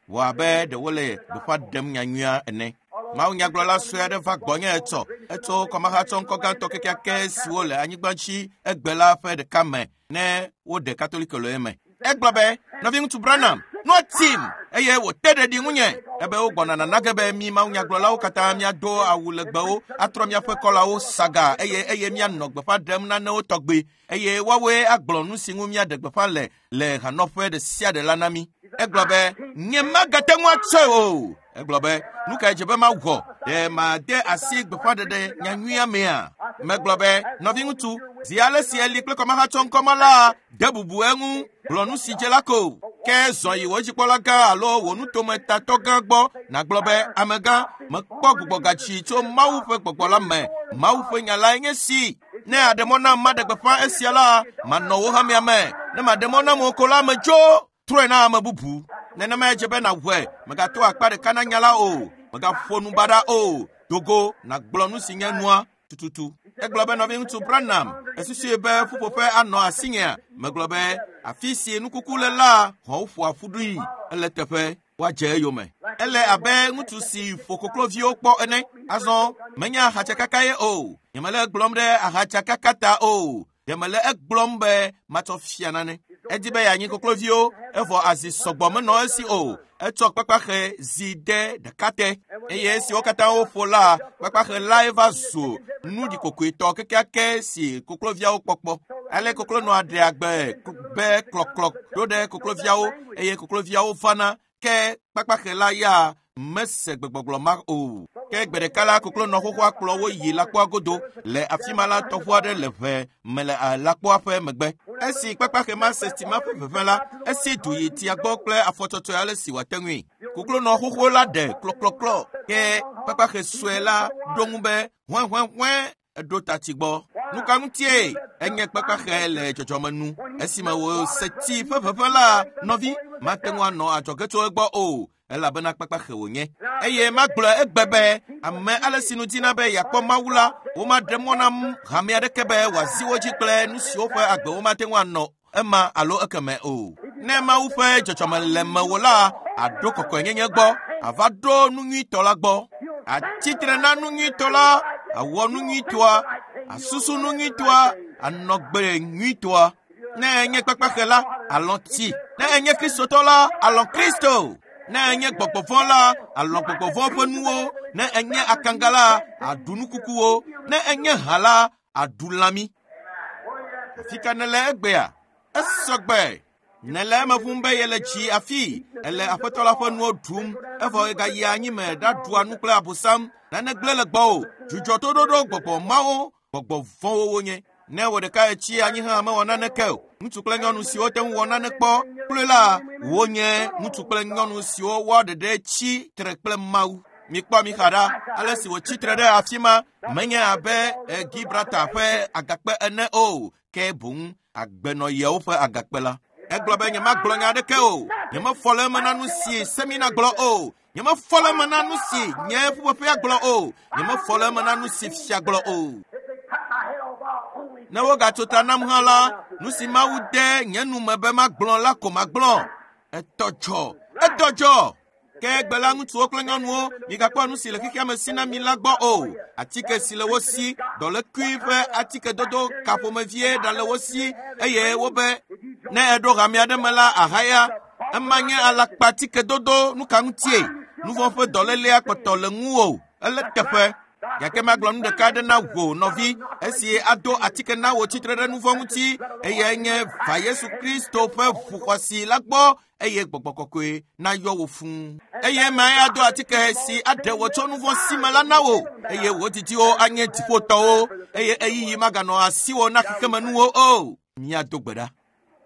wɔ abe ɖe wole gbeƒã ɖem nyanyuia ene. Mawu nyagblɔla sue aɖe va gbɔnye etsɔ. Etso kɔmahatsɔ ŋkɔ gãtɔ kekeake siwo le anyigba dzi egbe la ƒe ɖeka me ne woɖe Katoliko le eme. Egblɔ be, nɔviŋutsu Branham, nua tim eye wòte ɖeɖi ŋunye ebe wogbɔna nana ge be mi Mawu nyagblɔlawo katã míado awu legbewo, atrɔ míaƒe kɔlawo saga eye eye míanɔ gbeƒã ɖem nanewo tɔgbe eye woawoe agblɔ nu si ŋu míaɖe gbeƒã le le hanɔƒe ɖe sia ɖe la na mí. Egblɔ be, nyemagate ŋu atsɔe o. Egblɔ be, nu kae dze be mawɔ? Ɖe made asi gbeƒãɖeɖe nyanyuia mea? Megblɔ be, nɔviŋutsu, zi ale si eli kple kɔmahatsɔ ŋkɔma la, de bubu eŋu, gblɔ nu si dze la ko. Ke zɔ yi wò dzikpɔla gã alo wò nutometatɔ gã gbɔ nàgblɔ be, amegã, mekpɔ gbugbɔgatsi tso Mawu ƒe gbɔgbɔ la me. Mawu ƒe nya lae nye si. Ne aɖe mɔ nam maɖe gbeƒã esia la, manɔ wò hamea me. Ne maɖe mɔ nam o ko la, medzo. Trɔe na ame bubu. Nenemae dze be nàwɔe. Mègato akpa ɖeka na nya la o. Mègaƒo nu baɖa o. Dogo nàgblɔ nu si nye nua tututu. Egblɔ be nɔviŋutsu Branham, esusui be ƒuƒoƒe anɔ asinyea? Megblɔ be afi si nukuku le la, xɔwo ƒoa ƒu ɖui. Ele teƒe woadze eyome. Ele abe ŋutsu si ƒo kokloviwo kpɔ ene. Azɔ menye ahatsakaka ye o. Nyemele egblɔm ɖe ahatsakaka ta o. Ɖe mele egblɔm be matsɔ fia nane. Edi be yeanyi kokloviwo, evɔ azi sɔgbɔ menɔ esi o. Etsɔ kpakpaxe zi de ɖeka te eye esiwo katã woƒo la, kpakpaxe lae va zu nu ɖikokoetɔ kekeake si kokloviawo kpɔkpɔ. Ale koklonɔa ɖea gbe be klɔklɔ ɖo ɖe kokloviawo eye kokloviawo vana ke kpakpaxe la ya Mese gbegbɔgblɔ ma o. Ke gbe ɖeka la koklonɔ xoxoa kplɔ wo yi lãkpoa godo le afi ma la tɔʋu aɖe le ʋe me le lãkpoa ƒe megbe. Esi kpakpaxe ma se tsi ma ƒe ʋeʋẽ la, esi du yi tsia gbɔ kple afɔtsɔtsɔe ale si wòate ŋui. Koklonɔ xoxo la ɖe klɔklɔklɔ ke kpakpaxe sue la ɖo ŋu be hɔ̃ehɔ̃ehɔ̃e eɖo ta tsi gbɔ. Nu ka ŋutie enye kpakpaxe le dzɔdzɔme nu? Esime wòse tsi ƒe ʋeʋẽ la, nɔvi mate ŋu anɔ adzɔge tso egbɔ o. Elabena kpakpaxe wònye. Eye magblɔ egbe be ame ale si nu dina be yeakpɔ Mawu la, womaɖe mɔ na hame aɖeke be wòazi wo dzi kple nu siwo ƒe agbe womate ŋu anɔ ema alo ekeme o. Ne Mawu ƒe dzɔdzɔme le mewò la, aɖo kɔkɔenyenye gbɔ, ava ɖo nu nyuitɔ la gbɔ. Atsitre na nu nyuitɔ la, awɔ nu nyuitɔa, asusu nu nyuitɔa, anɔ gbe nyuitɔa. Ne enye kpakpaxe la, alɔ̃ tsi. Ne enye Kristotɔ la, alɔ̃ Kristo. Ne enye gbɔgbɔ vɔ̃ la, alɔ̃ gbɔgbɔ vɔ̃ ƒe nuwo. Ne enye akanga la, aɖu nukukuwo. Ne enye hã la, aɖu lãmi. Afi ka nèle egbea? Esɔgbe. Nèle eme ƒum be yele tsi afi, ele aƒetɔ la ƒe nuwo ɖum, evɔ egayia anyime ɖaɖua nu kple abosam. Nane gblẽ le gbɔwò. Dzudzɔ toɖoɖo gbɔgbɔ mawo, gbɔgbɔ vɔ̃wo wonye. Ne wò ɖeka etsi anyi hã mewɔ naneke o. Ŋutsu kple nyɔnu siwo te ŋu wɔ nane kpɔ kloe la, wonye ŋutsu kple nyɔnu siwo woa ɖeɖe tsi tre kple Mawu. Mikpɔ mi xa ɖa, ale si wòtsi tre ɖe afi ma, menye abe Gibraltar ƒe agakpe ene o, ke boŋ agbenɔyewo ƒe agakpe la. Egblɔ be nyemagblɔ nya aɖeke o. Nyemefɔ le eme na nu si semina gblɔ o. Nyemefɔ le eme na nu si nye ƒuƒoƒea gblɔ o. Nyemefɔ le eme na nu si fia gblɔ o. Ne wogatso ta nam hã la, nu si Mawu de nye nu me be magblɔ la ko magblɔ. Etɔ dzɔ, etɔ dzɔ. Ke egbe la ŋutsuwo kple nyɔnuwo, migakpɔ nu si le xexea me si na mi la gbɔ o. Atike si le wo si, dɔlékui ƒe atikedodo ka ƒomevie ɖale wo si, eye wobe ne eɖo hame aɖe me la ahaya. Ema nye alakpatikedodo nu ka ŋutie? Nu vɔ̃ ƒe dɔlélea kpɔtɔ le ŋuwò. Ele teƒe. Gake magblɔ nu ɖeka aɖe na wò nɔvi, esi ado atike na wò tsitre ɖe nu vɔ̃ ŋuti, eye nye va Yesu Kristo ƒe ʋu xɔasi la gbɔ, eye gbɔgbɔ kɔkɔe nayɔ wò fũu. Eye mae ado atike si aɖe wò tso nu vɔ̃ si me la na wò, eye wò didiwo anye dziƒotɔwo, eye eyiyi maganɔ asiwò na xexemenuwo o. Míado gbe ɖa.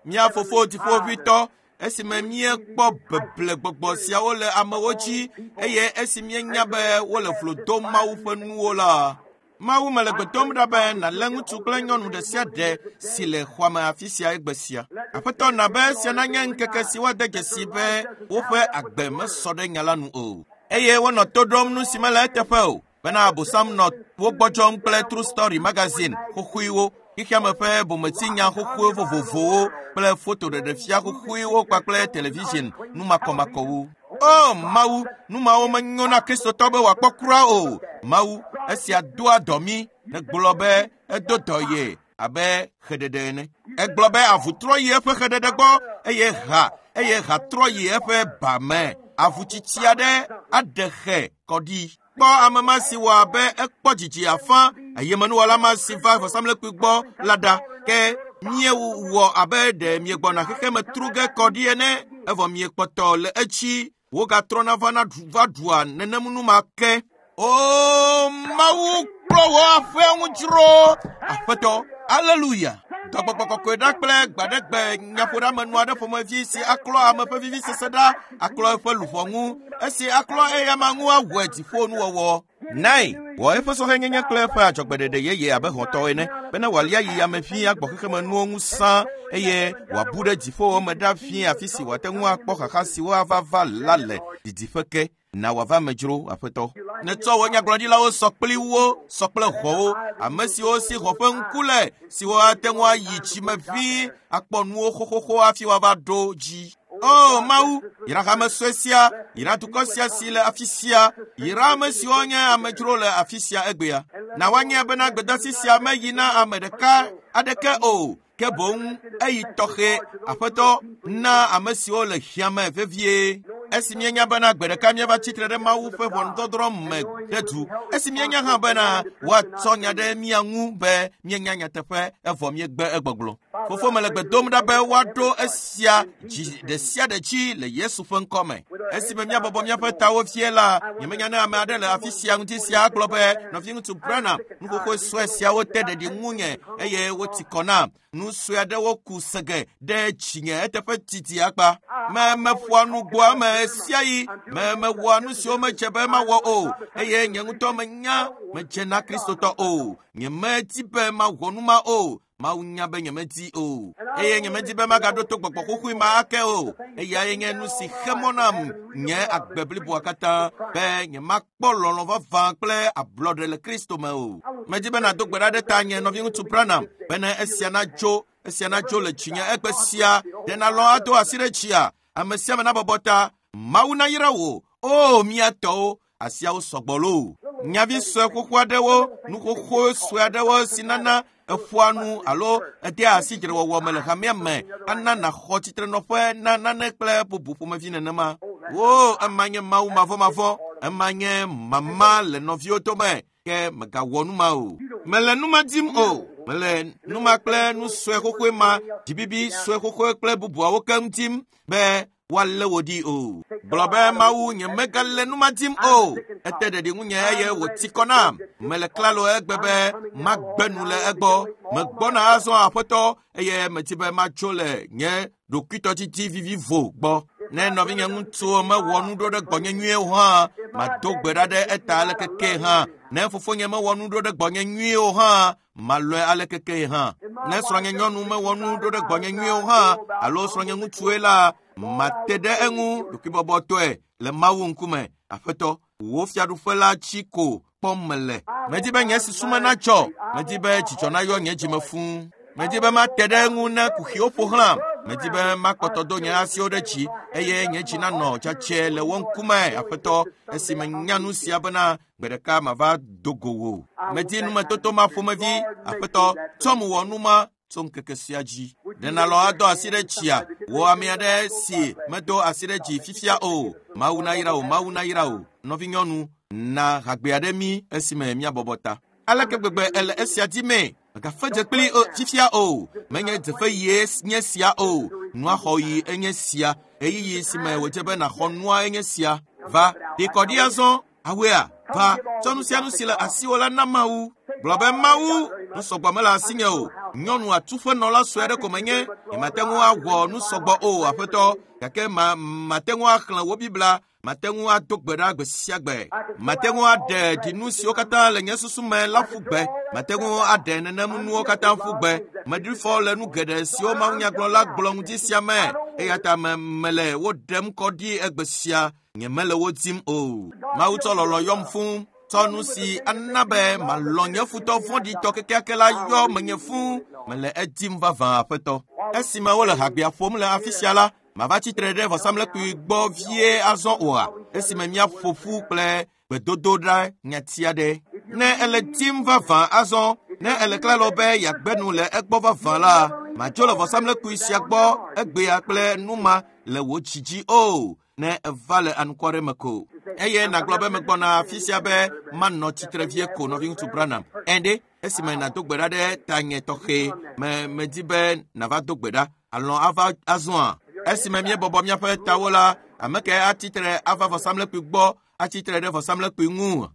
Mía fofo dziƒoʋĩtɔ, esime míekpɔ beble gbɔgbɔ siawo le amewo dzi, eye esi míenya be wole vlo dom Mawu ƒe nuwo la, Mawu mele gbe dom ɖa be nàlé ŋutsu kple nyɔnu ɖe sia ɖe si le xɔa me afi sia egbe sia. Aƒetɔ na be esia nanye ŋkeke si woade dzesi be woƒe agbe mesɔ ɖe nya la nu o. Eye wonɔ to ɖom nu si mele eteƒe o, bena abosam nɔ wo gbɔdzɔm kple True Story magazine xoxoewo, xexeame ƒe bometsinya xoxoe vovovowo kple fotoɖeɖefia xoxoewo kpakple television numakɔmakɔwo. O Mawu, nu mawo menyo na Kristotɔ be wòakpɔ kura o. Mawu, esia doa dɔ mí. Negblɔ be edo dɔ ye abe xeɖeɖe ene. Egblɔ be avu trɔ yi eƒe xeɖeɖe gbɔ eye ha eye ha trɔ yi eƒe ba me. Avu tsitsi aɖe aɖe xe kɔ ɖi. Kpɔ ame ma si wɔ abe ekpɔ dzidzi afã eye menuwɔla ma si va vɔsamlekpui gbɔ la ɖa. Ke míewɔ abe ɖe miegbɔna xexeme tru ge kɔ ɖi ene, evɔ miekpɔtɔ le etsi. Wogatrɔna vana va ɖua nenem nu ma ke. O Mawu, kplɔ wò aƒea ŋu dzro. Aƒetɔ, aleluya. Dɔgbɔgbɔ kɔkɔe ɖa kple gbaɖegbe nyaƒoɖeamenu aɖe ƒomevi si aklɔ ame ƒe vivisese ɖa, aklɔ eƒe luʋɔ ŋu, esi aklɔ eyama ŋu awɔe dziƒonuwɔwɔ. Nae, wɔ eƒe sɔhɛnyenye kple eƒe adzɔgbeɖeɖe yeye abe hɔ̃tɔ ene, bene wòalia yi ame ʋĩi agbɔ xexemenuwo ŋu sã, eye wòabu ɖe dziƒowo me ɖa ʋĩi afi si wòate ŋu akpɔ xaxa siwo ava va la le didiƒe ke. Na wòava me dzro, Aƒetɔ. Netsɔ wò nyagblɔɖilawo sɔ kpli wo, sɔ kple hɔ̃wo, ame siwo si hɔ̃ ƒe ŋku le, siwo ate ŋu ayi tsime ʋĩi akpɔ nuwo xoxoxo hafi woava ɖo dzi. O Mawu, yra hame sue sia, yra dukɔ sia si le afi sia, yra ame siwo nye amedzro le afi sia egbea. Na woanye bena gbedeasi sia meyi na ame ɖeka aɖeke o, ke boŋ eyi tɔxɛ. Aƒetɔ, na ame siwo le hiã me vevie. Esi míenya bena gbe ɖeka míava tsitre ɖe Mawu ƒe ʋɔnudɔdrɔ̃ me ɖe du. Esi míenya hã bena woatsɔ nya ɖe mía ŋu be míenya nyateƒe evɔ míegbe egbɔgblɔ. Fofo mele gbe dom ɖa be woaɖo esia dzi ɖe sia ɖe dzi le Yesu ƒe ŋkɔ me. Esime míabɔbɔ míaƒe tawo fie la, nyemenya ne ame aɖe le afi sia ŋuti sia agblɔ be nɔviŋutsu Branham, nu xoxo sue siawo te ɖeɖi ŋunye eye woti kɔ nam. Nu sue aɖewo ku sege ɖe dzinye eteƒe didi akpa. Me meƒoa nu gbɔa me sia yi, me mewɔa nu siwo medze be mawɔ o eye nye ŋutɔ menya medze na Kristotɔ o. Nyemedi be mawɔ nu ma o. Mawu nya be nyemedi o. Eye nyemedi be magaɖo to gbɔgbɔ xoxoe ma ake o. Eyae nye nu si xe mɔ nam nye agbe bliboa katã be nyemakpɔ lɔlɔ̃ vavã kple ablɔɖe le Kristo me o. Medi be nàdo gbe ɖa ɖe ta nye nɔviŋutsu Branham bene esia nadzo esia nadzo le dzinye egbe sia. Ɖe nalɔ̃ ado asi ɖe dzia? Ame sia ame nabɔbɔ ta. Mawu nayra wò. O mía tɔwo, asiawo sɔgbɔ loo. Nyavi sue xoxo aɖewo, nu xoxo sue aɖewo si nana eƒoa nu alo edea asi dzrewɔwɔ me le hamea me ana nàxɔ tsitrenɔƒe na nane kple bubu ƒomevi nenema. Wo ema nye Mawu mavɔmavɔ, ema nye mama le nɔviwo dome ke megawɔ nu ma o. Mele nu ma dim o. Mele nu ma kple nu sue xoxoe ma, dzibibi sue xoxoe kple bubuawo keŋ dim be woalé wò ɖi o. Gblɔ be Mawu nyemegale nu ma dim o. Ete ɖeɖi ŋunye eye wòti kɔ nam. Mele klalo egbe be magbe nu le egbɔ. Megbɔna azɔ aƒetɔ eye medi be matso le nye ɖokuitɔdidi vivivo gbɔ. Ne nɔvinye ŋutsuwo mewɔ nu ɖo ɖe gbɔnye nyuie o hã, mado gbe ɖa ɖe eta alekeke hã. Ne fofonye mewɔ nu ɖo ɖe gbɔnye nyuie o hã, malɔe alekeke hã. Ne srɔ̃nye nyɔnu mewɔ nu ɖo ɖe gbɔnye nyuie o hã, alo srɔ̃nye ŋutsue la, mate ɖe eŋu ɖokuibɔbɔtɔe le Mawu ŋkume. Aƒetɔ, wò fiaɖuƒe la tsi ko kpɔm mele. Medi be nye susu me natsɔ. Medi be dzidzɔ nayɔ nye dzime fũu. Medi be mate ɖe eŋu ne kuxiwo ƒo xlãm. Medi be makpɔtɔ do nye asiwo ɖe dzi eye nye dzi nanɔ tsatsɛ le wo ŋkume, Aƒetɔ, esi menya nu sia bena gbe ɖeka mava do go wò. Medi numetoto ma ƒomevi, Aƒetɔ, tsɔm wɔ nu ma tso ŋkeke sia dzi. Ɖe nalɔ̃ ado asi ɖe dzia? Wò ame aɖe si medo asi ɖe dzi fifia o. Mawu nayra wò, Mawu nayra wò. Nɔvinyɔnu, na hagbe aɖe mí esime míabɔbɔ ta. Aleke gbegbe ele esia dimee? Megafe dze kpli o fifia o. Menye dzefe yie nye sia o. Nua xɔɣi enye sia. Ɣeyiɣi si me wòdze be nàxɔ nua enye sia. Va, ɖi kɔ ɖi azɔ. Awea, va, tsɔ nu sia nu si le asiwò la na Mawu. Gblɔ be Mawu, nu sɔgbɔ mele asinye o. Nyɔnu atuƒenɔla sue aɖe ko menye. Nyemate ŋu awɔ nu sɔgbɔ o, Aƒetɔ. Gake ma mate ŋu axlẽ wò Biblia. Mate ŋu ado gbe ɖa gbe sia gbe. Mate ŋu aɖe ɖinu siwo katã le nye susu me la ƒu gbe. Mate ŋu aɖe nenem nuwo katã ƒu gbe. Meɖi fɔ le nu geɖe siwo mawunyagblɔla gblɔ ŋuti sia me. Eya ta me mele wo ɖem kɔ ɖi egbe sia. Nyemele wo dim o. Mawu tsɔ lɔlɔ̃ yɔm fũu. Tsɔ nu si ana be malɔ̃ nye futɔ vɔ̃ɖitɔ kekeake la yɔ menye fũu. Mele edim vavã, Aƒetɔ. Esime wole hagbea ƒom le afi sia la, mava tsitre ɖe vɔsamlekpui gbɔ vie azɔ oa? Esime míaƒo ƒu kple gbedodoɖa nyati aɖe. Ne ele dim vavã azɔ, ne ele klalo be yeagbe nu le egbɔ vavã la, madzo le vɔsamlekpui sia gbɔ egbea kple nu ma le wò dzi dzi o. Ne eva le anukware me ko. Eye nàgblɔ be megbɔna afi sia be manɔ tsitre vie ko nɔviŋutsu Branham. Ɛnde, esime nàdo gbe ɖa ɖe tanye tɔxɛ me medi be nàva do gbe ɖa. Alɔ̃ ava azɔa? Esime míebɔbɔ míaƒe tawo la, ame ke atsitre ava vɔsamlekpui gbɔ, atsitre ɖe vɔsamlekpui ŋu.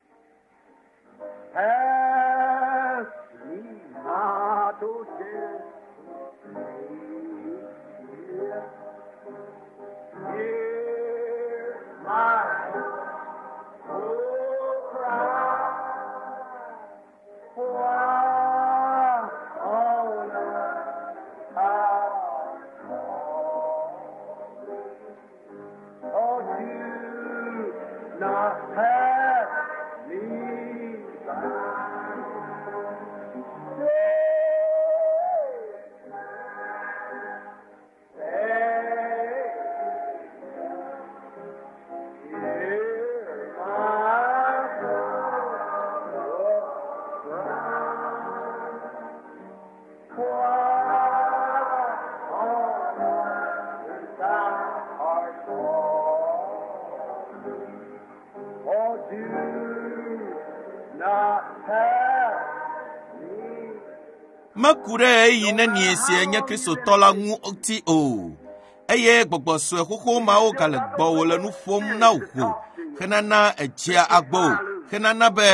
Pass me not, O gentle Savior. Hear my poor cry. Why on earth thou Oh, do not pass me by. Say, hear my poor cry. Why on earth thou art calling? Meku ɖe ɣeyiɣi nenie si enye Kristotɔ la ŋuti o. Eye gbɔgbɔ sue xoxo mawo gale gbɔwò le nu ƒom na wò henana edzea agbo henana be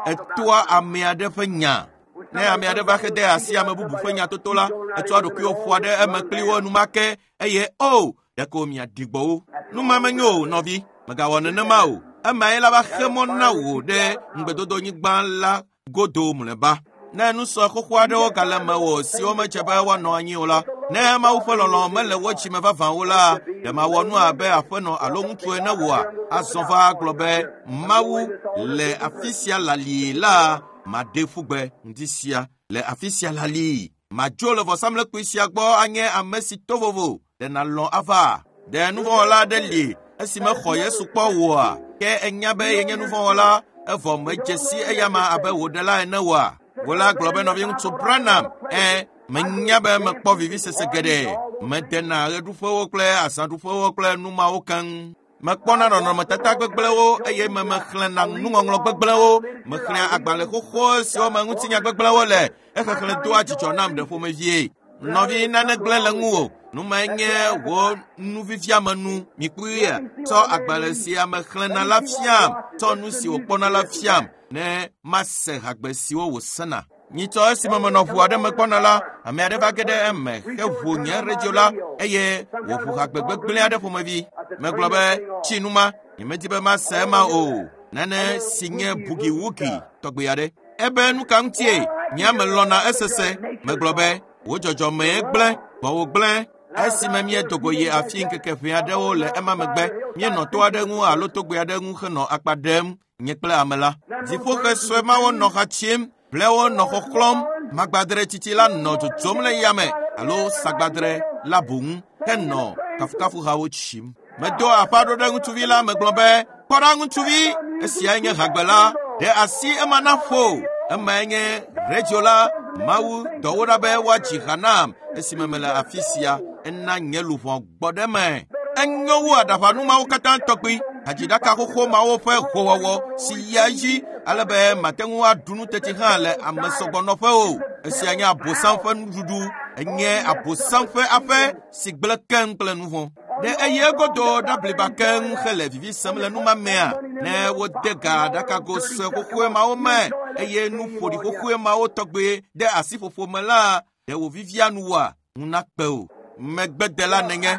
etoa ame aɖe ƒe nya. Ne ame aɖe va hede asi ame bubu ƒe nyatoto la, etsɔa ɖokuiwo ƒoa ɖe eme kpli wo enumake eye o ɖeko miaɖi gbɔ wo. Nu ma menyo o, nɔvi, mègawɔ nenema o. Emae la va xe mɔ na wò ɖe ŋugbedodonyigba la godo mlɔeba. Ne nu sue xoxo aɖewo gale mewò siwo medze be woanɔ anyi o la, ne Mawu ƒe lɔlɔ̃ mele wo dzime vavã o la, ɖe mawɔ nu abe aƒenɔ alo ŋutsu ene woa? Azɔ va gblɔ be Mawu le afi sia lalie la, maɖe ƒu gbe ŋdi sia le afi sia lalie. Madzo le vɔsamlekpui sia gbɔ anye ame si to vovo. Ɖe nàlɔ̃ ava? Ɖe nuvɔ̃wɔla aɖe li esi mexɔ Yesu kpɔ oa? Ke enya be yenye nuvɔ̃wɔla evɔ medze si eyama abe wò ɖela ene oa? Wò la gblɔ be nɔviŋutsu Branham, ẽ, menya be mekpɔ vivisese geɖe. Medena ɣeɖuƒewo kple azãɖuƒewo kple nu mawo keŋ. Mekpɔna nɔnɔmetata gbegblẽwo eye me mexlẽna nuŋɔŋlɔ gbegblẽwo. Mexlẽa agbalẽ xoxo siwo me ŋutinya gbegblẽwo le. Exexlẽ doa dzidzɔ nam ɖe ƒomevie. Nɔvi, nane gblẽ le ŋuwò. Nu mae nye wò nuviviamenu. Mikpɔe, tsɔ agbalẽ sia mexlẽna la fiam. Tsɔ nu si wòkpɔna la fiam ne mase hagbe siwo wòsena. Nyitsɔ esime menɔ ʋu aɖe me gbɔna la, ame aɖe va ge ɖe eme heʋu nye redio la eye wòʋu hagbe gbegblẽ aɖe ƒomevi. Megblɔ be tsi nu ma, nyemedi be mase ema o. Nane si nye bugiwugi tɔgbe aɖe. Ebe nu ka ŋutie nye ame lɔ̃na esese. Megblɔ be wò dzɔdzɔmee gblẽ, gbɔwò gblẽ. Esime míedo go yi afi ŋkeke ʋɛ aɖewo le ema megbe, míenɔ to aɖe ŋu alo togbɛ aɖe ŋu henɔ akpa ɖem nye kple ame la. Dziƒoxe sue mawo nɔ xa tsim, blewo nɔ xɔxlɔ̃m, magbadre tsitsi la nɔ dzodzom le yame alo sagbadre la boŋ henɔ kafukafuhawo tsim. Medo aƒa ɖo ɖe ŋutsuvi la megblɔ be, kpɔ ɖa ŋutsuvi, esiae nye hagbe la, ɖe asi ema na ƒo. Emae nye redio la, Mawu dɔ wo ɖa be woadzi ha nam esime mele afi sia. Ena nye luʋɔ gbɔ ɖe eme. Enyo wu aɖaʋanu mawo katã tɔgbi. Hadziɖaka xoxo mawo ƒe howɔwɔ si yia edzi ale be mate ŋu aɖu nu teti hã le ame sɔgbɔnɔƒe o. Esia nye Abosam ƒe nuɖuɖu. Enye Abosam ƒe aƒe si gblẽ keŋ kple nu vɔ̃. Ɖe eye egodo ɖabliba keŋ hele vivi sem le numa mea? Ne wode ga aɖakago sue xoxoe mawo me eye nu ƒoɖi xoxoe mawo tɔgbe ɖe asiƒoƒo me la, ɖe wòvivia nuwòa? Ŋu nakpe o. Megbedela nenye.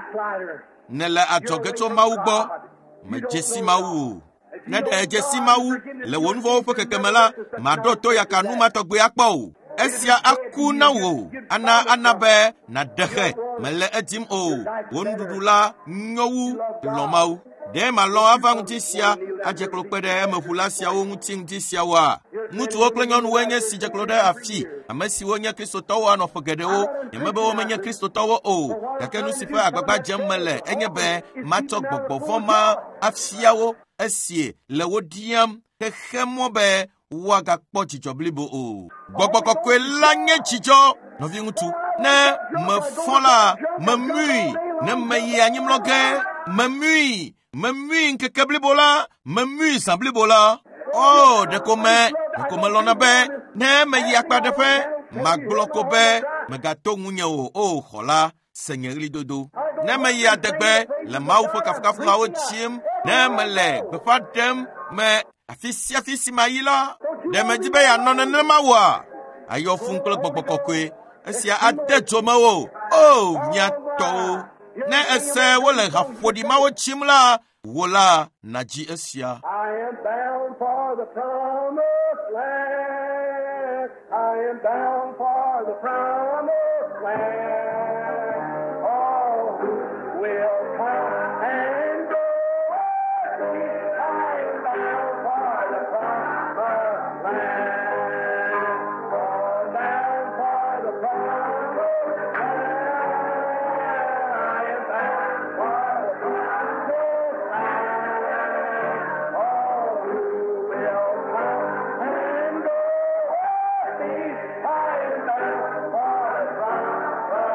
Nèle adzɔge tso Mawu gbɔ. Medze si Mawu o. Ne ɖe edze si Mawu le wò nuvɔ̃wo ƒe kekeme la, maɖo to yaka nu ma tɔgbe akpɔ o. Esia aku na wò, ana ana be nàɖe xe. Mele edim o. Wò nuɖuɖu la nyo wu lɔ̃ Mawu. Ɖe malɔ̃ ava ŋuti sia adze klo kpe ɖe emeʋula siawo ŋuti ŋuti siawoa? Ŋutsuwo kple nyɔnuwoe nye si dze klo ɖe afi, ame siwo nye Kristotɔwo anɔ ƒe geɖewo. Nyemebe womenye Kristotɔwo o, gake nu si ƒe agbagba dzem mele enye be matsɔ gbɔgbɔ vɔ̃ ma afia wo esi le wo ɖiam xexe mɔ be woagakpɔ dzidzɔ blibo o. Gbɔgbɔ kɔkɔe la nye dzidzɔ. Nɔviŋutsu, ne mefɔ la, memui. Ne meyi anyimlɔ ge, memui. Memui ŋkeke blibo la, memui zã blibo la. O, ɖeko me, ɖeko melɔ̃na be ne meyi akpaɖeƒe, magblɔ ko be megato ŋunye o. O xɔla, se nye ɣlidodo. Ne meyi adegbe le Mawu ƒe kafukafuhawo tsim, ne mele gbeƒã ɖem me afi sia afi si mayi la, ɖe medi be yeanɔ nenema oa? Ayɔ fũu kple gbɔgbɔ kɔkɔe. Esia ade dzo mewò. O, mía tɔwo. Ne ese wole haƒoɖi mawo tsim la, wò la nàdzi esia. I am bound for the promised land. I am bound for the promised land. All who will come and go with me. I am bound for the promised land. Oh, bound for the promised land. I am bound for the promised land. All who will come and go with me. I am bound for the promised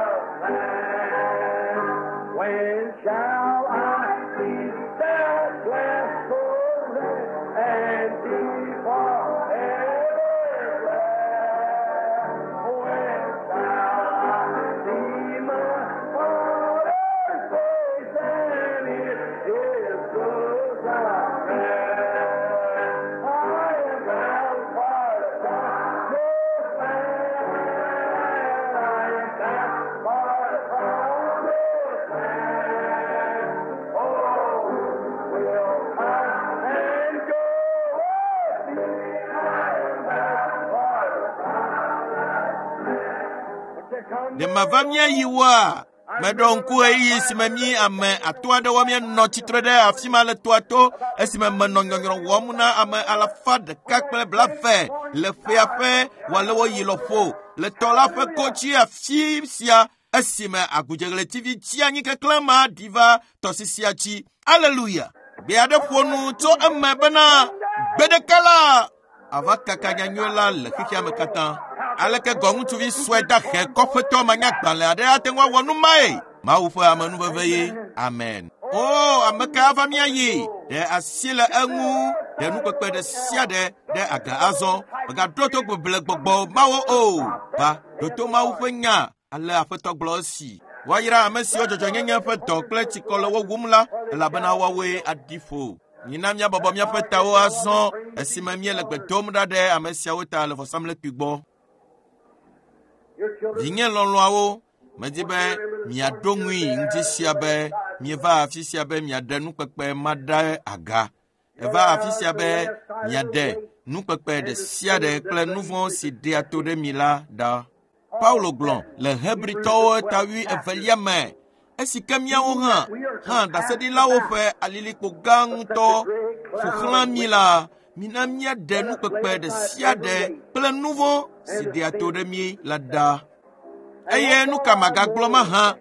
Ɖe mava míayi woa? Meɖo ŋku ɣeyiɣi si me mí ame atɔ̃ aɖewo míenɔ tsitre ɖe afi ma le toa to esime menɔ nyɔnyrɔ wɔm na ame alafa ɖeka kple blaeve le ƒea ƒe wòalewoyi lɔƒo le tɔ la ƒe kodzi afi sia esime agudzeɣletivi tsi anyi keklẽ ma ɖi va tɔsisia dzi. Aleluya! Gbe aɖe ƒo nu tso eme bena gbe ɖeka la ava kaka nyanyui la le xexea me katã. Aleke gɔ ŋutsuvi sue dahe kɔƒetɔ manyagbalẽ aɖe ate ŋu awɔ nu mae? Mawu ƒe amenuveve ye. Amen. O, ame ka ava míayi? Ɖe asi le eŋu, ɖe nukpekpe ɖe sia ɖe ɖe aga azɔ. Mègaɖo to gbegble gbɔgbɔ mawo o. Va, ɖo to Mawu ƒe nya. Ale Aƒetɔ gblɔ esi. Woayra ame siwo dzɔdzɔnyenye ƒe dɔ kple tsikɔ le wo wum la, elabena woawoe aɖi ƒo. Mina míabɔbɔ míaƒe tawo azɔ esime míele gbe dom ɖa ɖe ame siawo ta le vɔsamlekpui gbɔ. Vinye lɔlɔ̃awo, medi be miaɖo ŋui ŋdi sia be mieva afi sia be miaɖe nukpekpe ma ɖe aga. Eva afi sia be miaɖe nukpekpe ɖe sia ɖe kple nu vɔ̃ si ɖea to ɖe mi la ɖa. Paulo gblɔ le Hebritɔwo ta wui evelia me esi ke míawo hã hã ɖaseɖilawo ƒe alilikpo gã ŋutɔ ƒo xlã mí la, mina míaɖe nukpekpe ɖe sia ɖe kple nu vɔ̃ si ɖea to ɖe mí la ɖa. Eye nu ka magagblɔ mahã?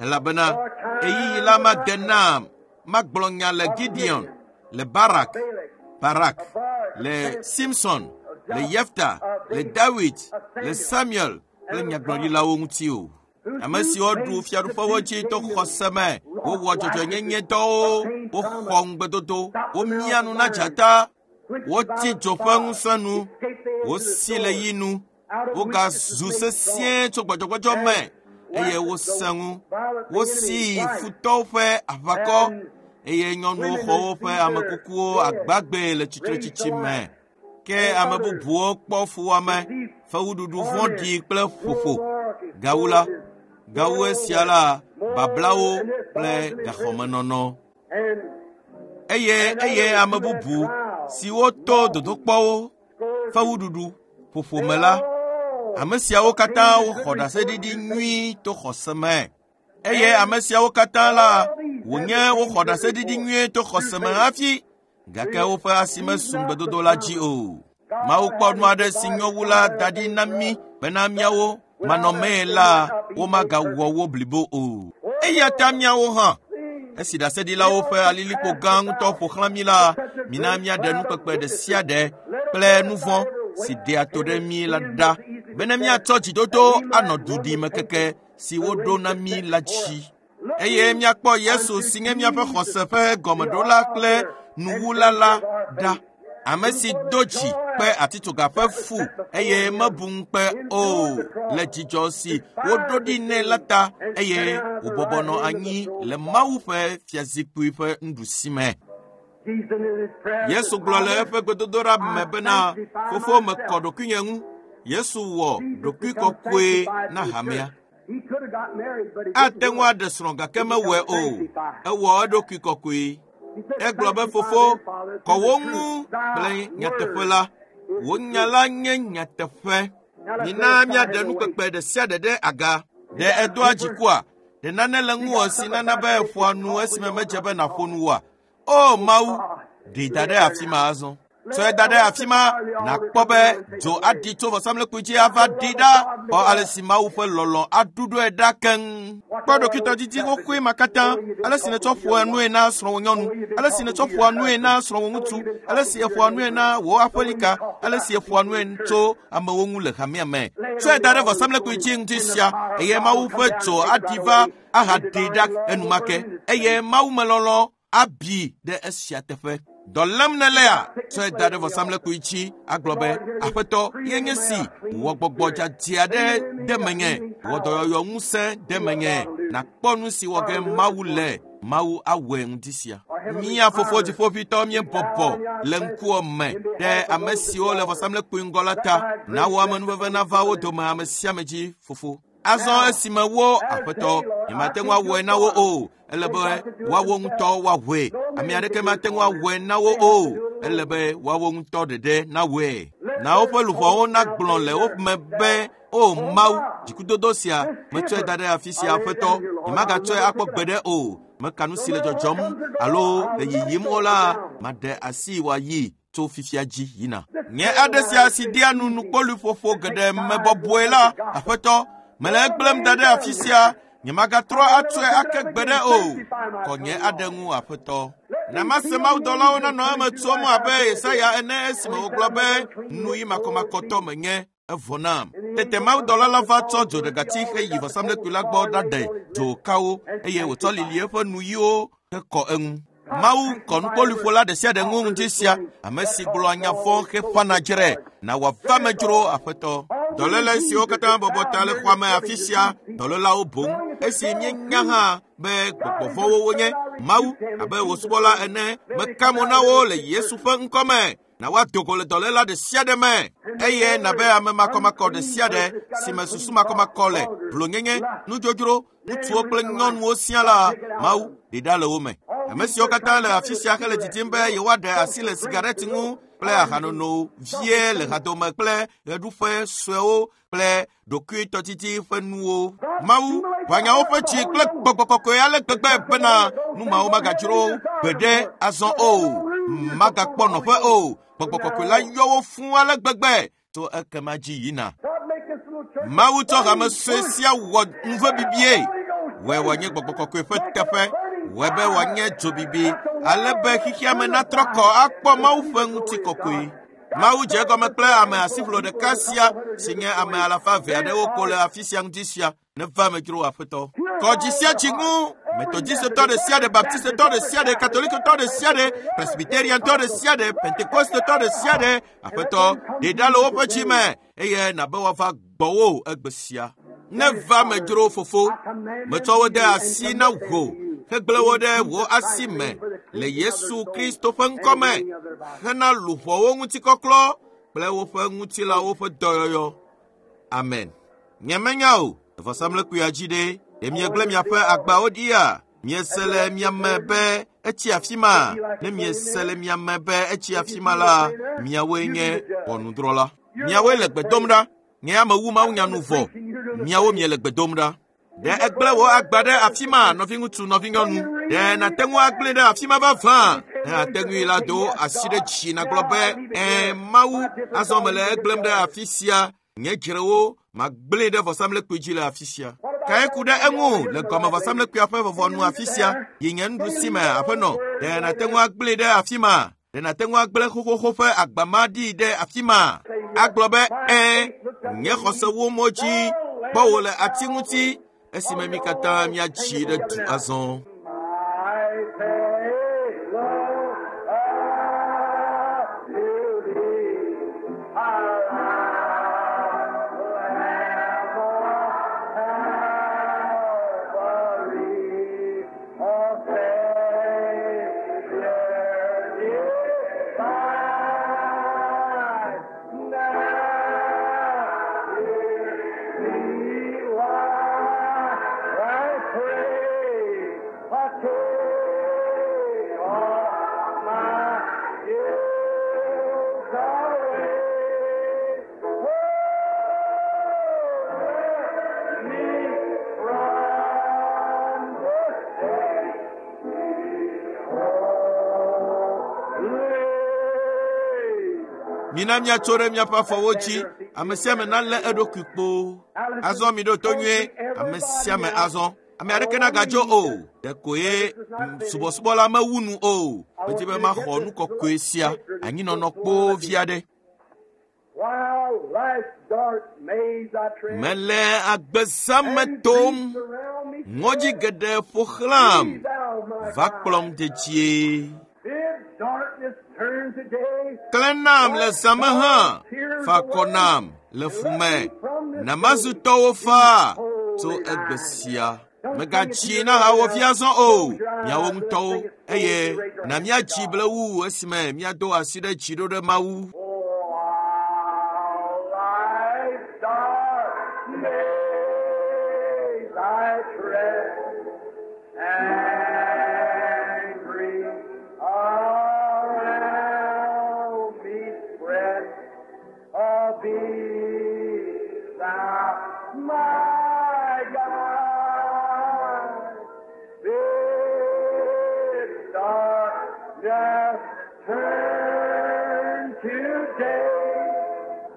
Elabena ɣeyiɣi la made nam magblɔ nya le Gideon, le Barak, Barak, le Simson, le Yefta, le Dawid, le Samuel kple nyagblɔɖilawo ŋuti o. Ame siwo ɖu fiaɖuƒewo dzi to xɔse me, wowɔ dzɔdzɔenyenyedɔwo, woxɔ ŋugbedodo, womia nu na dzata, wotsi dzo ƒe ŋusẽ nu, wosi le yi nu, wogazu sesĩe tso gbɔdzɔgbɔdzɔ me eye wosẽ ŋu. Wosi futɔwo ƒe aʋakɔ eye nyɔnuwo xɔ woƒe ame kukuwo agbagbe le tsitretsitsi me. Ke ame bubuwo kpɔ fuwɔame, fewuɖuɖu vɔ̃ɖi kple ƒoƒo. Gawu la, gawu esia la, bablawo kple gaxɔmenɔnɔ. Eye eye ame bubu siwo to dodokpɔwo, fewuɖuɖu, ƒoƒo me la, ame siawo katã woxɔ ɖaseɖiɖi nyui to xɔse me. Eye ame siawo katã la, wònye woxɔ ɖaseɖiɖi nyui to xɔse me hafi, gake woƒe asi mesu ŋugbedodo la dzi o. Mawu kpɔ nu aɖe si nyo wu la da ɖi na mí bena míawo manɔmee la, womagawɔ wo blibo o. Eya ta míawo hã, esi ɖaseɖilawo ƒe alilikpo gã ŋutɔ ƒo xlã mí la, mina míaɖe nukpekpe ɖe sia ɖe kple nu vɔ̃ si ɖea to ɖe mí la ɖa, bene míatsɔ dzidodo anɔ duɖimekeke si woɖo na mí la dzi. Eye míakpɔ Yesu si nye míaƒe xɔse ƒe gɔmeɖola kple nuwula la ɖa. Ame si do dzi kpe atitsoga ƒe fu eye mebu ŋukpe o le dzidzɔ si woɖo ɖi nɛ la ta eye wòbɔbɔ nɔ anyi le Mawu ƒe fiazikpui ƒe nuɖusi me. Yesu gblɔ le eƒe gbedodoɖa me bena, Fofo mekɔ ɖokuinye ŋu. Yesu wɔ ɖokuikɔkɔe na hamea. Ate ŋu aɖe srɔ̃ gake mewɔe o. Ewɔ eɖokui kɔkɔe. Egblɔ be fofo, kɔ wo ŋu kple nyateƒe la. Wò nya la nye nyateƒe. Mina míaɖe nukpekpe ɖe sia ɖe ɖe aga. Ɖe edoa dzikua? Ɖe nane le ŋuwò si nana be èƒoa nu esime medze be nàƒo nu oa? O Mawu, ɖee da ɖe afi ma azɔ. Tsɔe da ɖe afi ma, nàkpɔ be dzo aɖi tso vɔsamlekpui dzi ava ɖi ɖa. Kpɔ ale si Mawu ƒe lɔlɔ̃ aɖuɖɔe ɖa keŋ. Kpɔ ɖokuitɔdidi xoxoe ma katã, ale si nètsɔ ƒoa nue na srɔ̃wò nyɔnu, ale si nètsɔ ƒoa nue na srɔ̃wò ŋutsu, ale si èƒoa nue na wò aƒelika, ale si èƒoa nue tso amewo ŋu le hamea me. Tsɔe da ɖe vɔsamlekpui dzi ŋdi sia eye Mawu ƒe dzo aɖi va ahaɖee ɖa enumake eye Mawu melɔlɔ̃ abi ɖe esia teƒe. Dɔ lém nèlea? Tsɔe da ɖe vɔsamlekpui dzi agblɔ be, Aƒetɔ, ye nye si, wɔ gbɔgbɔ dzadzɛ aɖe de menye, wɔ dɔyɔyɔ ŋusẽ de menye, nàkpɔ nu si wɔ ge Mawu le. Mawu awɔe ŋdi sia. Mía Fofo Dziƒoʋĩtɔ míebɔbɔ le ŋkuwò me ɖe ame siwo le vɔsamlekpui ŋgɔ la ta. Na wò amenuveve nava wo dome ame sia ame dzi, Fofo. Azɔ esime wo, Aƒetɔ, nyemate ŋu awɔe na wo o. Ele be woawo ŋutɔ woawɔe. Ame aɖeke mate ŋu awɔe na wo o. Ele be woawo ŋutɔ ɖeɖe nawɔe. Na woƒe luʋɔwo nagblɔ le wo me be o Mawu, dzikudodo sia metsɔe da ɖe afi sia aƒetɔ, nyemagatsɔe akpɔ gbeɖe o. Meka nu si le dzɔdzɔm alo le yiyim o la, maɖe asi wòayi tso fifia dzi yina. Nye aɖe sia si ɖia nu nukpoluƒoƒo geɖe me bɔbɔe la, aƒetɔ, mele egblẽm da ɖe afi sia. Nyemagatrɔ atsɔe ake gbeɖe o. Kɔ nye aɖe ŋu aƒetɔ. Na mase mawudɔlawo nanɔ eme tsom abe Yesaya ene esime wògblɔ be nu yi makɔmakɔtɔ menye evɔ nam. Tete mawudɔla la va tsɔ dzoɖegati heyi vɔsamlekpui la gbɔ ɖaɖe dzokawo eye wòtsɔ lili eƒe nuyiwo hekɔ eŋu. Mawu kɔ nukpoluƒola ɖe sia ɖe ŋu ŋdi sia, ame si gblɔa nya vɔ̃ heƒãna dzre, na wòava me dzro aƒetɔ. Dɔléle siwo katã bɔbɔ ta le xɔa me afi sia, dɔlélawo boŋ. Esi míenya hã be gbɔgbɔ vɔ̃wo wonye, Mawu abe wò subɔla ene, meka mo na wo le Yesu ƒe ŋkɔ me. Na woado go le dɔléla ɖe sia ɖe me eye nabe ame makɔmakɔ ɖe sia ɖe si me susu makɔmakɔ le, vlonyenye, nudzodzro, ŋutsuwo kple nyɔnuwo sia la, Mawu ɖe ɖa le wo me. Ame siwo katã le afi sia hele didim be yewoaɖe asi le sigareti ŋu kple ahanono vie le hadome kple ɣeɖuƒe suewo kple ɖokuitɔdidi ƒe nuwo. Mawu ʋã woƒe tsi kple gbɔgbɔ kɔkɔe ale gbegbe bena nu mawo magadzro gbeɖe azɔ o, magakpɔ nɔƒe o. Gbɔgbɔ kɔkɔe la yɔ wo fũu ale gbegbe tso ekema dzi yina. Mawu tsɔ hame sue sia wɔ nuvebibie. Wɔe wòanye gbɔgbɔ kɔkɔe ƒe teƒe, wɔe be wòanye dzobibi, ale be xexea me natrɔ kɔ akpɔ Mawu ƒe ŋutikɔkɔe. Mawu dze egɔme kple ame asiʋlo ɖeka sia si nye ame alafa eve aɖewo ko le afi sia ŋdi sia. Neva me dzro aƒetɔ. Kɔ dzi sia dzi ŋu. Metodistetɔ ɖe sia ɖe, Baptistetɔ ɖe sia ɖe, Katolikotɔ ɖe sia ɖe, Presbyteriantɔ ɖe sia ɖe, Pentekostetɔ ɖe sia ɖe, aƒetɔ, ɖe ɖa le woƒe dzi me eye nabe woava gbɔwò egbe sia. Neva me dzro fofo, metsɔ wo de asi na wò hegblẽ wo ɖe wò asi me le Yesu Kristo ƒe ŋkɔ me hena luʋɔwo ŋutikɔklɔ kple woƒe ŋutilawo ƒe dɔyɔyɔ. Amen. Nyemenya o, vɔsamlekpuia dzi ɖe, ɖe miegblẽ miaƒe agbawo ɖia? Miese le mia me be etsi afi ma? Ne miese le mia me be etsi afi ma la, miawoe nye ʋɔnudrɔ̃la. Miawoe le gbe dom ɖa. Nye amewu Mawunya nu vɔ. Miawo miele gbe dom ɖa. Ɖe egblẽ wò agba ɖe afi ma, nɔviŋutsu, nɔvinyɔnu? Ɖe nàte ŋu agblẽ ɖe afi ma vavã? Ne àte ŋui la, do asi ɖe dzi nàgblɔ be, ɛ̃, Mawu, azɔ mele egblẽm ɖe afi sia. Nye dzrewo magblẽe ɖe vɔsamlekpui dzi le afi sia. Kae ku ɖe eŋu le gɔme vɔsamlekpuia ƒe vɔvɔnu afi sia yi nye nuɖusi me aƒenɔ? Ɖe nàte ŋu agblẽe ɖe afi ma? Ɖe nàte ŋu agblẽ xoxoxo ƒe agba ma ɖi ɖe afi ma? Agblɔ be, ɛ̃, nye xɔse wu mo dzi kpɔ wò le ati ŋuti esime mi katã míatsi ɖe du azɔ. My faith, Lord, to thee, Lamb of Calvary, O Savior divine, now hear me while I pray. I take all my guilt away. Hold me from the state holy. Mina míatso ɖe míaƒe afɔwo dzi. Ame sia ame nalé eɖokui kpoo. Azɔ mi ɖo to nyuie. Ame sia ame azɔ. Ame aɖeke nagadzo o. Ɖeko ye subɔsubɔla mewu nu o. Medi be maxɔ nu kɔkɔe sia. Anyinɔnɔ kpoo vi aɖe. While life's dark maze I tread, Mele agbeza me and tom. griefs surround me Ŋɔdzi geɖe ƒo xlãm. Be thou my Va guide. kplɔm dedie. If darkness turn to day, Klẽ nam le zã me hã. Fa akɔ nam le fu me. Na mazu tɔwò faa tso egbe sia. Megatsi na hawòvi azɔ o, miawo ŋutɔwo, eye na míatsi blewu esime míado asi ɖe dzi ɖo ɖe Mawu. oh, while life's dark maze I tread, and grief around me spread, Thou my guide. Bid darkness turn to day,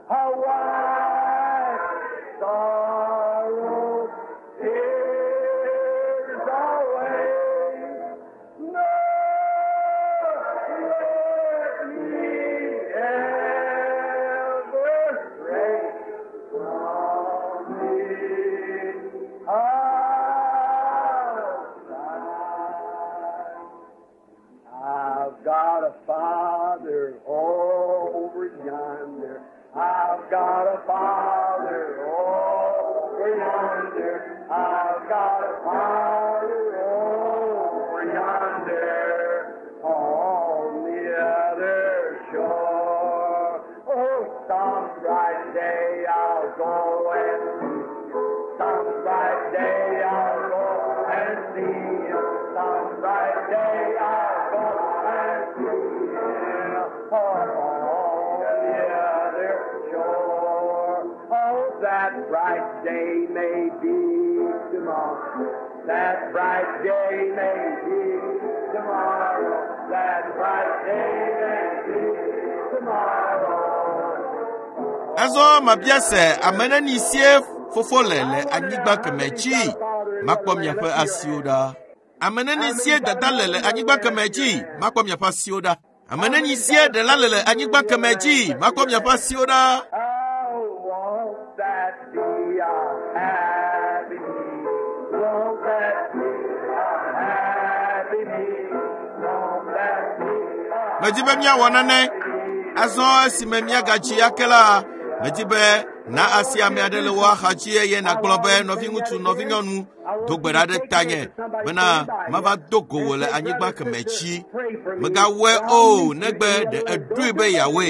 a white sorrow tears away. No, let me ever stray from thee outside. I've got a father over yonder. I've got a father over yonder. I've got a father over yonder on the other shore. Oh, some bright day I'll go and see. Some bright day I'll go and see him. Some bright day I'll go and see him on the other shore. Oh, that bright day may be tomorrow. That bright day may be tomorrow. That bright day may be tomorrow. Azɔ mabia se ame neni sie fofo le le anyigba kemɛ dzi makpɔ miaƒe asiwo ɖa. Ame neni sie dada le le anyigba kemɛ dzi makpɔ miaƒe asiwo ɖa. Ame neni sie ɖela le le anyigba kemɛ dzi makpɔ miaƒe asiwo ɖa. Oh, won't that be a happy me? Won't that be a happy me? Won't that be a Medi be míawɔ nane. Azɔ esime míagatsi ake la, medi be na asi ame aɖe le wò axa dzi eye nàgblɔ be nɔviŋutsu, nɔvinyɔnu, do gbe ɖa ɖe tanye bena mava do go wò le anyigba kemɛ dzi. Mègawɔe o negbe ɖe èɖoe be yeawɔe.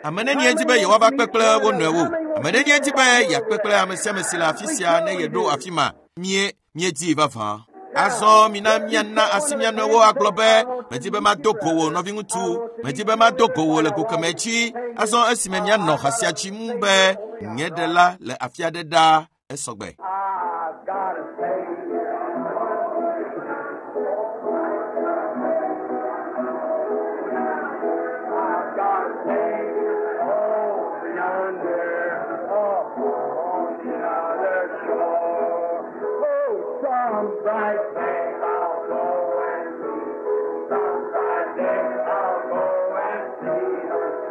Ame nenie di be yewoava kpe kple wo nɔewo. Ame nenie di be yeakpe kple ame sia ame si le afi sia ne yeɖo afi ma. Mie míedii vavã. Azɔ mina míana asi mía nɔewo agblɔ be medi be mado go wò nɔviŋutsu, medi be mado go wò le go kemɛ dzi. Azɔ esime míanɔ ha sia dzim be nye ɖela le afi aɖe ɖaa esɔgbe. I've got a Savior. I've got a Savior over yonder, oh, on the other shore. Oh, some bright day I'll go and see. Some bright day I'll go and see.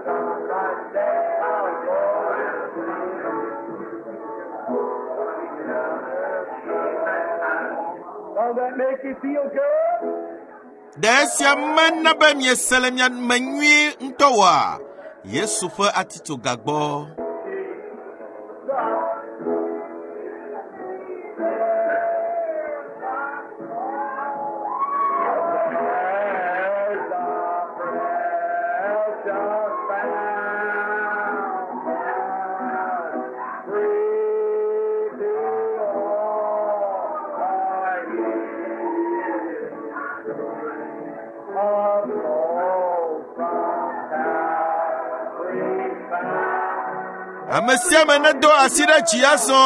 Some bright day I'll go and see. Don't that make you feel good? Ɖe esia mena be miese le mia me nyuie ŋutɔ oa? Yesu ƒe atitsoga gbɔ. There's a precious fountain, free to all by His a flow from Calvary's fountain. Ame sia ame nedo asi ɖe dzi azɔ.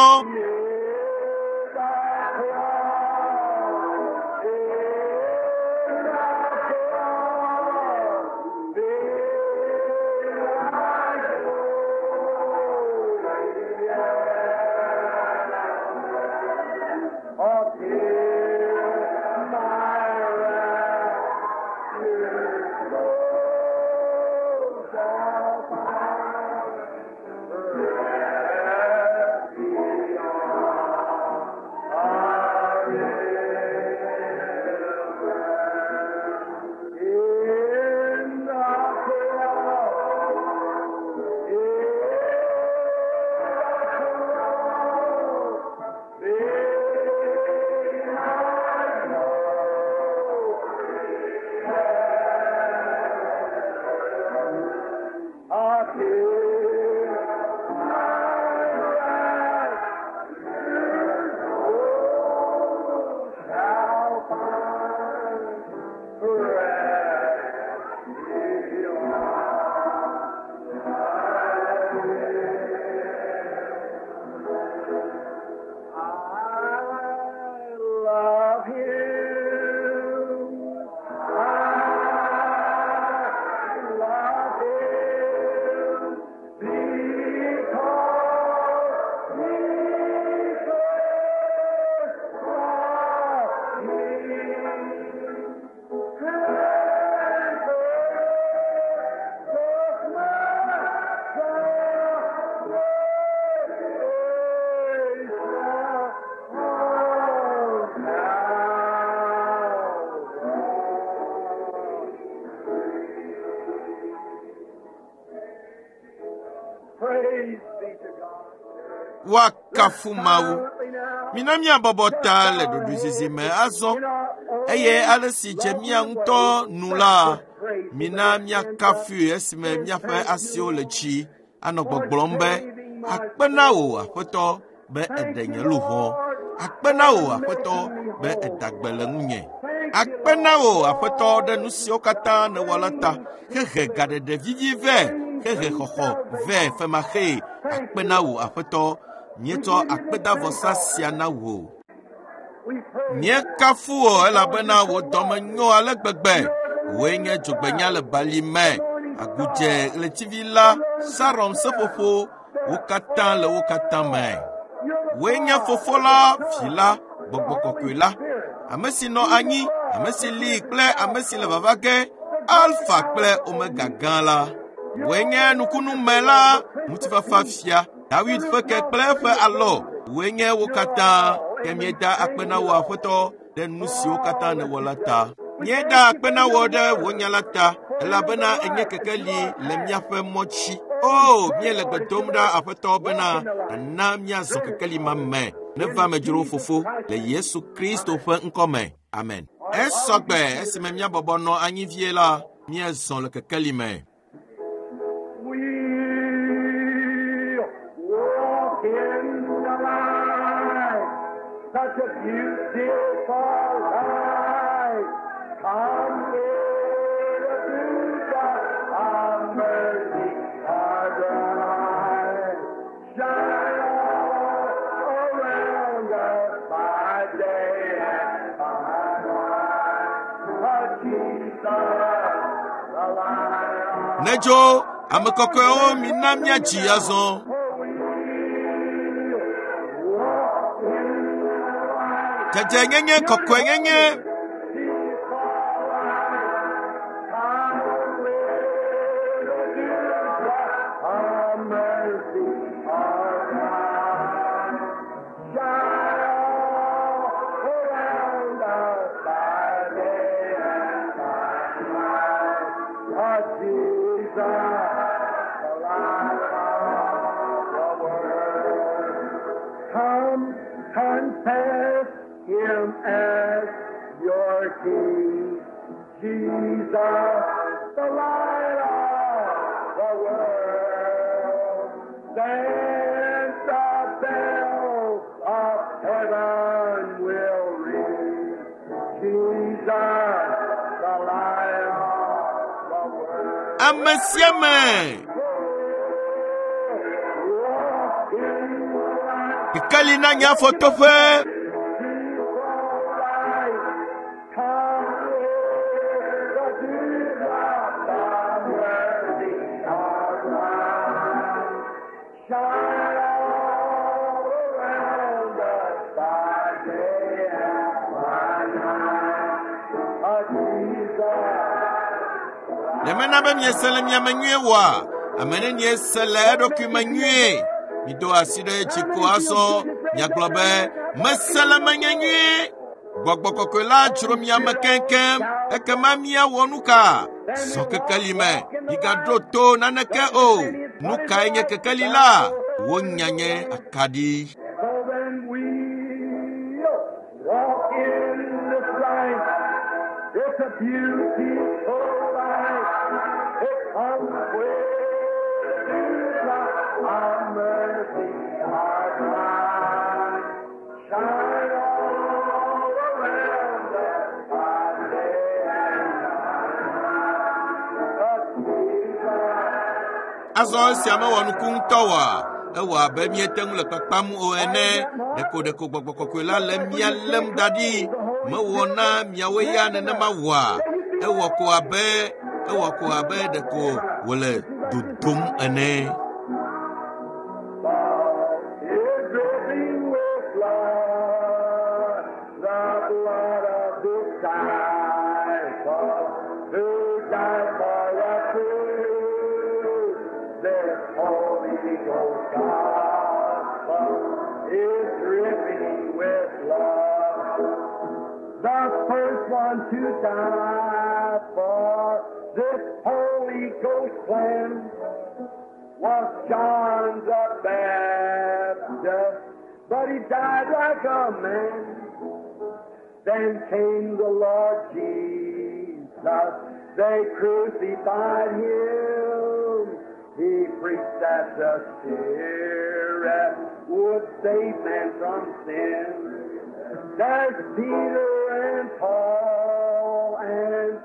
Oh, Woakafu Mawu. Mina míabɔbɔ ta le ɖoɖoezizi me azɔ eye ale si dze mía ŋutɔ nu la, mina míakafui esime míaƒe asiwo le dzi anɔ gbɔgblɔm be, akpe na wò Aƒetɔ be èɖe nye luʋɔ. Akpe na wò Aƒetɔ be èda gbe le ŋunye. Akpe na wò Aƒetɔ ɖe nu siwo katã nèwɔ la ta. Hehe gaɖeɖe vivi vɛ, hehe xɔxɔ vɛ femaxee. Akpe na wò Aƒetɔ. Míetsɔ akpedavɔsa sia na wò. Míekafu wò elabena wò dɔme nyo ale gbegbe. Wòe nye dzogbenya le bali me. Agudze ɣletivi la, Saron seƒoƒo, wo katã le wo katã me. Wòe nye fofo la, vi la, gbɔgbɔ kɔkɔe la, ame si nɔ anyi, ame si li kple ame si le vava ge, Alfa kple Omega gã la. Wòe nye nukunume la, ŋutifafa fia, Dawid ƒe ke kple eƒe alɔ. Wòe nye wo katã. Ke míeda akpe na wò Aƒetɔ ɖe nu siwo katã nèwɔ la ta. Míeda akpe na wò ɖe wò nya la ta, elabena enye kekeli le míaƒe mɔ dzi. O, míele gbe dom ɖa Aƒetɔ bena nàna míazɔ kekeli ma me. Neva amedzrowo fofo le Yesu Kristo ƒe ŋkɔ me. Amen. Esɔgbe esime míabɔbɔ nɔ anyi vie la, míezɔ le kekeli me. We'll walk in the light, such a beautiful light. Come with the dewdrop of mercy are bright. Shine all around us by day and by night. But Jesus, the light of Nedzo ame kɔkɔewo mina míadzi azɔ. Dzadzɛnyenye kɔkɔenyenye Come confess him as your King, Jesus, the light of the world. Then the bells of heaven will ring, Jesus, the light of the world. Ame sia ame Walk in the light. kekeli na nye afɔtoƒe. Ɖe mena be miese le miame nyuie oa? Ame nenie se le eɖokui me nyuie? Mido asi ɖe dzi ko azɔ miagblɔ be mese le menye nyuie. Gbɔgbɔ kɔkɔe la dzro miame keŋkeŋ. Ekema míawɔ nu ka? Zɔ kekeli me. Migaɖo to naneke o. Nu kae nye kekeli la? Wò nya nye akaɖi. So then we'll walk in this light. It's a beautiful light. It comes with the dewdrop of mercy are bright. Shine all around us by day and by night. But Jesus Azɔ esia mewɔ nuku ŋutɔ oa? Ewɔ abe míete ŋu le kpakpam o ene. Ɖeko ɖeko gbɔgbɔ kɔkɔe la le mía lém da ɖi. Mewɔ na miawoe ya nenema wɔa? Ewɔ ko abe ewɔ ko abe ɖeko wòle dodom ene. Is dripping with blood, the blood of disciple who died for us through this Holy Ghost gospel is dripping with blood. The first one to die for this Holy Ghost plan was John the Baptist. but he died like a man. Then came the Lord Jesus. They crucified him. He preached that the Spirit would save man from sin. There's Peter and Paul and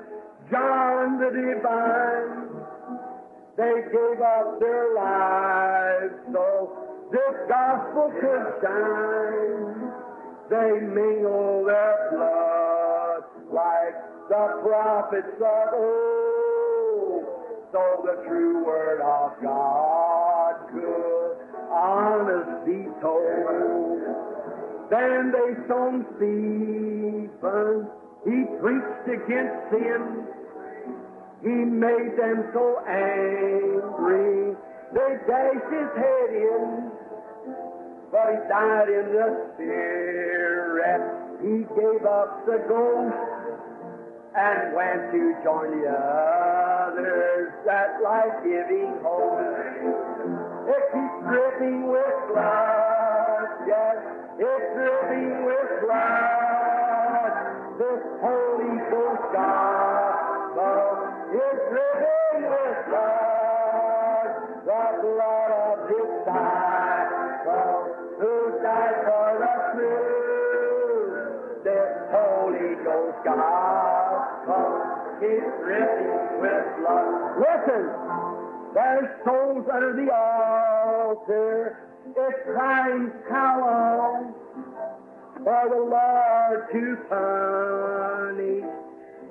John the Divine. They gave up their lives so this gospel could shine. They mingle their blood like the prophets of old, so the true word of God could honest be told. Then they stoned Stephen. He preached against sin. He made them so angry, they dashed his head in. But he died in the spirit. He gave up the ghost and went to join the others, that life-giving host. It keeps dripping with blood, yes, it's dripping with blood. This Holy Ghost gospel is dripping with blood, the blood of His disciple who died for the truth. This Holy Ghost gospel is dripping with blood. Listen, there's souls under the altar. It's crying, how long for the Lord to punish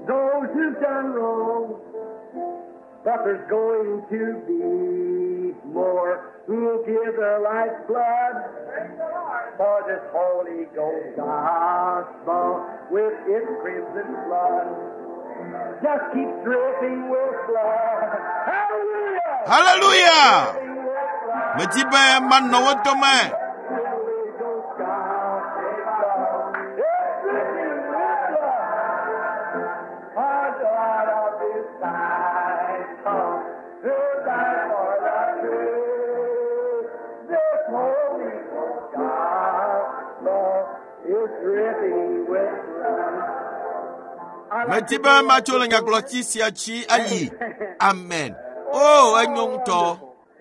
those who've done wrong? But there's going to be more who'll give their life's blood for this Holy Ghost gospel with its crimson flood. Just keep dripping with blood. Hallelujah! Hallelujah! Dripping with blood. Medi be manɔ wo dome. Holy Ghost gospel. It's dripping with blood. A God of disciple who died for the truth. This Holy Ghost gospel is dripping with blood. I like Medi to be go matso le nyagblɔtsi sia dzi ayi. Amen. O enyo ŋutɔ.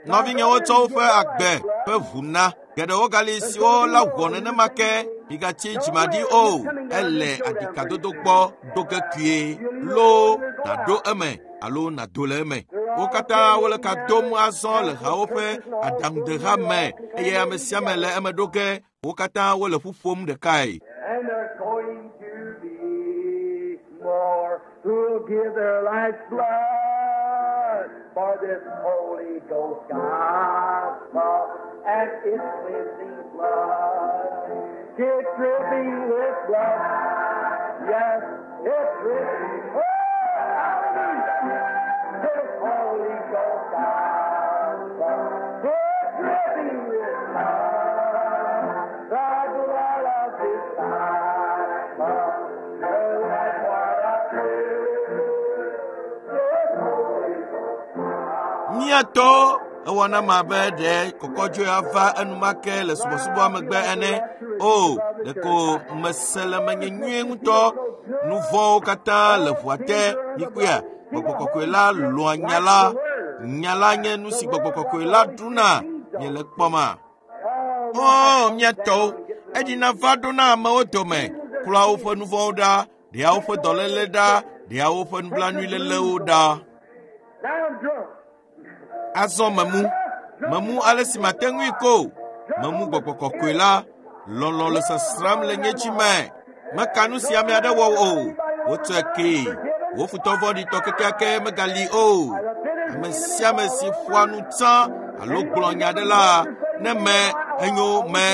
Nɔvinyewo tsɔ woƒe agbe ƒe ʋu na. Geɖewo gali siwo la wɔ nenema ke migatsi dzimaɖi o. Ele aɖikadodo gbɔ do ge kpuie. Loo nàɖo eme alo nàdo le eme. Wo katã wole ka dom azɔ le hawo ƒe aɖaŋudeha me eye ame sia ame le eme ɖo ge. Wo katã wole ƒu ƒom ɖekae. And there's going to be more who'll give their life's blood for this Holy Ghost gospel and its cleansing blood. It's dripping with blood. Yes, it's dripping. Oh, hallelujah. This Holy Ghost gospel. It's dripping with blood. The blood of disciple. The life for the truth. This Holy Ghost Míatɔ ewɔ na ame abe ɖe kɔkɔdzoe ava enumake le subɔsubɔa megbe ene. O, ɖeko mese le menye nyuie ŋutɔ. Nu vɔ̃wo katã le ʋua te. Mikpɔea, gbɔgbɔ kɔkɔe la lɔ̃a nya la. Nya la nye nu si gbɔgbɔ kɔkɔe la ɖuna. Miele kpɔma? O, míatɔwo, eɖina va ɖona amewo dome, klɔa woƒe nu vɔ̃wo ɖa, ɖea woƒe dɔléle ɖa, ɖea woƒe nublanuilélewo ɖa. Now I'm drunk. Azɔ memu, memu ale si mate ŋui ko. Memu gbɔgbɔ kɔkɔe la, lɔlɔ̃ le sasram le nye dzi me. Meka nu si ame aɖe wɔ o. Wotsɔe kee. Wò futɔ vɔ̃ɖitɔ kekeake megali o. Ame sia ame si ƒoa nu tsã alo gblɔ nya aɖe la, ne me enyo me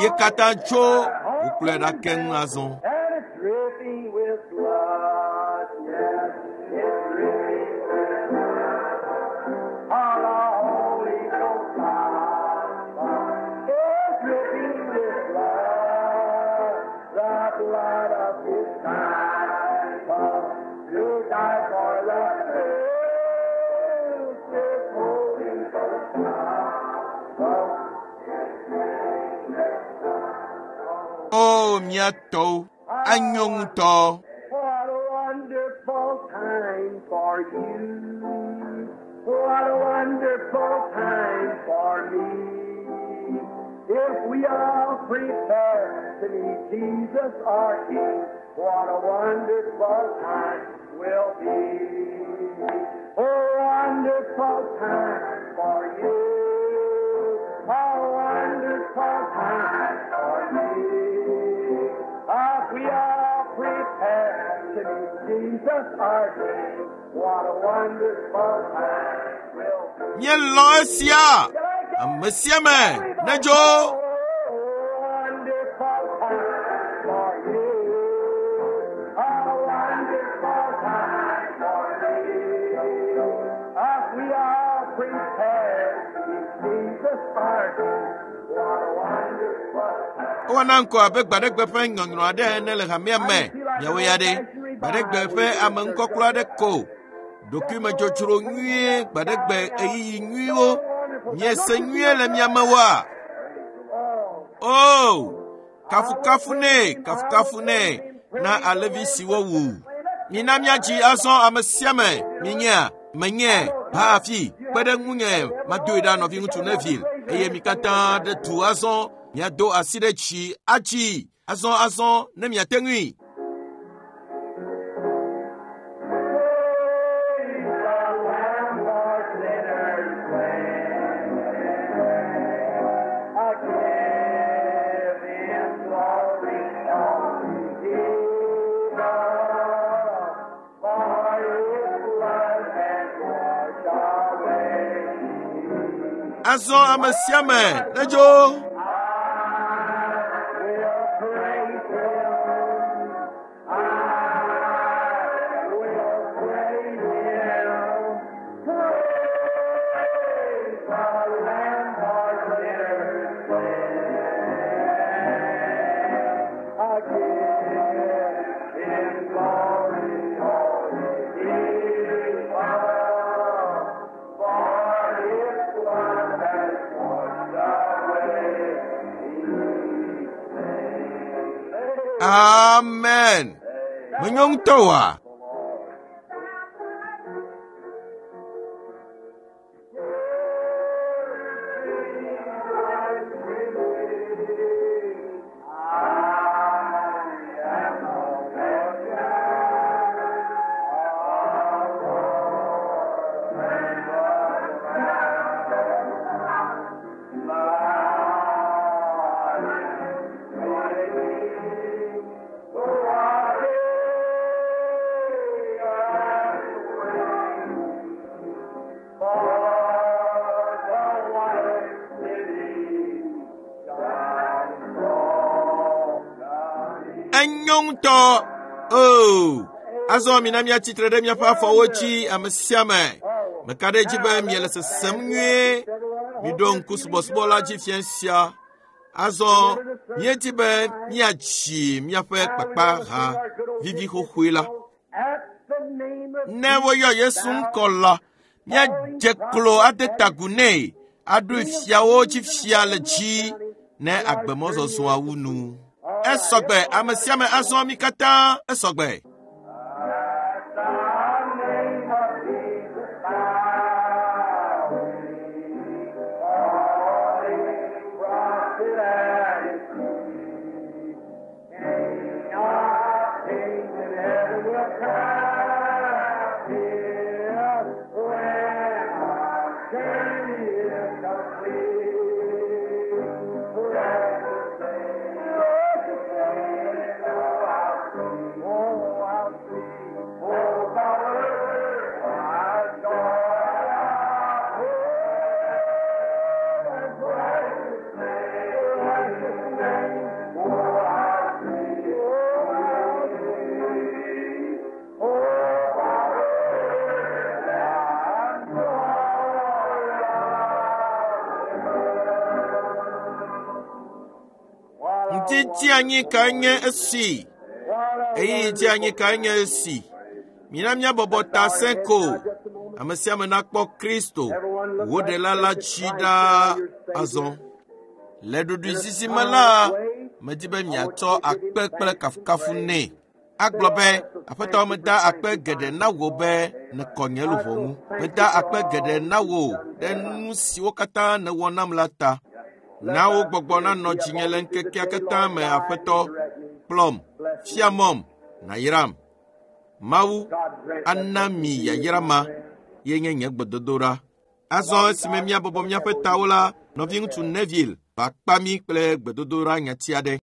ye katã tso wòkplɔe ɖa keŋ azɔ. And it's dripping with blood. Yes, it's dripping with blood. All the Holy Ghost gospel is dripping with blood. The blood of His disciple who died for the truth. This Holy Ghost gospel is dripping with blood. O mía tɔwo, anyo ŋutɔ. What a wonderful time for you. What a wonderful time for me. If we all prepare to meet Jesus our King, what a wonderful time will be. Oh, wonderful time for you. A wonderful time for me. If we all prepare to meet Jesus our King, what a wonderful time will be. Míelɔ̃ esia. Ame sia ame nedzo. Wonderful time for you. A wonderful time for me. If we all prepare to meet Jesus our King, what a wonderful time. Wowɔna ŋkɔ abe gbaɖegbe ƒe nyɔnyrɔ aɖe ene le hamea me. Miawo ya ɖe, gbaɖegbe ƒe ame ŋkɔklɔ aɖe ko. Ɖokuimedzodzro nyuie, gbaɖegbe ɣeyiɣi nyuiwo. Miese nyuie le mia me woa? O, kafukafu nɛ, kafukafu nɛ na alẽvi si wowu. Mina míadzi azɔ ame sia ame. Minyea, menye, va afi, kpe ɖe ŋunye, madoe ɖa nɔviŋutsu Neville. Eye mi katã ɖe du azɔ, miado asi ɖe dzi adzi azɔ azɔ ne miate ŋui. Praise the Lamb for sinners slain. I give Him glory, all Jesus, for His blood has washed away. Azɔ ame sia ame nedzo. I will praise Him. I will praise Him. Praise the Lamb for sinners slain. I give Him glory, all His love, for His blood has washed away. Amen. Menyo ŋutɔ oa? Enyo ŋutɔ. O, azɔ mina míatsitre ɖe míaƒe afɔwo dzi ame sia ame. Meka ɖe edzi be miele sesem nyuie. Miɖo ŋku subɔsubɔ la dzi fia sia. Azɔ míedi be míatsi míaƒe kpakpaha vivi xoxoe la. At the name of Ne woyɔ Yesu ŋkɔ la, míadze klo ade ta agu nɛ, aɖoe fiawo dzi fia le dzi ne agbemɔzɔzɔa wu nu. Esɔgbe, ame sia ame azɔ mí katã esɔgbe. At the name of Jesus, bow we, falling prostrate at His feet. King of kings in heaven will crown Him when our journey is complete. Precious Savior, precious Savior, oh, how sweet, oh, how sweet, oh, power, our joy, oh, precious name, precious name, oh, how sweet, oh, how sweet, oh, power, our joy. Ŋdidi anyi kae nye esi? Ɣeyiɣi dzi anyi kae nye esi? Mina míabɔbɔ ta sẽ ko. Ame sia ame nakpɔ Kristo, wo ɖela la dzi ɖaa azɔ. Le ɖoɖoezizi me la, Medi be miatsɔ akpe kple kafukafu nɛ. Agblɔ be, Aƒetɔ meda akpe geɖe na wò be nèkɔ nye luʋɔ ŋu. Meda akpe geɖe na wò ɖe nu siwo katã nèwɔ nam la ta. Na wò gbɔgbɔ nanɔ dzinye le ŋkekea katã me Aƒetɔ. Kplɔm, fia mɔm, nàyram. Mawu ana mi yayra ma ye nye nye gbedodoɖa. Azɔ esime míabɔbɔ míaƒe tawo la, nɔviŋutsu Neville va kpa mí kple gbedodoɖa nyati aɖe.